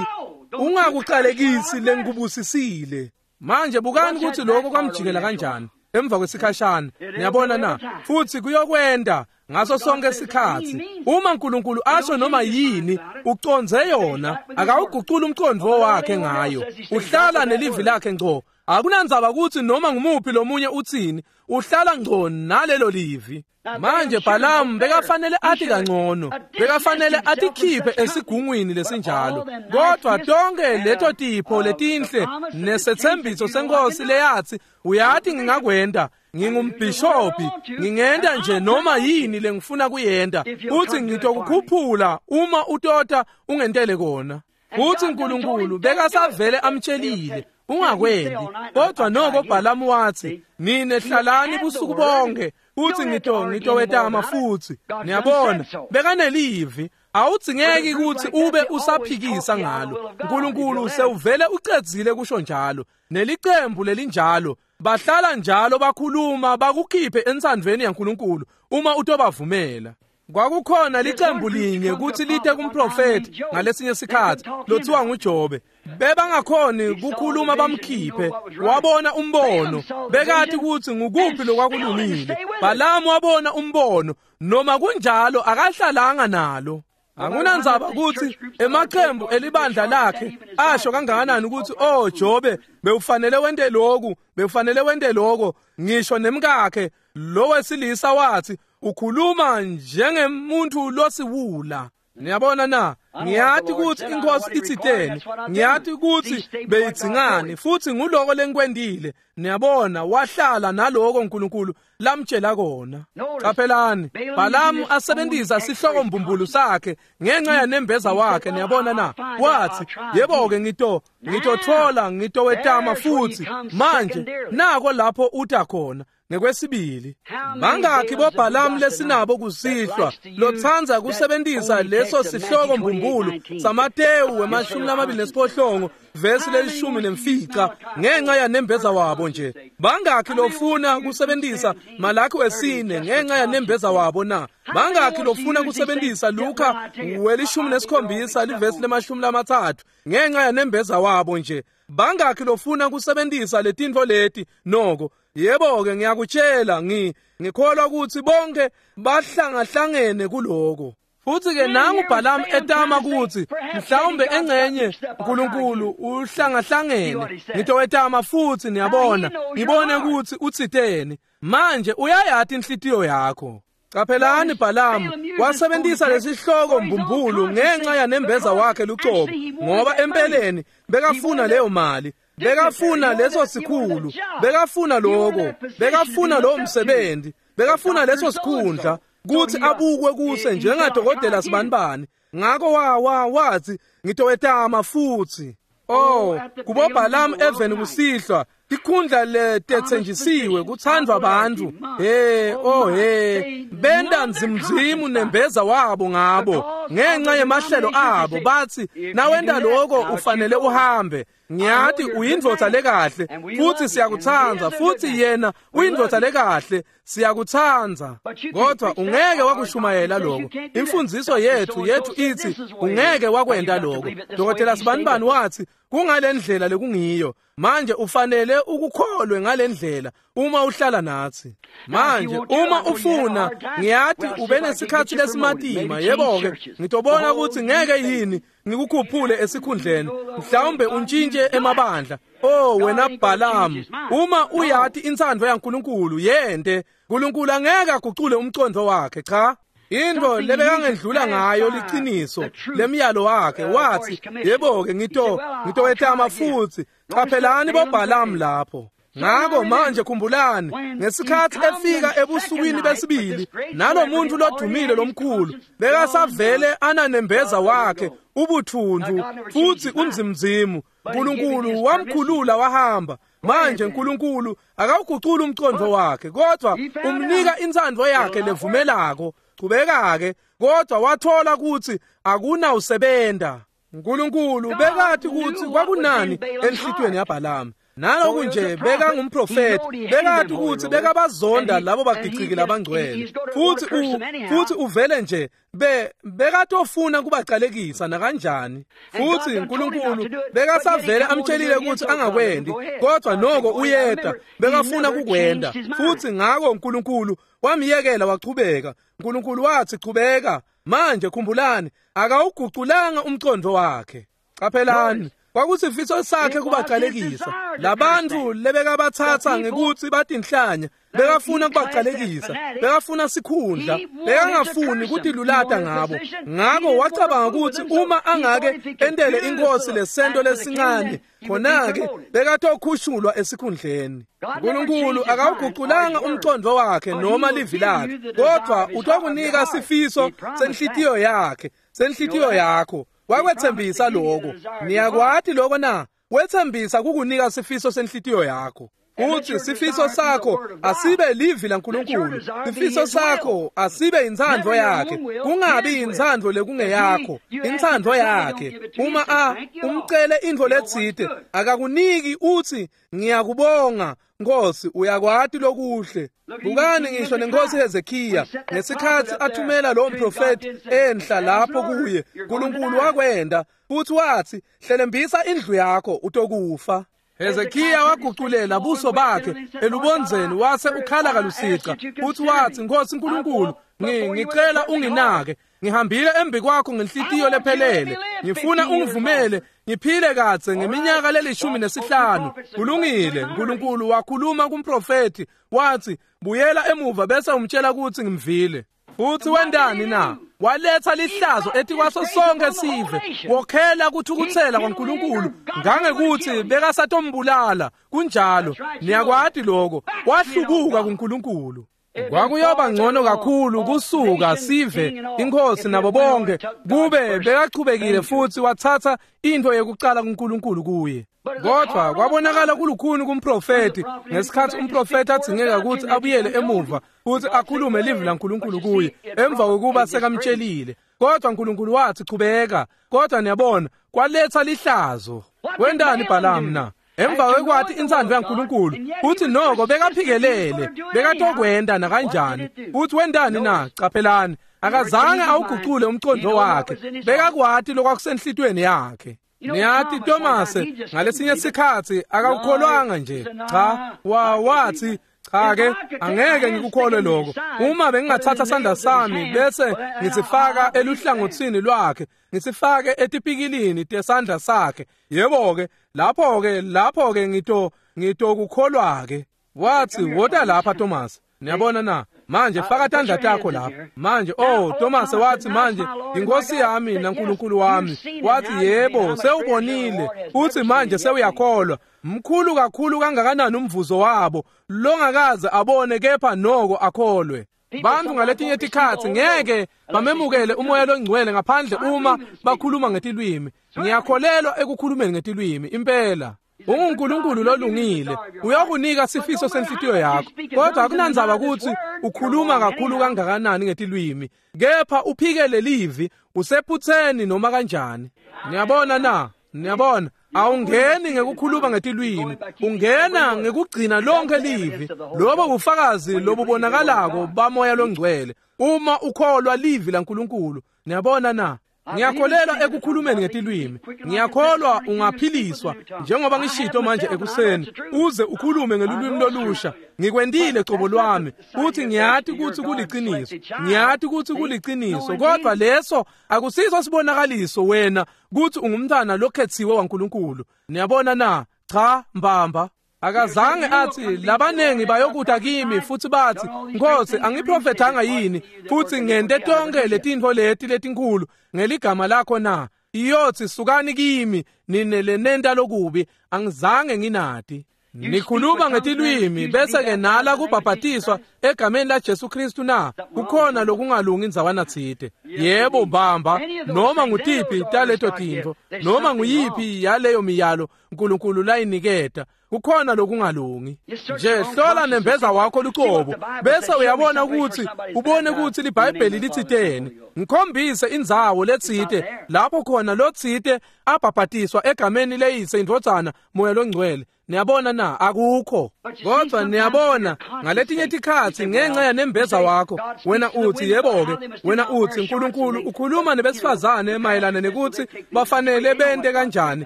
ungakuqalekisi lengikubusisile. Manje bukani ukuthi lokho kwamjikela kanjani emva kwesikhashana. Niyabona na? Futhi kuyokwenda ngaso sonke isikhathi. Uma uNkulunkulu asho noma yini, uconze yona, akawugucula umqondo wakhe ngayo. Uhlala nelivi lakhe ngco. Akunandzaba ukuthi noma ngumuphi lomunye uthini, uhlala ngco nalelo livi. Manje Bhalamu bekafanele athi kangcono, bekafanele atikhiphe esigungwini lesinjalo. Kodwa tonke leto tipho letinhle nesethembiso senkosi leyathi, uyathi ngingakwenda, ngingumbhishobhi, ngingenda nje noma yini lengifuna kuyenda, uthi ngitokukhuphula uma utota ungentele kona. Futhi uNkulunkulu bekasavele amtshelile, ungakwendi. Kodwa noko Bhalamu wathi, nine hlalani busuku bonke futhi ngito ngitowetama futhi. Niyabona, bekanelivi, awudzingeki ukuthi ube usaphikisa ngalo. uNkulunkulu sewuvele ucedzile kusho njalo. Nelicembu lelinjalo bahlala njalo bakhuluma bakukhiphe ensandvweni yaNkulunkulu uma utobavumela. Kwakukhona licembu linye ukuthi lite kumprofethi ngalesinye sikhathi lothiwa nguJobe. Bebangakhoni kukhuluma bamkhiphe, wabona umbono, bekati ukuthi ngukuphi lokwakulungile. Bhalamu wabona umbono, noma kunjalo akahlalanga nalo. Akunandzaba ukuthi emaqembu elibandla lakhe asho kangakanani ukuthi, oh Jobe, bewufanele wente lokhu, bewufanele wente lokho. Ngisho nemkakhe lo wesilisa wathi, ukhuluma njengemuntu losiwula. Niyabona na? Ngiyati ukuthi inkosi itsiteni, ngiyati ukuthi beyidzingani, futhi nguloko lengikwendile. Niyabona, wahlala naloko uNkulunkulu lamtshela kona. Qaphelani, Bhalamu asebenzisa sihloko mbumbulu sakhe ngenxa yanembeza wakhe. Niyabona na? Wathi, yebo-ke, ngito ngitothola, ngitowetama futhi. Manje nako lapho uta khona. Ngekwesibili, bangakhi boBhalamu lesinabo kusihlwa lotsandza kusebenzisa leso sihloko mbumbulu saMatewu wemashumi lamabili nesiphohlongo vesi lelishumi nemfica ngenxa yanembeza wabo nje? Bangakhi lofuna kusebenzisa Malaki wesine ngenxa yanembeza wabo na? Bangakhi lofuna kusebenzisa Luka welishumi nesikhombisa livesi lemashumi lamathathu ngenxa yanembeza wabo nje? Bangakhi lofuna kusebenzisa letintfo leti noko? Yebo-ke, ngiyakutshela, ngi ngikholwa ukuthi bonke bahlangahlangene kuloko. Futhi-ke nangu Bhalamu etama ukuthi mhlawumbe engcenye uNkulunkulu uhlangahlangene, ngitowetama futhi. Niyabona, ngibone ukuthi uthiteni. Manje uyayati inhlitiyo yakho. Qaphelani Bhalamu wasebenzisa lesihloko mbumbulu ngenxa yanembeza wakhe lucobo, ngoba empeleni bekafuna leyo mali, bekafuna leso sikhulu, bekafuna lokho, bekafuna lowo msebenzi, bekafuna leso sikhundla kuthi abukwe kuse njengadokotela sibanibani. Ngakho wa wa wathi ngitowetama futhi. Oh, kubo Bhalamu even kusihlwa tikhundla letetsenjisiwe kuthandwa abantu. Hey, oh hey, benda nzimzimu nembeza wabo ngabo ngenxa yemahlelo abo, bathi nawenda lokho ufanele uhambe. Ngiyathi uyindvodza lekahle futhi siyakuthanda, futhi yena uyindvodza lekahle siyakuthanda, kodwa ungeke wakushumayela lokho. Imfundiso yethu yethu ithi ungeke wakwenda lokho. Dokotela Sibanibani wathi kungalendlela lekungiyo. Manje ufanele ukukholwe ngalendlela uma uhlala nathi. Manje uma ufuna, ngiyathi ube nesikhathi lesimatima, yebo-ke ngitobona ukuthi ngeke yini ngikukhuphule esikhundleni, mhlawumbe untshintshe emabandla. Oh wena Bhalamu, uma uyathi intsandvo yaNkulunkulu yente, uNkulunkulu angeke agucule umcondo wakhe. Cha, into lebekangendlula ngayo liqiniso lemiyalo wakhe. Wathi yebo-ke ngito ngitowetama futhi. Qaphelani boBhalamu lapho. Ngakho manje khumbulani, ngesikhathi efika ebusukwini besibili nalomuntu lodumile lomkhulu bekasavele ananembeza wakhe ubuthundu futhi unzimzimu, uNkulunkulu wamkhulula wahamba. Manje uNkulunkulu akawuguculi umcondo wakhe, kodwa umnika intsandvo yakhe levumelako. Qhubeka-ke, kodwa wathola ukuthi akunawusebenta. uNkulunkulu bekathi ukuthi kwakunani enhlitiyweni yaBhalamu. Naloku nje bekangumprofeti, bekathi ukuthi bekabazonda labo bagiciki labangcwele, futhi u futhi uvele nje be bekatofuna kubacalekisa nakanjani. Futhi uNkulunkulu bekasavele amtshelile ukuthi angakwendi, kodwa noko uyeda bekafuna kukwenda. Futhi ngakho uNkulunkulu wamyekela wachubeka. uNkulunkulu wathi chubeka. Manje khumbulani, akawuguculanga umcondo wakhe. Qaphelani, kwakusifiso sakhe kubacalekisa labantu lebekabathatha ngekuthi batinhlanya. Bekafuna kubacalekisa, bekafuna sikhundla, bekangafuni kutilulata ngabo. Ngakho wacabanga ukuthi uma angake entele inkosi lesento lesincane, khona-ke bekatokhushulwa esikhundleni. uNkulunkulu akawuguculanga umcondo wakhe noma livi lakhe, kodwa utokunika sifiso senhlitiyo yakhe, senhlitiyo yakho. Wakwethembisa lokho. Niyakwati lokho na? Wethembisa kukunika sifiso senhlitiyo yakho. Uthi sifiso sakho asibe livi laNkulunkulu, sifiso sakho asibe intsandvo yakhe, kungabi intsandvo lekungeyakho, intsandvo yakhe. Uma a umcele intfo letsite akakuniki, uthi ngiyakubonga Nkosi, uyakwati lokuhle. Bukani ngisho nenkosi Hezekiya ngesikhathi athumela lo mprofeti enhla lapho kuye, uNkulunkulu wakwenda futhi wathi hlelembisa indlu yakho utokufa. Hezekiya waguculela buso bakhe elubondzeni wase ukhala kalusica futhi wathi Nkosi uNkulunkulu, ngicela unginake, ngihambile embi kwakho ngenhlitiyo lephelele, ngifuna ungivumele ngiphile kadze ngeminyaka lelishumi nesihlanu. Kulungile. uNkulunkulu wakhuluma kumprofeti wathi buyela emuva bese umtshela ukuthi ngimvile. Futhi wendani na? Waletha lihlazo etikwaso sonke sive, wokhela kuthukuthela kwaNkulunkulu ngangekuthi bekasatombulala. Kunjalo, niyakwati lokho. Wahlubuka kuNkulunkulu. Kwakuyoba ngcono kakhulu kusuka sive inkosi nabo bonke kube bekachubekile futhi wathatha into yekucala kuNkulunkulu kuye. Kodwa kwabonakala kulukhuni kumprofeti ngesikhathi umprofeti adzingeka ukuthi abuyele emuva futhi akhulume livi laNkulunkulu kuye emva kokuba sekamtshelile. Kodwa uNkulunkulu wathi chubeka. Kodwa niyabona, kwaletha lihlazo. Wendani Bhalamu na? Emva kwekwathi intsandvo yaNkulunkulu uthi noko bekaphikelele, bekatokwenda nakanjani. Uthi wendani na? Qaphelani, akazange awugucule umcondo wakhe, bekakwati lokwakusenhlitweni yakhe. Niyathi Tomase ngalesinye sikhathi akakukholwanga nje. Cha, wa wathi cha ke angeke ngikukholwe lokho. Uma bengingathatha sandla sami bese ngisifaka eluhlangothini lwakhe, ngisifake etipikilini tesandla sakhe, yebo ke lapho ke lapho ke ngito ngitokukholwa ke. Wathi wota lapha Thomas. Niyabona na? Manje faka tandla takho lapha. Manje oh Thomas wathi manje inkosi yami naNkulunkulu wami. Wathi yebo sewubonile uthi manje sewuyakholwa. Mkhulu kakhulu kangakanani umvuzo wabo longakaze abone kepha noko akholwe. Bantu ngaletinye tikhatsi ngeke bamemukele umoya longcwele ngaphandle uma bakhuluma ngetilwimi. Ngiyakholelwa ekukhulumeni ngetilwimi impela. UnguNkulunkulu lolungile uyakunika sifiso senhlitiyo yakho, kodwa akunandzaba ukuthi ukhuluma kakhulu kangakanani ngetilwimi, kepha uphikele livi usephutheni noma kanjani. Niyabona na? Niyabona, awungeni ngekukhuluma ngetilwimi, ungena ngekugcina lonke livi. Lobo bufakazi lobubonakalako bamoya longcwele uma ukholwa livi laNkulunkulu. Niyabona na? Ngiyakholelwa ekukhulumeni ngetilwimi. Ngiyakholwa ungaphiliswa njengoba ngishito manje ekuseni uze ukhulume ngelulwimi lolusha. Ngikwendile cobo lwami uthi ngiyati ukuthi kuliciniso, ngiyati ukuthi kuliciniso, kodwa leso akusiso sibonakaliso wena kuthi ungumntwana lokhethiwe waNkulunkulu. Niyabona na? Cha mbamba. Akazange athi labanengi bayokuta kimi futhi bathi Nkosi angiprofethanga yini futhi ngente tonke letintfo leti letinkulu ngeligama lakho na? Iyothi sukani kimi nine lenenta lokubi, angizange nginati. Nikhuluma ngetilwimi bese ke nala kubhabhatiswa egameni la Jesu Kristu na? Kukhona lokungalungi indzawana tsite. Yebo mbamba, noma ngutiphi taleto tintfo, noma nguyiphi yaleyo miyalo uNkulunkulu layiniketa, kukhona lokungalungi. Nje hlola nembeza wakho lucobo bese uyabona ukuthi ubone ukuthi liBhayibheli litsiteni. Ngikhombise indzawo letsite lapho khona lotsite abhabhatiswa egameni leyise indvodzana moya longcwele. Niyabona na? Akukho. Kodwa niyabona ngaletinye tikhatsi ngenxa yanembeza wakho wena uthi yebo-ke, wena uthi uNkulunkulu ukhuluma nebesifazane mayelana nekuthi bafanele bente kanjani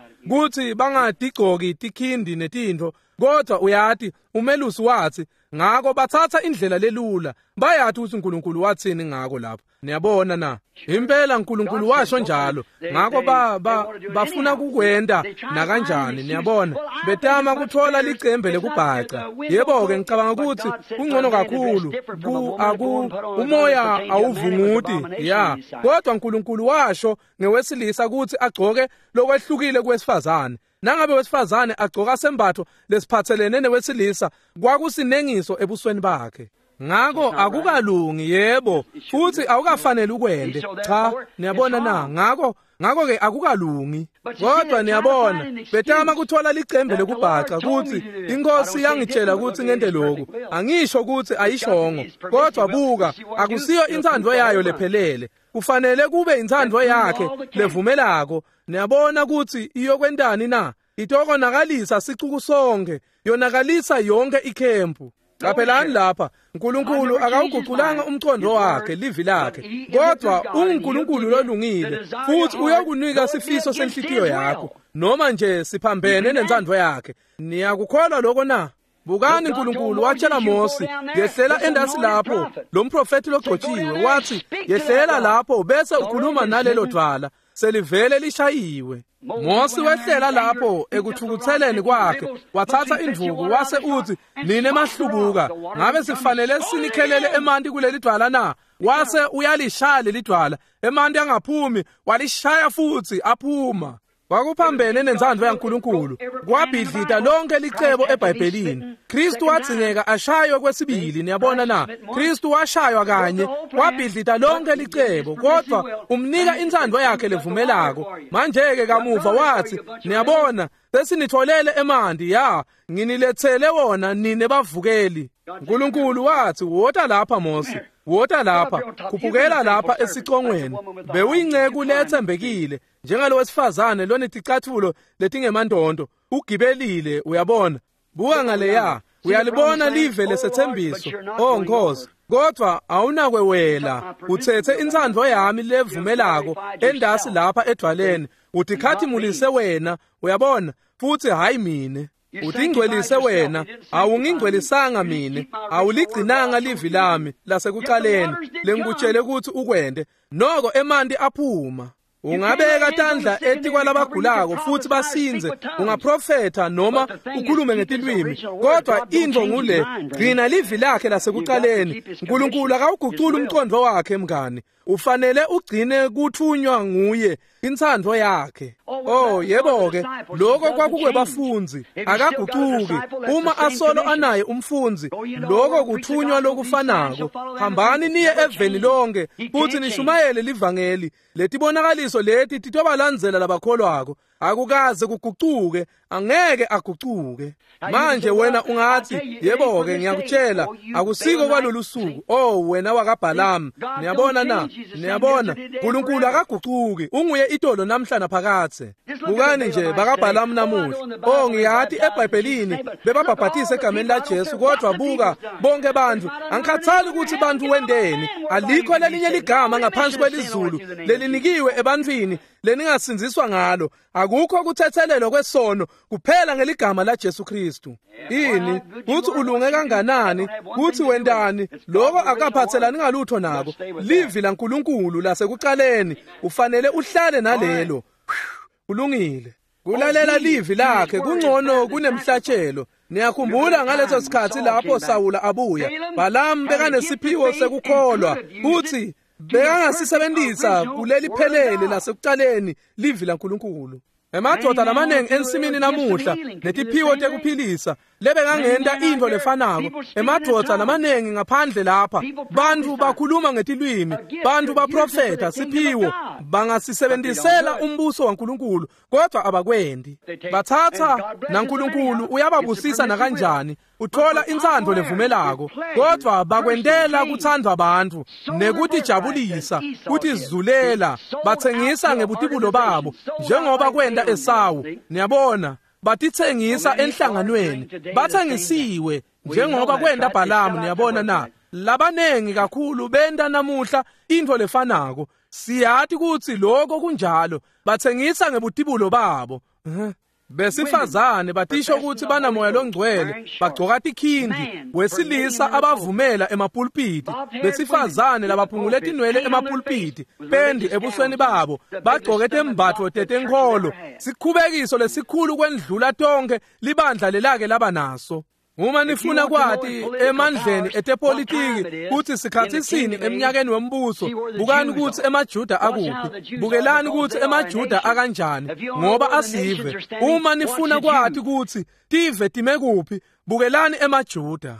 kuthi bangatigcoki tikhindi netintfo, kodwa uyati umelusi wathi ngako bathatha indlela lelula, bayati ukuthi uNkulunkulu wathini ngako lapho. Niyabona na? Impela uNkulunkulu washo njalo, ngako ba, ba bafuna kukwenta nakanjani. Niyabona, betama kuthola licembe lekubhaca. Yebo-ke ngicabanga ukuthi kungcono kakhulu ku aku umoya awuvunguti ya, kodwa uNkulunkulu washo ngewesilisa ukuthi agcoke lokwehlukile kwesifazane. Nangabe wesifazane agcoka sembatho lesiphathelene newesilisa kwakusinengiso ebusweni bakhe. Ngako akukalungi, yebo, futhi awukafanele ukwende. Cha, niyabona na? Ngako ngako ke akukalungi. Kodwa niyabona, betama kuthola licembe lekubhaca ukuthi inkosi yangitshela ukuthi ngente lokhu. Angisho ukuthi ayishongo, kodwa buka, akusiyo intsandvo yayo lephelele. Kufanele kube intsandvo yakhe levumelako. Niyabona ukuthi iyokwentani na? Itokonakalisa sicuku sonke, yonakalisa yonke ikhempu. Qaphelani lapha, uNkulunkulu akawuguqulanga umqondo wakhe, livi lakhe, kodwa unguNkulunkulu lolungile futhi uyakunika sifiso senhlitiyo yakho noma nje siphambene nentsandvo yakhe. Niyakukholwa lokho na? Bukani, uNkulunkulu watshela Mose, yehlela endasi lapho, lo mprofethi logcotshiwe wathi yehlela lapho bese ukhuluma nalelo dwala selivele lishayiwe. Mose wehlela lapho ekuthukutheleni kwakhe, wathatha indvuku wase uthi nine mahlubuka, ngabe sifanele sinikhelele emanti kuleli dwala na? Wase uyalishaya leli dwala, emanti angaphumi, walishaya futhi aphuma. Kwakuphambene nentsandvo yaNkulunkulu, kwabhidlita lonke licebo eBhayibhelini. Kristu wadzingeka ashaywe kwesibili. Niyabona na? Kristu washaywa kanye, kwabhidlita lonke licebo, kodwa umnika intsandvo yakhe levumelako. Manje-ke kamuva wathi, niyabona, sesinitholele emanti, ya, nginilethele wona nine bavukeli. uNkulunkulu wathi, wota lapha Mose, wota lapha, khuphukela lapha esicongweni. Bewuyinceku lethembekile, njengalo wesifazane loneticathulo letingemantonto, ugibelile, uyabona. Buka ngaleya, uyalibona live lesethembiso, oh Nkosi, kodwa awunakwewela, uthethe intsandvo yami levumelako endasi lapha edwaleni, utikhathimulise wena, uyabona, futhi hayi mine. Utingcwelise wena, awungingcwelisanga mine, awuligcinanga livi lami lasekuqaleni lengikutshele ukuthi ukwente, noko emanti aphuma. Ungabeka tandla etikwalabagulako futhi basinze, ungaprofetha noma ukhulume ngetilwimi, kodwa intfo ngule, gcina livi lakhe lasekuqaleni. Nkulunkulu akawuguculi umqondo wakhe mngani. Ufanele ugcine kuthunywa nguye intsandvo yakhe. Oh yebo ke, lokho kwakukwebafundzi, akagucuki. Uma asolo anaye umfundzi, lokho kuthunywa lokufanako. Hambani niye eveni lonke futhi nishumayele livangeli. Letibonakaliso leti titobalandzela labakholwako. Akukaze kugucuke, angeke agucuke. Manje wena ungathi, yebo ke ngiyakutshela, akusiko kwalolu suku. Oh wena wakaBhalamu, niyabona na? Niyabona, uNkulunkulu akagucuki, unguye itolo namhla naphakathe. Bukani nje bakaBhalamu namuhla. Oh ngiyati eBhayibhelini bebabhabhatisa egameni laJesu, kodwa buka bonke bantu, angikhathali ukuthi bantu wendeni, alikho lelinye ligama ngaphansi kwelizulu lelinikiwe ebantwini leningasindziswa ngalo. Akukho kuthethelelwa kwesono kuphela ngeligama la Jesu Kristu. Ini kuthi ulunge kanganani, kuthi wendani, lokho akaphathelani ngalutho nako. Livi laNkulunkulu lasekuqaleni, ufanele uhlale nalelo. Kulungile. Kulalela livi lakhe kungcono kunemhlatshelo. Niyakhumbula ngaleso sikhathi lapho Sawula abuya, Balaam bekanesiphiwo sekukholwa kuthi bekangasisebenzisa kuleli phelele lasekuqaleni livi laNkulunkulu. Emadoda lamanengi ensimini namuhla netiphiwo tekuphilisa lebekangenta intfo lefanako. Emadoda lamanengi ngaphandle lapha, bantfu bakhuluma ngetilwimi, bantfu baprofetha siphiwo, bangasisebenzisela umbuso waNkulunkulu, kodwa abakwendi. Bathatha naNkulunkulu uyababusisa nakanjani, uthola intsandvo levumelako, kodwa bakwentela kuthandwa bantfu nekutijabulisa, kutizulela, batsengisa ngebutibulo babo njengoba kwenta Esawu. Niyabona, batitsengisa enhlanganweni, batsengisiwe njengoba kwenta Bhalamu. Niyabona na? Labanengi kakhulu benta namuhla intfo lefanako. Siyati kutsi lokho kunjalo, batsengisa ngebutibulo babo. Besifazane batisho ukuthi banamoya longcwele, bagcoka tikhindi, wesilisa abavumela emapulpiti, besifazane labaphungule tinwele emapulpiti, pendi ebusweni babo, bagcoke tembatfo tetenkholo, sikhubekiso lesikhulu kwendlula tonke libandla lelake laba naso. Uma nifuna kwati emandleni etepolitiki kutsi sikhatsi sini eminyakeni wembuso, bukani kutsi emaJuda akuphi, bukelani kutsi emaJuda akanjani, ngoba asive. Uma nifuna kwati kutsi tive time kuphi, bukelani emaJuda.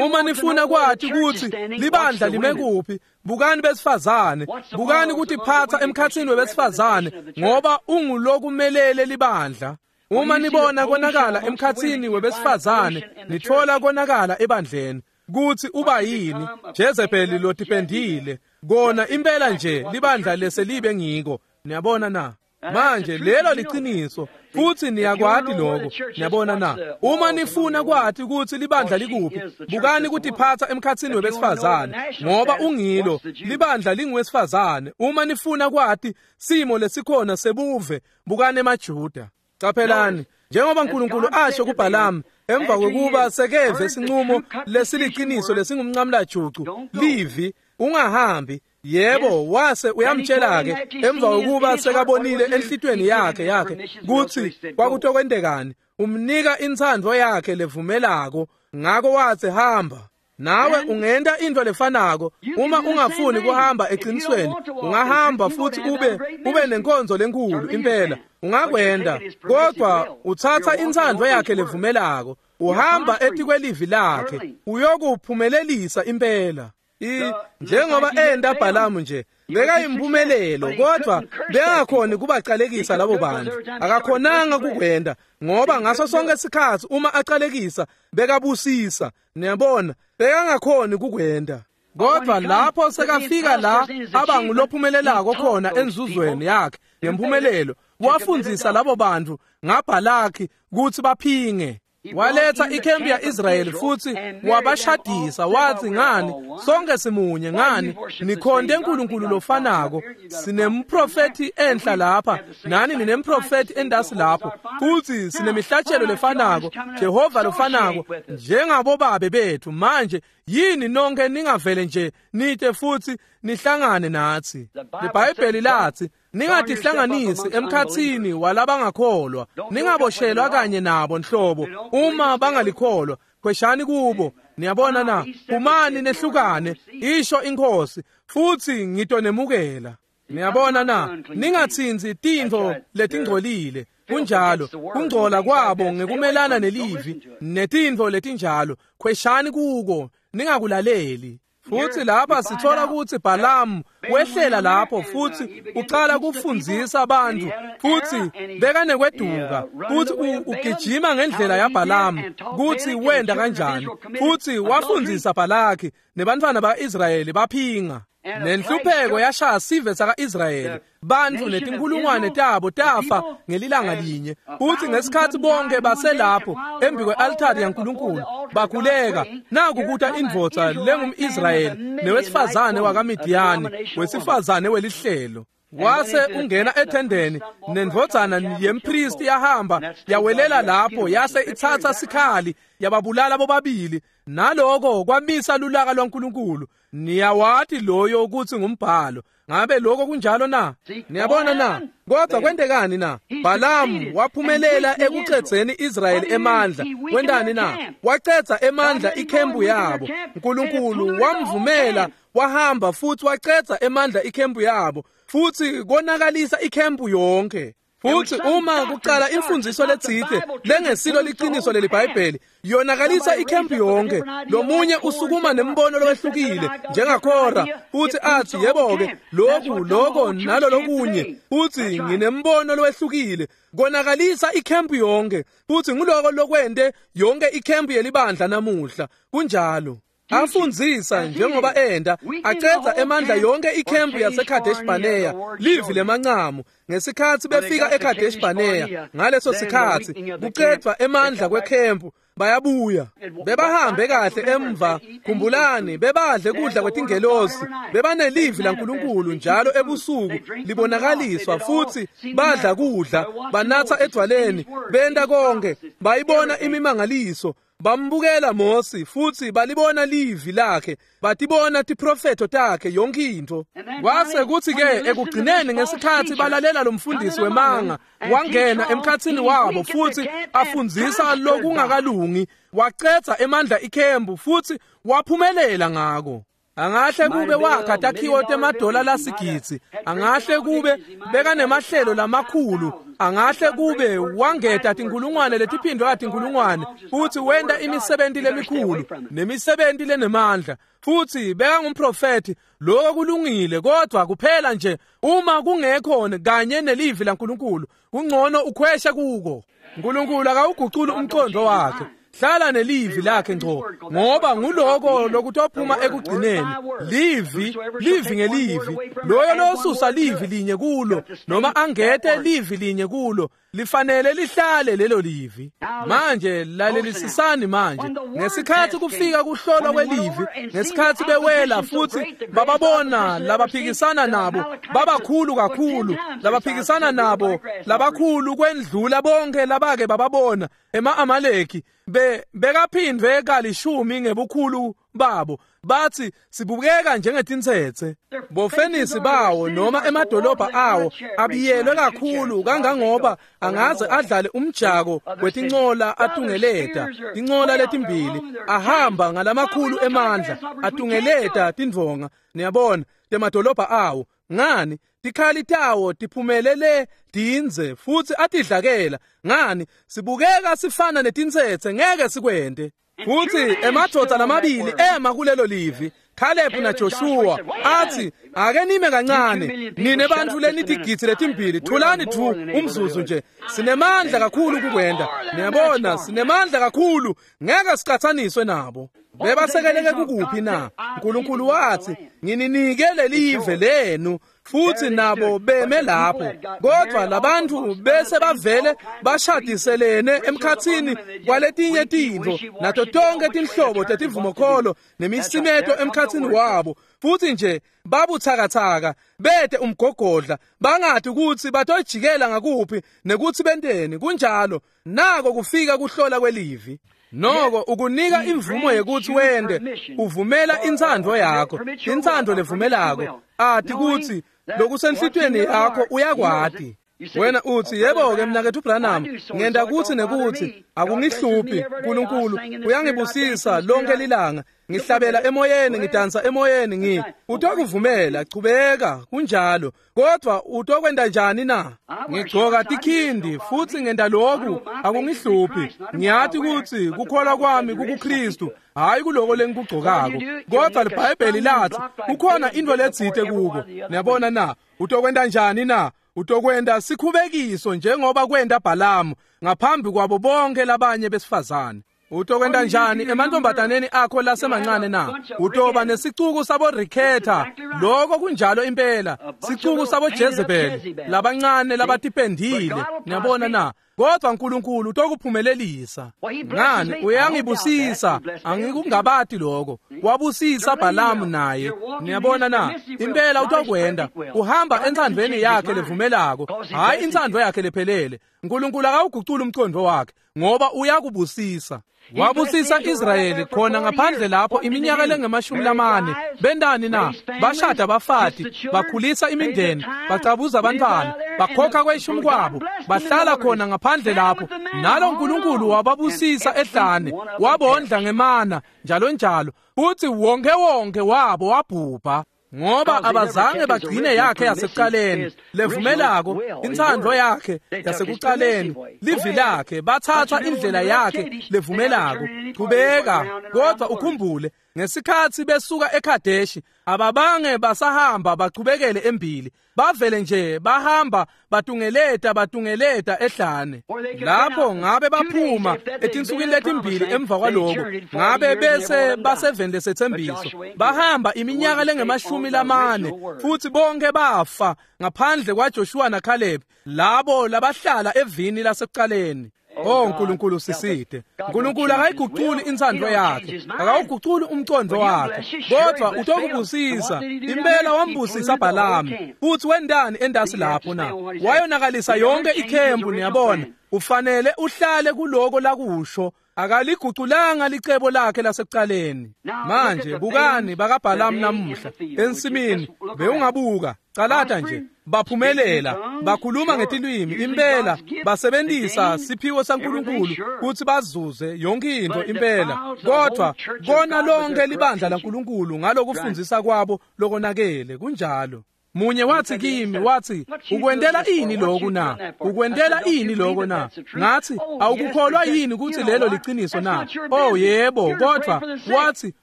Uma nifuna kwati kutsi libandla lime kuphi, bukani besifazane, bukani kutiphatsa emkhatsini webesifazane, ngoba ungulokumelele libandla. Uma nibona konakala emkhatsini webesifazane, nithola konakala ebandleni. Kuthi uba yini? Jezebeli lotipendile. Kona impela nje libandla leselibe ngiko. Niyabona na? Manje lelo liqiniso futhi niyakwati lokho. Niyabona na? Uma nifuna kwati ukuthi libandla likuphi, bukani kutiphatsa emkhatsini webesifazane, ngoba ungilo libandla linguwesifazane. Uma nifuna kwati simo lesikhona sebuve, bukani emaJuda. Qaphelani, njengoba uNkulunkulu asho kuBhalamu emva kokuba sekeve sinqumo lesiliqiniso lesingumnqamlajucu, livi ungahambi. Yebo, wase uyamtshela ke emva kokuba sekabonile enhlitweni yakhe yakhe kutsi kwakutokwentekani, umnika intsandvo yakhe levumelako. Ngako wathi hamba. Nawe ungenta into lefanako. Uma ungafuni kuhamba eqinisweni, ungahamba futhi ube ube nenkonzo lenkulu impela, ungakwenda, kodwa uthatha intsandvo yakhe levumelako, uhamba etikwelivi lakhe, uyokuphumelelisa impela. I njengoba enda Bhalamu nje bekayimpumelelo, kodwa bengakhoni kubacalekisa labo bantu. Akakhonanga kukwenda, ngoba ngaso sonke isikhathi uma acalekisa bekabusisa. Niyabona, bekangakhoni kukwenda. Kodwa lapho sekafika la abangulophumelelako khona enzuzweni yakhe ngempumelelo, wafundzisa labo bantu ngaBhalaki kutsi baphinge. Waletha ikhempi ya-Israyeli futhi wabashadisa, wathi ngani sonke simunye, ngani nikhonte uNkulunkulu lofanako, sinemprofethi enhla lapha nani ninemprofethi endasi lapho, futhi sinemihlatshelo lefanako, Jehova lofanako njengabobabe bethu. Manje yini nonke ningavele nje nite futhi nihlangane nathi? IBhayibheli lathi Ningatihlanganisi emkhatsini walabangakholwa, ningaboshelwa kanye nabo nhlobo uma bangalikholwa. Khweshani kubo. Niyabona na? Phumani nehlukane, isho iNkhosi, futsi ngitonemukela. Niyabona na? Ningatsinzi tintfo letingcolile. Kunjalo, kungcola kwabo ngekumelana nelivi netintfo letinjalo. Khweshani kuko, ningakulaleli. Futsi lapha sithola kutsi Balamu wehlela lapho futsi ucala kufundzisa abantu, futsi bekanekweduka, futsi ugijima ngendlela yaBalamu kutsi wenda kanjani, futsi wafundzisa Balaki nebantfwana ba-Israyeli baphinga. Nenhlupheko yashaya sive saka-Israyeli, bantfu netinkhulungwane tabo tafa ngelilanga linye. Futsi ngesikhatsi bonke baselapho embi kwe-altari yaNkulunkulu bakhuleka, naku kuta indvodza lengum-Israyeli newesifazane wakaMidiyani, wesifazane welihlelo. Wase ungena ethendeni, nendvodzana yempristi yahamba yawelela lapho, yase itsatsa sikhali yababulala bobabili. Naloko kwamisa lulaka lwaNkulunkulu. Niyawati loyo ukuthi ngumbhalo. Ngabe lokho kunjalo na? Niyabona na? Kodwa kwentekani na? Balamu waphumelela ekucedzeni Israyeli emandla. Wentani na? Wacedza emandla ikhempu yabo. Nkulunkulu wamvumela wahamba futsi wacedza emandla ikhempu yabo, futsi konakalisa ikhempu yonke. Futsi uma kucala imfundiso letsite lengesilo liqiniso leliBhayibheli, yonakalisa ikhempu yonke. Lomunye usukuma nembono lowehlukile njengaKhora, futsi athi yebo-ke lokhu lokho nalolokunye, futsi nginembono lowehlukile. Konakalisa ikhempu yonke, futsi nguloko lokwente yonke ikhempu yelibandla namuhla. Kunjalo. Afundzisa njengoba enda, acedza emandla yonke ikhempu yaseKadesh Barnea, livi lemancamu. Ngesikhatsi befika eKadesh Barnea, ngaleso sikhatsi kucedvwa emandla kwekhempu, bayabuya. Bebahambe kahle emva, khumbulani, bebadle kudla kwetingelosi, bebanelivi laNkulunkulu njalo ebusuku libonakaliswa, futsi badla kudla, banatsa edvwaleni, benta konke, bayibona imimangaliso. Bambukela Mosi futsi balibona livi lakhe, batibona tiprofetho takhe, yonke intfo. Kwase kutsi ke ekugcineni ngesikhatsi balalela lo mfundisi wemanga, wangena emkhatsini wabo futsi afundzisa lokungakalungi, wacedza emandla ikhempu futsi waphumelela ngako. Angahle kube wakha takhiwo temadola lasigidzi, angahle kube bekanemahlelo lamakhulu, angahle kube wangeta tinkhulungwane letiphindwe katinkhulungwane, futsi wenta imisebenti lemikhulu nemisebenti lenemandla, futsi bekangumprofethi. Lokho kulungile, kodwa kuphela nje uma kungekho kanye nelivi laNkulunkulu, kungcono ukhweshe kuko. Nkulunkulu akawuguculi umqondo wakhe. Hlala nelivi lakhe ngco, ngoba nguloko lokutophuma ekugcineni. Livi, livi ngelivi. Loyo losusa livi linye kulo, noma angete livi linye kulo, lifanele lihlale lelo livi. Manje lalelisisani manje. Ngesikhatsi kufika kuhlolwa kwelivi, ngesikhatsi bewela futsi bababona labaphikisana nabo babakhulu kakhulu, labaphikisana nabo labakhulu kwendlula bonke labake bababona ema-Amaleki, be bekaphindwe kalishumi ngebukhulu babo. Bathi sibukeka njengetintsetse. Bofenisi bawo noma emadolobha awo abiyelwe kakhulu kangangoba angaze adlale umjako wetincola atungeleta tincola letimbili, ahamba ngalamakhulu emandla atungeleta tindvonga, niyabona, temadolobha awo. Ngani? Tikhali tawo tiphumelele dindze futsi atidlakela. Ngani? Sibukeka sifana netintsetse, ngeke sikwente. Futsi emadvodza lamabili ema kulelo livi, Caleb naJoshua, athi ake nime kancane, nine bantfu lenitigidzi letimbili, thulani dvu umzuzu nje, sinemandla kakhulu kukwenta. Niyabona, sinemandla kakhulu, ngeke siqathaniswe nabo. Bebasekeleke kukuphi na? Nkulunkulu wathi ngininike lelive lenu, futsi nabo beme lapho. Kodwa labantu bese bavele bashadiselene emkhatsini kwaletinye tintfo nato tonke tinhlobo tetivumokholo nemisimeto emkhatsini wabo, futsi nje babuthakathaka, bete umgogodla, bangati kutsi batojikela ngakuphi nekutsi benteni. Kunjalo, nako kufika kuhlola kwelivi. Noko ukunika imvumo yekutsi wende, uvumela intsandvo yakho, intsandvo levumelako, ati kutsi Lokusenhlitiyweni yakho uyakwati. Wena uthi, yebo-ke mnaketfu Branham, ngenta kutsi nekutsi, akungihluphi, Nkulunkulu uyangibusisa lonke lilanga, ngihlabela emoyeni, ngidansa emoyeni, ngi utokuvumela, chubeka, kunjalo. Kodwa utokwenta njani na? Ngigcoka tikhindi futsi ngenta loku, akungihluphi. Ngiyati kutsi kukholwa kwami kukuKristu, hayi kuloko lengikugcokako. Kodwa liBhayibheli lathi kukhona into letsite kuko. Niyabona na? Utokwenta njani na? Utokwenta sikhubekiso njengoba kwenta Bhalamu ngaphambi kwabo bonke labanye besifazane. Utokwenta njani emantombataneni akho lasemancane na? Utoba nesicuku sabo Riketha, lokho kunjalo impela, sicuku sabo Jezebel labancane labatipendile. Niyabona na? Kodwa uNkulunkulu utokuphumelelisa. Ngani? Uyangibusisa, angikungabati lokho. Wabusisa Bhalamu naye. Niyabona na? Impela utokwenda. Uhamba entsandvweni yakhe levumelako, hayi intsandvo yakhe lephelele. uNkulunkulu akawuguculi umqondo wakhe ngoba uyakubusisa. Wabusisa Israyeli khona ngaphandle lapho iminyaka lengemashumi lamane. Bendani na? Bashada bafati, bakhulisa imindeni, bacabuza abantwana, bakhokha kweshumi kwabo, bahlala khona ngaphandle lapho. Nalo uNkulunkulu wababusisa ehlane, wabondla ngemana njalo njalo. Futhi wonke wonke wabo wabhubha. Ngoba abazange bagcine yakhe yasekuqaleni levumelako, intsandvo yakhe yasekuqaleni, livi lakhe, bathatha indlela yakhe levumelako. Chubeka, kodwa ukhumbule, ngesikhatsi besuka eKadeshi, ababange basahamba bachubekele embili, bavele nje bahamba batungeleta batungeleta ehlane. Lapho ngabe baphuma etinsukwini letimbili emva kwaloko, ngabe bese baseveni lesetsembiso. Bahamba iminyaka lengemashumi lamane futhi bonke bafa ngaphandle kwaJoshua naCaleb, labo labahlala evini lasekuqaleni. Oh Nkulunkulu siside. Nkulunkulu akayiguculi intsandvo yakhe, akawuguculi umqondo wakhe, kodwa utokubusisa. Impela wambusisa Bhalamu. Futhi wendani endasi lapho na? Wayonakalisa yonke ikhembu. Niyabona, ufanele uhlale kuloko lakusho. Akaliguculanga licebo lakhe lasekuqaleni. Manje bukani bakaBhalamu namuhla ensimini, bewungabuka calata nje, baphumelela, bakhuluma ngetilwimi, impela basebenzisa siphiwo saNkulunkulu kutsi bazuze yonke into impela. Kodwa kona lonke libandla laNkulunkulu ngalokufundzisa kwabo lokonakele. Kunjalo. Munye wathi kimi, wathi, ukwentela ini lokhu na? Ukwentela ini lokho na? Ngathi, awukukholwa yini ukuthi lelo liqiniso na? Oh yebo, kodwa wathi,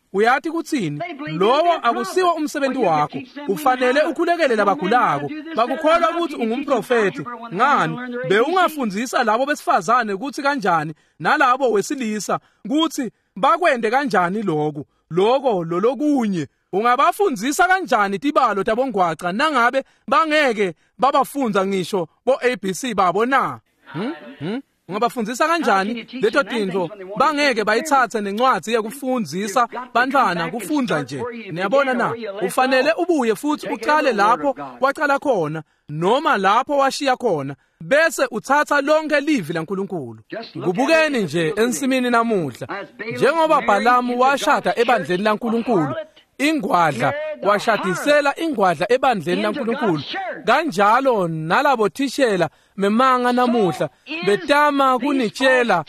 uyati kutsini? Lowo akusiwo umsebenzi wakho. Ufanele ukhulekele labagulako. Bakukholwa ukuthi ungumprofeti. Ngani? Bewungafundzisa labo besifazane ukuthi kanjani nalabo wesilisa ukuthi bakwende kanjani lokhu, lokho lolokunye. Ungabafundzisa kanjani tibalo tabongwaca nangabe bangeke babafunza ngisho bo A B C babo na? Hmm? Hmm? Ungabafundzisa kanjani leto tintfo bangeke bayitsatse nencwadzi yekufundzisa bantwana kufundza nje? Niyabona na? Ufanele ubuye futhi uqale lapho waqala khona, noma lapho washiya khona, bese uthatha lonke livi laNkulunkulu. Kubukeni nje ensimini namuhla, njengoba Bhalamu washada ebandleni laNkulunkulu ingwadla, washadisela ingwadla ebandleni laNkulunkulu, kanjalo nalabo thishela memanga namuhla betama kunitshela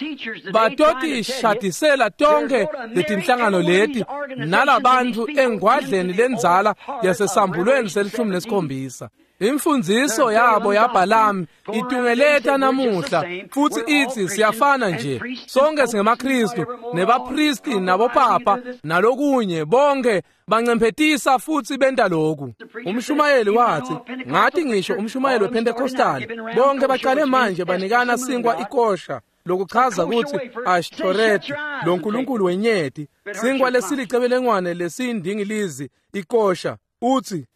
batotishadisela tonke letinhlangano leti nalabantu engwadleni lenzala yasesambulweni selishumi nesikhombisa. Imfundziso yabo yaBhalamu itungeleta namuhla futhi ithi siyafana nje, sonke singemaKristu nebapristi nabopapa nalokunye, bonke bancemphetisa futhi benta lokhu. Umshumayeli wathi, ngathi ngisho umshumayeli wePentecostal, bonke baqale manje banikana sinkwa ikosha, lokuchaza ukuthi Ashtoreth, lo nkulunkulu wenyeti, sinkwa lesilicebelengwane lesiyindingilizi ikosha. Uthi,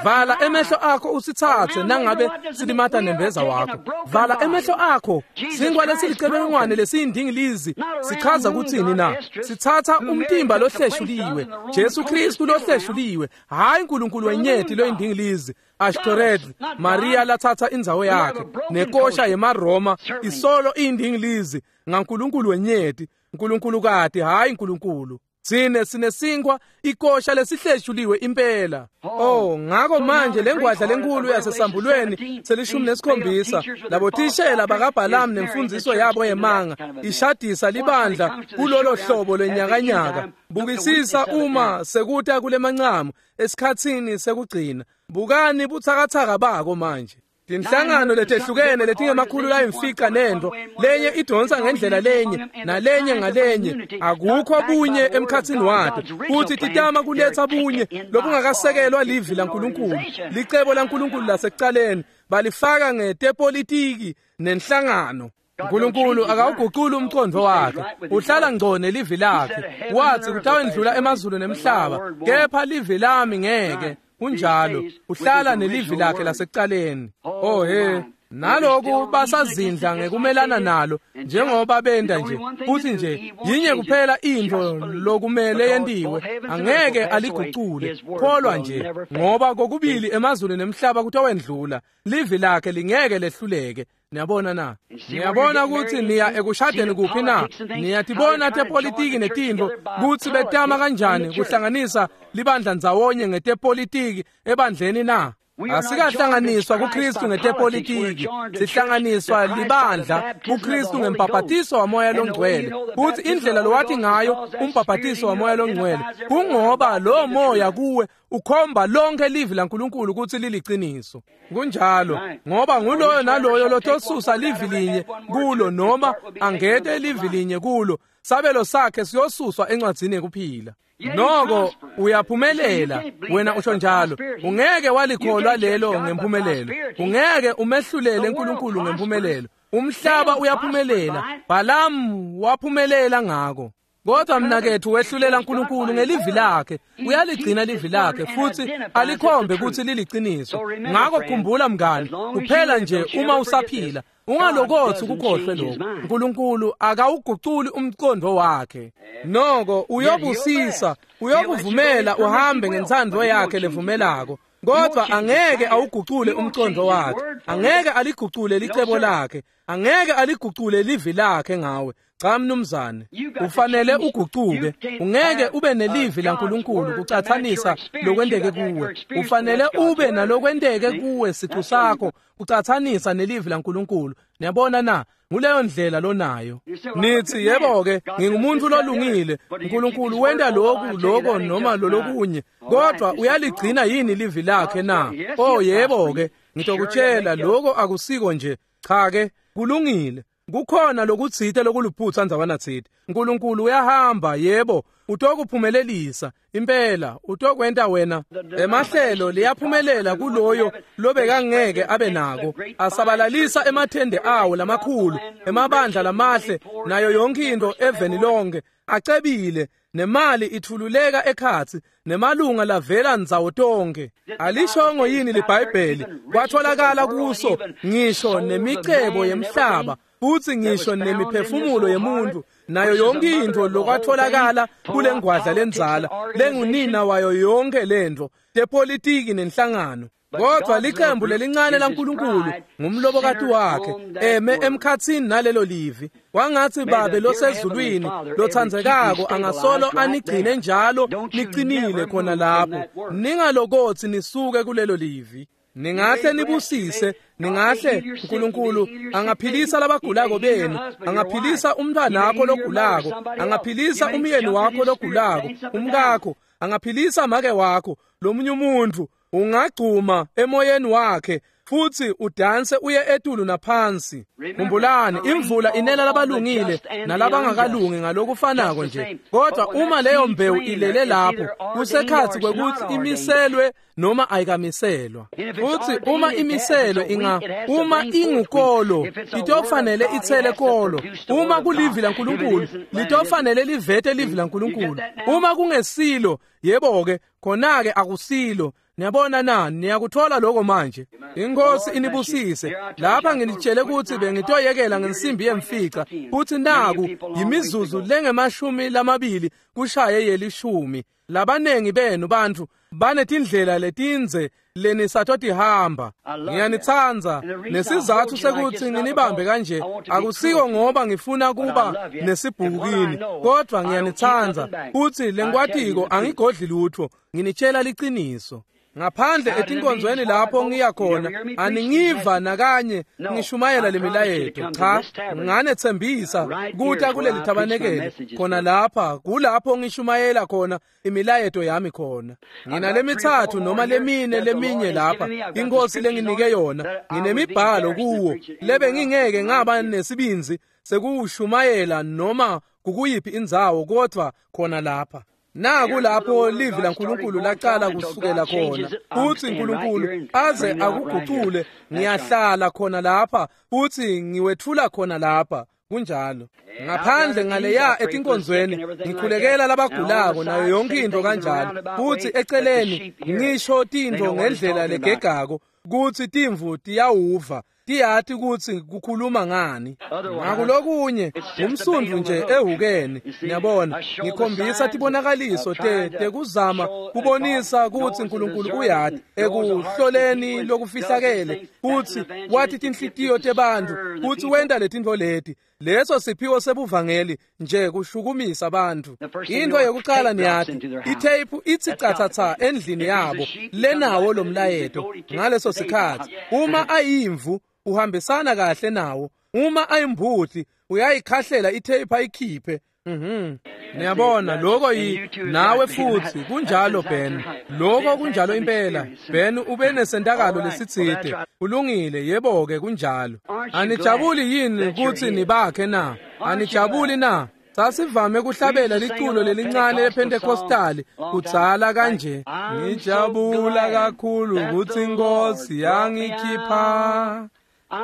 vala emehlo akho usithathe nangabe silimata nembeza wakho. Vala emehlo akho. Sinkwa lesilicebelengwane lesiyindingilizi sichaza kuthini na? Sithatha umtimba lohleshuliwe, Jesu Kristu lohleshuliwe, hayi uNkulunkulu wenyeti loyindingilizi Ashtoreth, Maria lathatha indzawo yakhe nekosha yemaRoma isolo iyindingilizi ngaNkulunkulu wenyeti, uNkulunkulu kati, hayi uNkulunkulu. Sine sinesinkwa ikosha lesihleshuliwe impela. Oh, ngakho manje lengwadla lenkulu yasesambulweni selishumi nesikhombisa labothishela bakaBhalamu nemfundiso yabo yemanga ishadisa libandla kulolo hlobo lwenyakanyaka. Bukisisa uma sekuta kulemancamu esikhatsini sekugcina. Bukani butsakatsaka bako manje. Tinhlangano letehlukene letingemakhulu layimfica nento lenye idonsa ngendlela lenye nalenye ngalenye, akukho bunye emkhatsini wato, futhi titama kuletha bunye lobungakasekelwa livi laNkulunkulu. Licebo laNkulunkulu lasekucaleni balifaka ngetepolitiki nenhlangano. uNkulunkulu akawuguquli umqondo wakhe, uhlala ngco nelivi lakhe. Wathi kutawendlula emazulu nemhlaba, kepha livi lami ngeke. Kunjalo, uhlala nelivi lakhe lasekucaleni. Oh he, naloku basazindla ngekumelana nalo njengoba benda nje. Futhi nje yinye kuphela into lokumele yentiwe, angeke aligucule. Kholwa nje, ngoba kokubili emazulu nemhlaba kutawendlula, livi lakhe lingeke lehluleke. Niyabona na? Niyabona ukuthi niya ekushadeni kuphi na? Niyatibona tepolitiki netintfo kutsi betama kanjani kuhlanganisa libandla ndzawonye ngetepolitiki ebandleni na? Asikahlanganiswa kuKristu ngetepolitiki, sihlanganiswa libandla kuKristu ngembhabhatiso waMoya loNgcwele. Futhi indlela lowathi ngayo umbhabhatiso waMoya loNgcwele kungoba lo moya kuwe ukhomba lonke livi laNkulunkulu ukuthi liliciniso. Kunjalo, ngoba nguloyo naloyo lotosusa livi linye kulo noma angete livi linye kulo, sabelo sakhe siyosuswa encwadzini yekuphila. Noko uyaphumelela wena usho njalo. Ungeke walikholwa lelo ngempumelelo, ungeke umehlulele uNkulunkulu ngempumelelo. Umhlaba uyaphumelela, Balamu waphumelela ngako. Kodwa mnakethu wehlulela uNkulunkulu ngelivi lakhe, uyaligcina livi lakhe futhi alikhombe ukuthi liliciniso. Ngakho khumbula mngani, kuphela nje uma usaphila ungalokothi ukukhohlwe lokho. uNkulunkulu akawuguculi umqondo wakhe. Noko uyobusisa, uyokuvumela uhambe ngentsandvo yakhe levumelako, kodwa angeke awugucule umqondo wakhe, angeke aligucule licebo lakhe, angeke aligucule livi lakhe ngawe. Cha mnumzane, ufanele ugucuke. Ungeke ube nelivi laNkulunkulu kucathanisa lokwenteke kuwe. Ufanele ube nalokwenteke kuwe siqu sakho kucathanisa nelivi laNkulunkulu. Niyabona na? Nguleyo ndlela lonayo. Nithi yebo ke, ngingumuntu lolungile, uNkulunkulu wenta lokhu lokho noma lolokunye, kodwa uyaligcina yini livi lakhe na? Oh yebo ke, ngitokutshela lokho akusiko nje. Cha ke, kulungile. Kukhona lokutsite lokuluphutsa ndzawana tsite. uNkulunkulu uyahamba, yebo, utokuphumelelisa impela, utokwenta wena. Emahlelo liyaphumelela kuloyo lobekangeke abe nako, asabalalisa emathende awo lamakhulu, emabandla lamahle, nayo yonke into eveni lonke, acebile, nemali ithululeka ekhatsi, nemalunga lavela ndzawo tonke. Alishongo yini liBhayibheli kwatholakala kuso ngisho nemicebo yemhlaba, futhi ngisho nemiphefumulo yemuntu, nayo yonke into lokwatholakala kule ngwadla lenzala lengunina wayo yonke lento tepolitiki nenhlangano. Kodwa liqembu lelincane laNkulunkulu ngumlobokati wakhe eme emkhatsini nalelo livi. Wangathi Babe losezulwini lothandzekako angasolo anigcine njalo niqinile khona lapho, ningalokothi nisuke kulelo livi. Ningahle nibusise, ningahle uNkulunkulu angaphilisa labagulako benu, angaphilisa umntwana wakho logulako, angaphilisa umyeni wakho logulako, umkakho, angaphilisa make wakho, lomunye umuntu. Ungagcuma emoyeni wakhe futhi udanse uye etulu naphansi. Khumbulani, imvula inela labalungile nalabangakalungi ngalokufanako nje. Kodwa uma leyo mbewu ilele lapho, kusekhathi kwekuthi imiselwe noma ayikamiselwa. Futhi uma imiselwe inga uma ingukolo, itofanele ithele kolo. Uma kulivi laNkulunkulu, litofanele livete livi laNkulunkulu. Uma kungesilo, yebo ke, khona ke akusilo. Niyabona na? Niyakuthola lokho manje. Inkosi inibusise. Lapha nginitshele ukuthi bengitoyekela ngensimbi yemfica, futhi naku yimizuzu lengemashumi lamabili kushaye yelishumi. Labanengi benu bantfu banetindlela letindze lenisatotihamba. Ngiyanitsandza, nesizatfu sekutsi nginibambe kanje akusiko ngoba ngifuna kuba nesibhuku kini, kodvwa ngiyanitsandza futsi lengikwatiko angigodli lutfo, nginitshela liciniso. Ngaphandle etinkonzweni lapho ngiya khona aningiva nakanye ngishumayela lemilayeto. Cha, nganetsembisa kuta kuleli thabanekele khona lapha, kulapho ngishumayela khona imilayeto yami khona. Nginalemithathu noma lemine leminye lapha inkosi lenginike yona, nginemibhalo kuwo lebe ngingeke ngaba nesibindzi sekuwushumayela noma kukuyiphi indzawo, kodvwa khona lapha. Naku lapho livi laNkulunkulu lacala kusukela khona, futsi uNkulunkulu aze akugucule, ngiyahlala khona lapha futsi ngiwetfula khona lapha. Kunjalo. Ngaphandle ngaleya etinkonzweni ngikhulekela labagulako nayo yonke into kanjalo, futsi eceleni ngisho tintfo ngendlela legegako kutsi timvu tiyawuva, tiyati kutsi kukhuluma ngani. Ngakulokunye ngumsundvu nje ehukeni, niyabona, ngikhombisa tibonakaliso te tekuzama kubonisa kutsi uNkulunkulu uyati ekuhloleni lokufihlakele, futsi wati tinhlitiyo tebantfu, futsi wenta letintfo leti. Leso siphiwo sebuvangeli nje kushukumisa bantfu. Into yokucala niyati, itheyiphu itsi catsatsa endlini yabo lenawo lomlayeto ngaleso sikhatsi. Uma ayimvu uhambisana kahle nawo, uma ayimbuti uyayikhahlela itheyiphu ayikhiphe. Mhm. Niyabona lokho yi nawe futhi kunjalo Ben. Lokho kunjalo impela. Ben ube nesentakalo lesitsite. Kulungile, yebo ke kunjalo. Anijabuli yini kutsi nibakhe na? Anijabuli na? Sasivame kuhlabela liculo lelincane lePentecostali kudzala kanje. Ngijabula kakhulu kutsi Inkosi yangikhipha.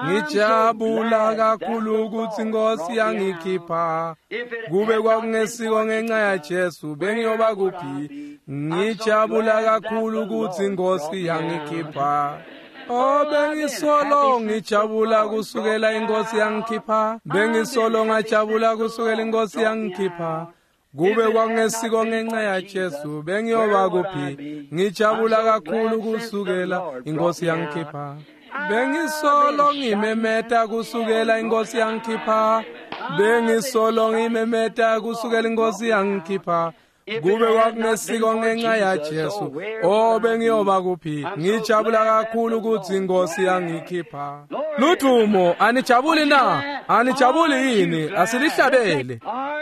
Ngijabula kakhulu kutsi Inkosi yangikhipha. Kube kwakungesiko ngenxa yaJesu bengiyoba kuphi? Ngijabula kakhulu kutsi Inkosi yangikhipha. Oh, bengisolo ngijabula kusukela Inkosi yangikhipha. Bengisolo ngajabula kusukela Inkosi yangikhipha. Kube kwakungesiko ngenxa yaJesu bengiyoba kuphi? Ngijabula kakhulu kusukela Inkosi yangikhipha. Bengisolo ngimemeta kusukela Inkosi yangikhipha. Bengisolo ngimemeta kusukela Inkosi yangikhipha. Kube kwakungesiko ngenxa yaJesu, oh bengiyoba kuphi? Ngijabula kakhulu kutsi Inkosi yangikhipha. Ludumo, anijabuli na? Anijabuli yini? Asilihlabele.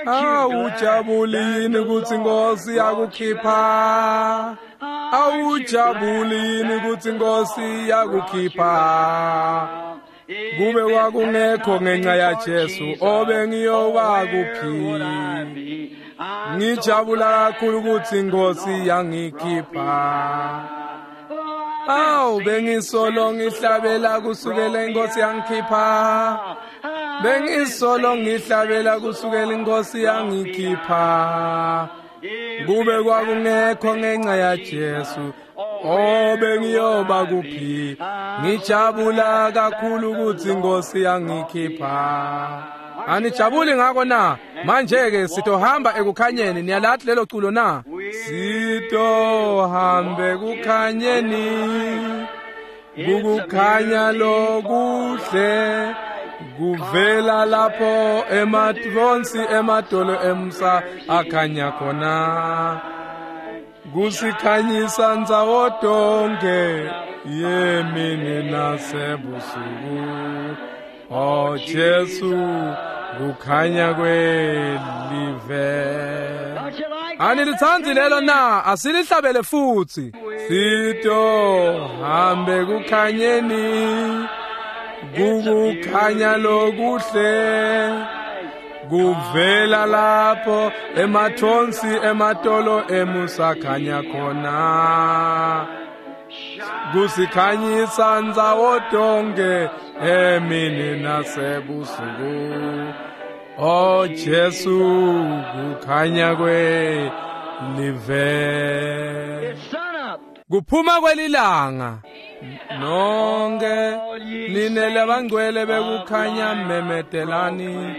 Awujabuli yini kutsi Inkosi yakukhipha? Awujabuli yini kutsi Inkosi yakukhipha? Kube kwakungekho ngenxa yaJesu, oh bengiyoba kuphi? Ngijabula kakhulu kutsi Inkosi yangikhipha. Awu bengisolo ngihlabela kusukela Inkosi yangikhipha. Bengisolo ngihlabela kusukela Inkosi yangikhipha. Kube kwakungekho ngenxa yaJesu, oh bengiyoba kuphi? Ngijabula kakhulu kutsi Inkosi yangikhipha. Anijabuli ngako na? Manje ke sitohamba ekukhanyeni. Niyalathi lelo culo na? Sitohambe ekukhanyeni, kukukhanya lokuhle kuvela lapho emathonsi emadolo emsa akhanya khona, kusikhanyisa ndzawo tonke yemini nasebusuku. Oh Jesu, kukhanya kwelive. Anilitsandzi lelo na? Asilihlabele futsi. Sitohambe kukhanyeni, kukukhanya lokuhle kuvela lapho emathonsi ematolo emusakhanya khona, kusikhanyisa ndzawo tonke emini nasebusuku. Oh Jesu, kukhanya kwelive. Kuphuma kwelilanga. Nonke nine labangcwele bekukhanya memetelani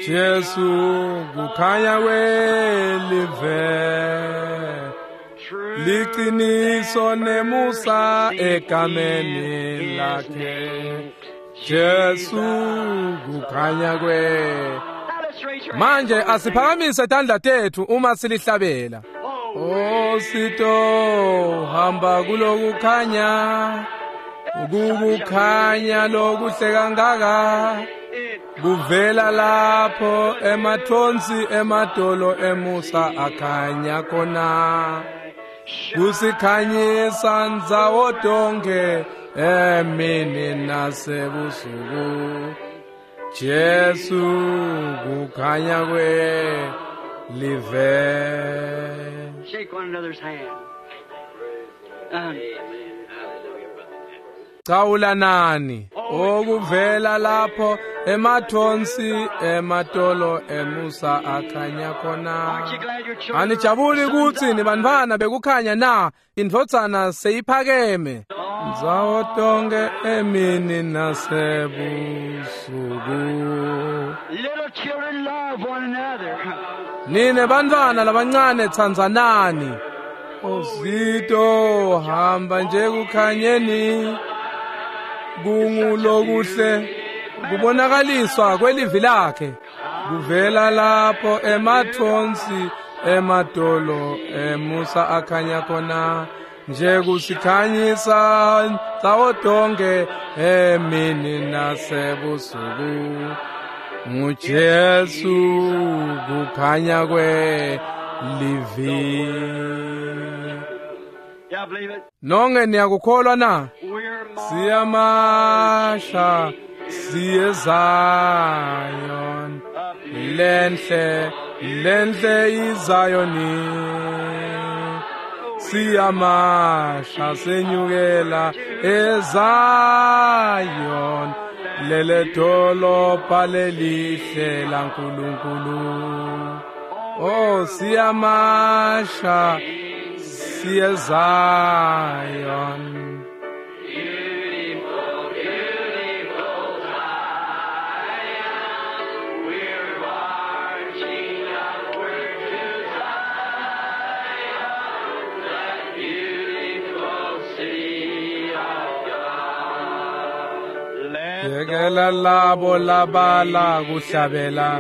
Jesu, kukhanya kwelive. Liciniso nemusa egameni lakhe Jesu kukhanya kwe. Manje asiphakamise tandla tethu uma silihlabela. O sito hamba kulokukhanya, ukukhanya lokuhle kangaka kuvela lapho emathonsi emadolo emusa akhanya khona, kusikhanyisa ndzawo tonke emini nasebusuku. Jesu kukhanya kwe live. Shake one another's hand. Um, Cawulanani okuvela lapho emathonsi ematolo emusa akhanya khona. Anijabuli kutsi nibantfwana bekukhanya na? Indvodzana seyiphakeme ndzawo tonke emini nasebusuku. Little children, love one another. Nine bantfwana labancane tsandzanani. Ozito hamba nje kukhanyeni kungulokuhle kubonakaliswa kwelivi lakhe kuvela lapho emathonsi emadolo emusa akhanya khona nje kusikhanyisa ndzawo tonke emini nasebusuku. NguJesu kukhanya kwe livi. Nonke niyakukholwa na? Siyamasha siye Zion, lenhle lenhle iZayoni. Siyamasha senyukela eZion, lele dolobha lelihle laNkulunkulu. Oh siyamasha siye Zion. Beautiful, beautiful Zion, we're marching upward to Zion, that beautiful city of God. Let Yekela labo labala kuhlabela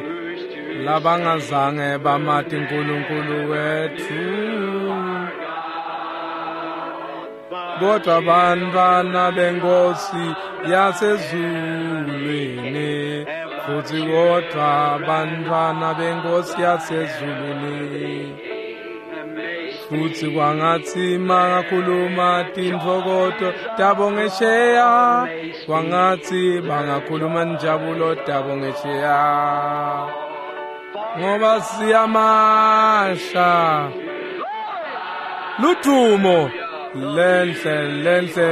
labangazange bamati uNkulunkulu wethu, kodwa bantwana benkosi yasezulwini, futhi kodwa bantwana benkosi yasezulwini. Futhi kwangathi bangakhuluma tintfokoto tabo ngesheya, kwangathi bangakhuluma njabulo tabo ngesheya, ngoba siyamasha ludumo lenhle lenhle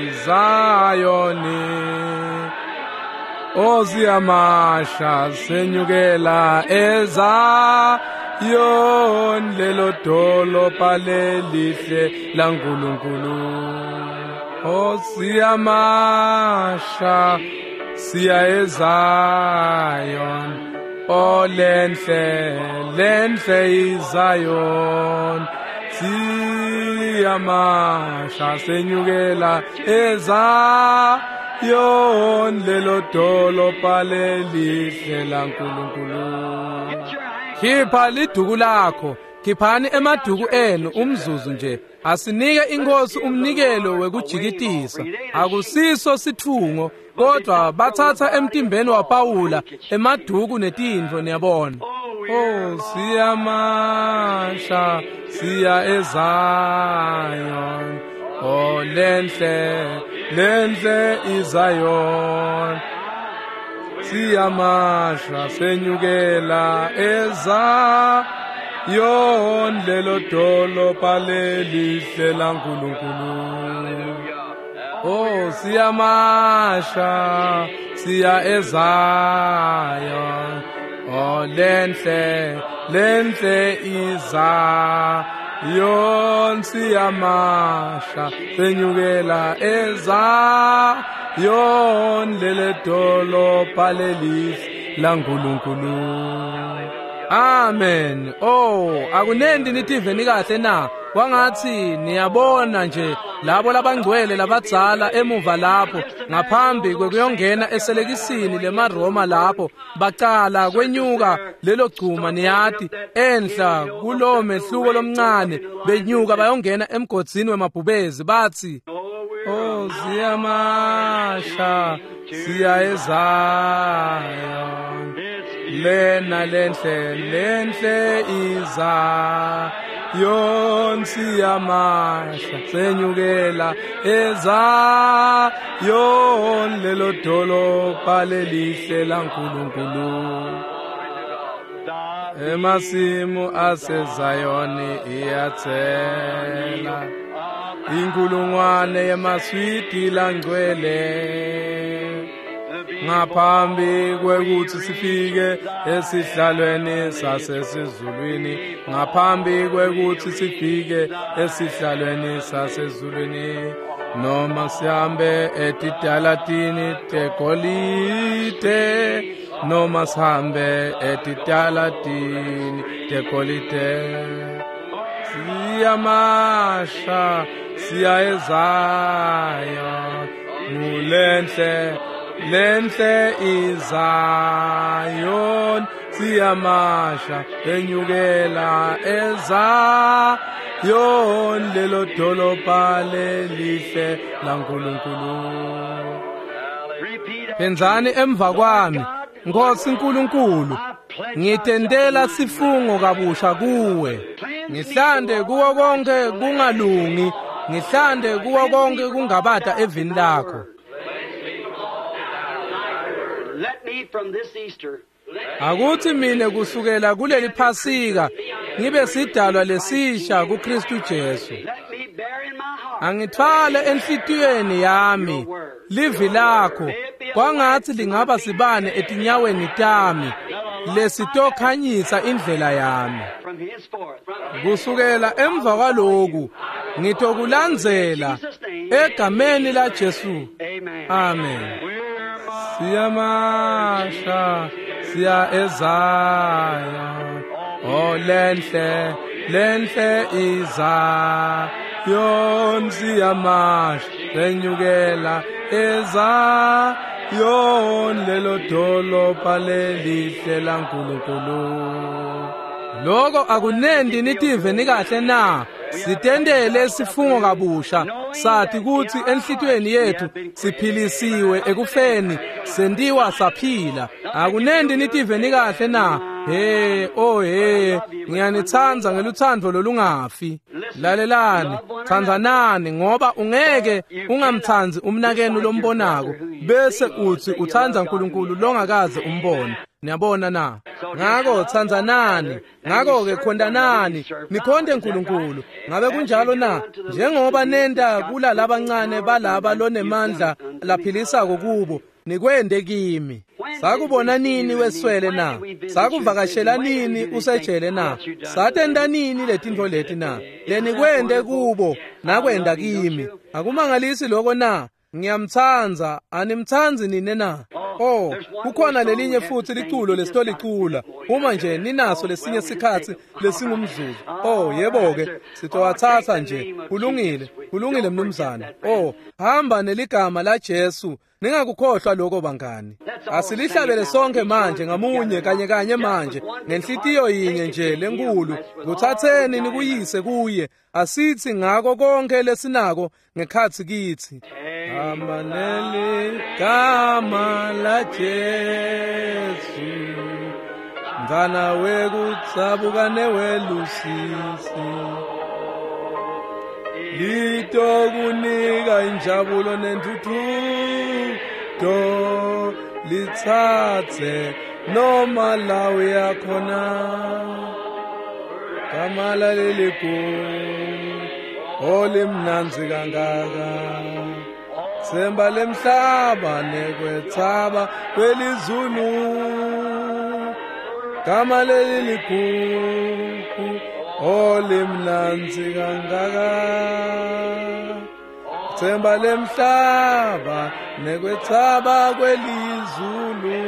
iZayoni. O siyamasha senyukela eZayon, lelo dolobha lelihle laNkulunkulu. O siyamasha siya eZayon, o lenhle lenhle iZayon. Siyamasha senyukela eZayon, lelo dolobha lelihle laNkulunkulu. Khipha liduku lakho, khiphani emaduku enu umzuzu nje. Asinike inkosi umnikelo wekujikitisa. Akusiso sithungo, kodwa bathatha emtimbeni waPawula emaduku netintfo, niyabona. Oh siyamasha siya eZayon, oh lenhle lenhle iZayon. Siyamasha senyukela eZayon, lelo dolobha lelihle laNkulunkulu. Oh siyamasha siya eZayon, oh lenhle lenhle iZayon. Siyamasha senyukela eZayon, lele dolobha lelihle laNkulunkulu. Amen. Oh, akunendi nitive nikahle na? Kwangathi niyabona nje labo labangcwele labadzala emuva lapho ngaphambi kwekuyongena eselekisini lemaRoma lapho bacala kwenyuka lelo gcuma niyati enhla kulo mehluko lomncane benyuka bayongena emgodzini wemabhubezi bathi oh siyamasha siya eZion lena lenhle lenhle iza yon siyamasha senyukela eZion lelo dolobha lelihle laNkulunkulu emasimu aseZayoni iyathela inkulungwane yemaswidi langcwele ngaphambi kwekuthi sifike esihlalweni sasesizulwini ngaphambi kwekuthi sifike esihlalweni sasezulwini noma sihambe etitalatini tegolide noma sihambe etitalatini tegolide siyamasha siya eZion ngulenhle lenhle iZion siyamasha enyukela eZion lelo dolobha lelihle laNkulunkulu. Phenzani emva kwami Nkosi uNkulunkulu ngitendela sifungo kabusha kuwe ngihlande kuwo konke kungalungi ngihlande kuwo konke kungabata evini lakho. Akuthi mina kusukela kuleli Phasika ngibe sidalwa lesisha kuKristu Jesu. Angithwale enhlitiyweni yami livi lakho kwangathi lingaba sibane etinyaweni tami lesitokhanyisa indlela yami. Kusukela emva kwaloku ngitokulandzela egameni la Jesu. Amen. Siyamasha siya eZion oh lenhle lenhle iZion siyamasha senyukela eZion lelo dolobha lelihle laNkulunkulu. Loko akunendi nitive nikahle na? Sitendele sifungo kabusha sathi kuthi enhlitiyweni yethu siphilisiwe ekufeni sendiwa saphila. Akunendi nitive nikahle na? Hey oh hey ngiyanithanda ngeluthando lolungafi. Lalelani, thandzanani ngoba ungeke ungamthanzi umnakenu lombonako bese uthi uthanda uNkulunkulu longakaze umbone. Niyabona na? Ngako thandzanani, ngako ke khondanani, nikhonde uNkulunkulu. Ngabe kunjalo na? Njengoba nenda kula labancane balaba lonemandla laphilisako kubo nikwende kimi. Sakubona nini weswele na? Sakuvakashela nini usejele na? Satenda nini letintfo leti na? Lenikwende kubo nakwenda kimi. Akumangalisi lokho na? Ngiyamthanza, animthanzi nine na? Oh, kukhona lelinye futhi liculo lesitolicula uma nje ninaso lesinye sikhathi lesingumzuzu. Oh, yebo ke, sitowathatha nje. Kulungile, kulungile mnumzane. Oh, hamba neligama la Jesu. Ningakukhohlwa lokho bangani. Asilihlabele sonke manje ngamunye kanye kanye manje ngenhlitiyo yinye nje lenkulu. Kuthatheni nikuyise kuye. Asithi ngako konke lesinako ngekhathi kithi. Amaneli gama la Jesu mntwana wekutsabuka newelusisi litokunika injabulo nentuthuko lithathe noma la uyakhona gama lalelikhulu olimnandzi kangaka Semba lemhlaba nekwethaba kwelizulu gama lelilikhulu olimnandzi kangaka Semba lemhlaba nekwethaba kwelizulu.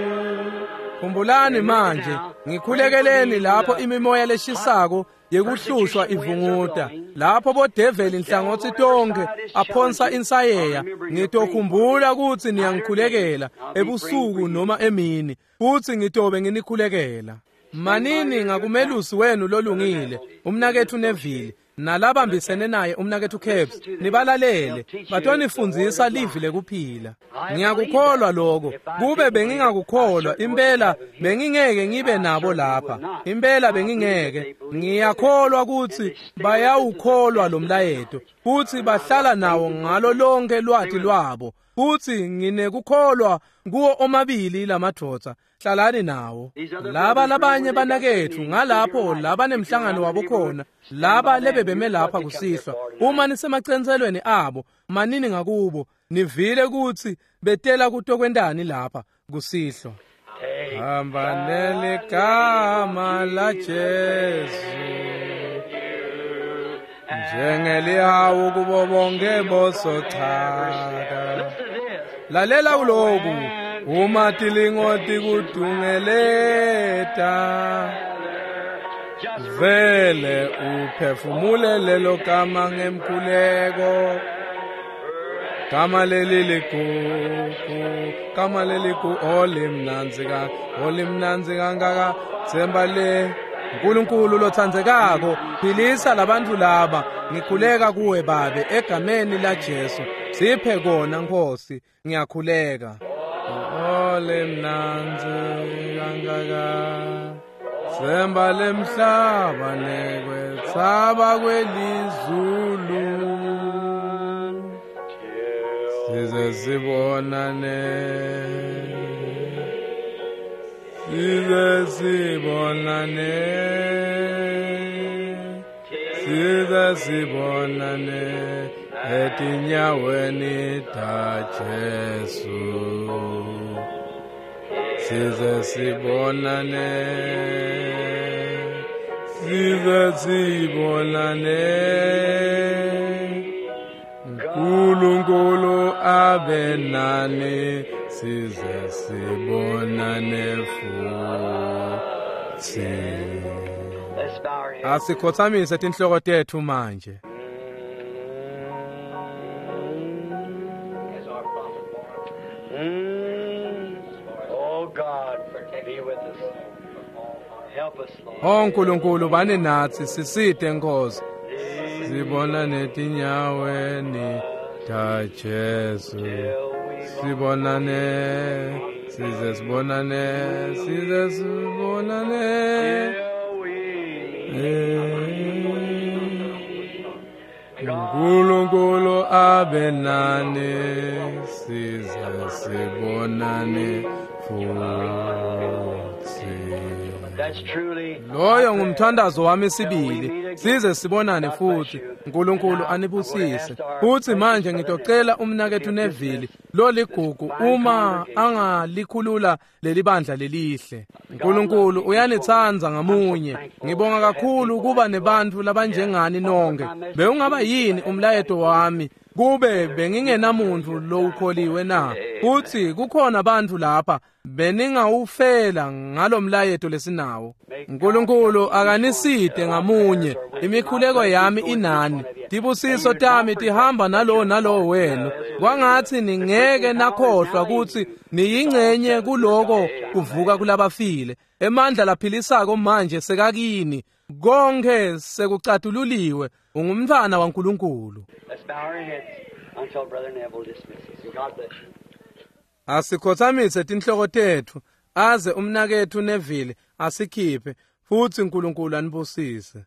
Khumbulani manje, ngikhulekeleni lapho imimoya leshisako yekuhlushwa ivunguta, lapho bodeveli nhlangothi tonke aphonsa insayeya. Ngitokhumbula kutsi niyangikhulekela ebusuku noma emini, futsi ngitobe nginikhulekela. Manini ngakumelusi wenu lolungile, umnaketfu Neville, nalabambisene naye umnaketfu Capps, nibalalele, batonifundzisa livi lekuphila. Ngiyakukholwa lokho. Kube bengingakukholwa, impela bengingeke ngibe nabo lapha. Impela bengingeke. Ngiyakholwa kutsi bayawukholwa lo mlayeto, futsi bahlala nawo ngalo lonke lwati lwabo. Futsi nginekukholwa kuwo omabili lamadvodza. Hlalani nawo. Laba labanye banaketfu ngalapho laba nemhlangano wabo khona, laba lebebeme lapha kusihlwa, uma nisemacenselweni abo, manini ngakubo, nivile kutsi betela kutokwentani lapha kusihlwa. Hamba neligama la Jesu njengelihawu kubo bonke bosochaka. Lalela kuloku, uma tilingo tikudungeleta, vele uphefumule lelo gama ngemkhuleko. Gama leli ligugu, gama leli gu, olimnandzi ka, olimnandzi kangaka, themba le. Nkulunkulu lotsandzekako, philisa labantfu laba. Ngikhuleka kuwe Babe egameni la Jesu. Siphe kona Nkosi, ngiyakhuleka. Olimnandzi kangaka, themba lemhlaba nekwetsaba kwelizulu, size sibonane, size sibonane, size sibonane etinyaweni ta Jesu. Size sibonane, size sibonane, Nkulunkulu abe nani, size sibonane futhi. Asikhothamise tinhloko tetfu manje. O Nkulunkulu bani natsi, sisite Nkosi. Sibona netinyaweni ta Jesu, sibonane, size sibonane, size sibonane. Nkulunkulu abe nani, size sibonane futhi. Loyo ngumthandazo wami sibili, size sibonane futhi. Nkulunkulu anibusise. Futhi manje ngitocela umnaketfu Neville loligugu uma angalikhulula leli bandla lelihle. Nkulunkulu uyanitsandza ngamunye. Ngibonga kakhulu kuba nebantfu labanjengani nonke. Bewungaba yini umlayeto wami kube bengingenamuntu lowukholiwe na? Futhi kukhona bantfu lapha beningawufela ngalomlayeto lesinawo. Nkulunkulu akaniside ngamunye. Imikhuleko yami inani, tibusiso tami tihamba nalowo nalowo wenu. Kwangatsi ningeke nakhohlwa kutsi niyingcenye kuloko kuvuka kulabafile. Emandla laphilisako manje sekakini, konke sekucatululiwe. Ungumntfwana waNkulunkulu. Asikhothamise tinhloko tetfu aze umnaketfu Neville asikhiphe, futsi Nkulunkulu anibusise.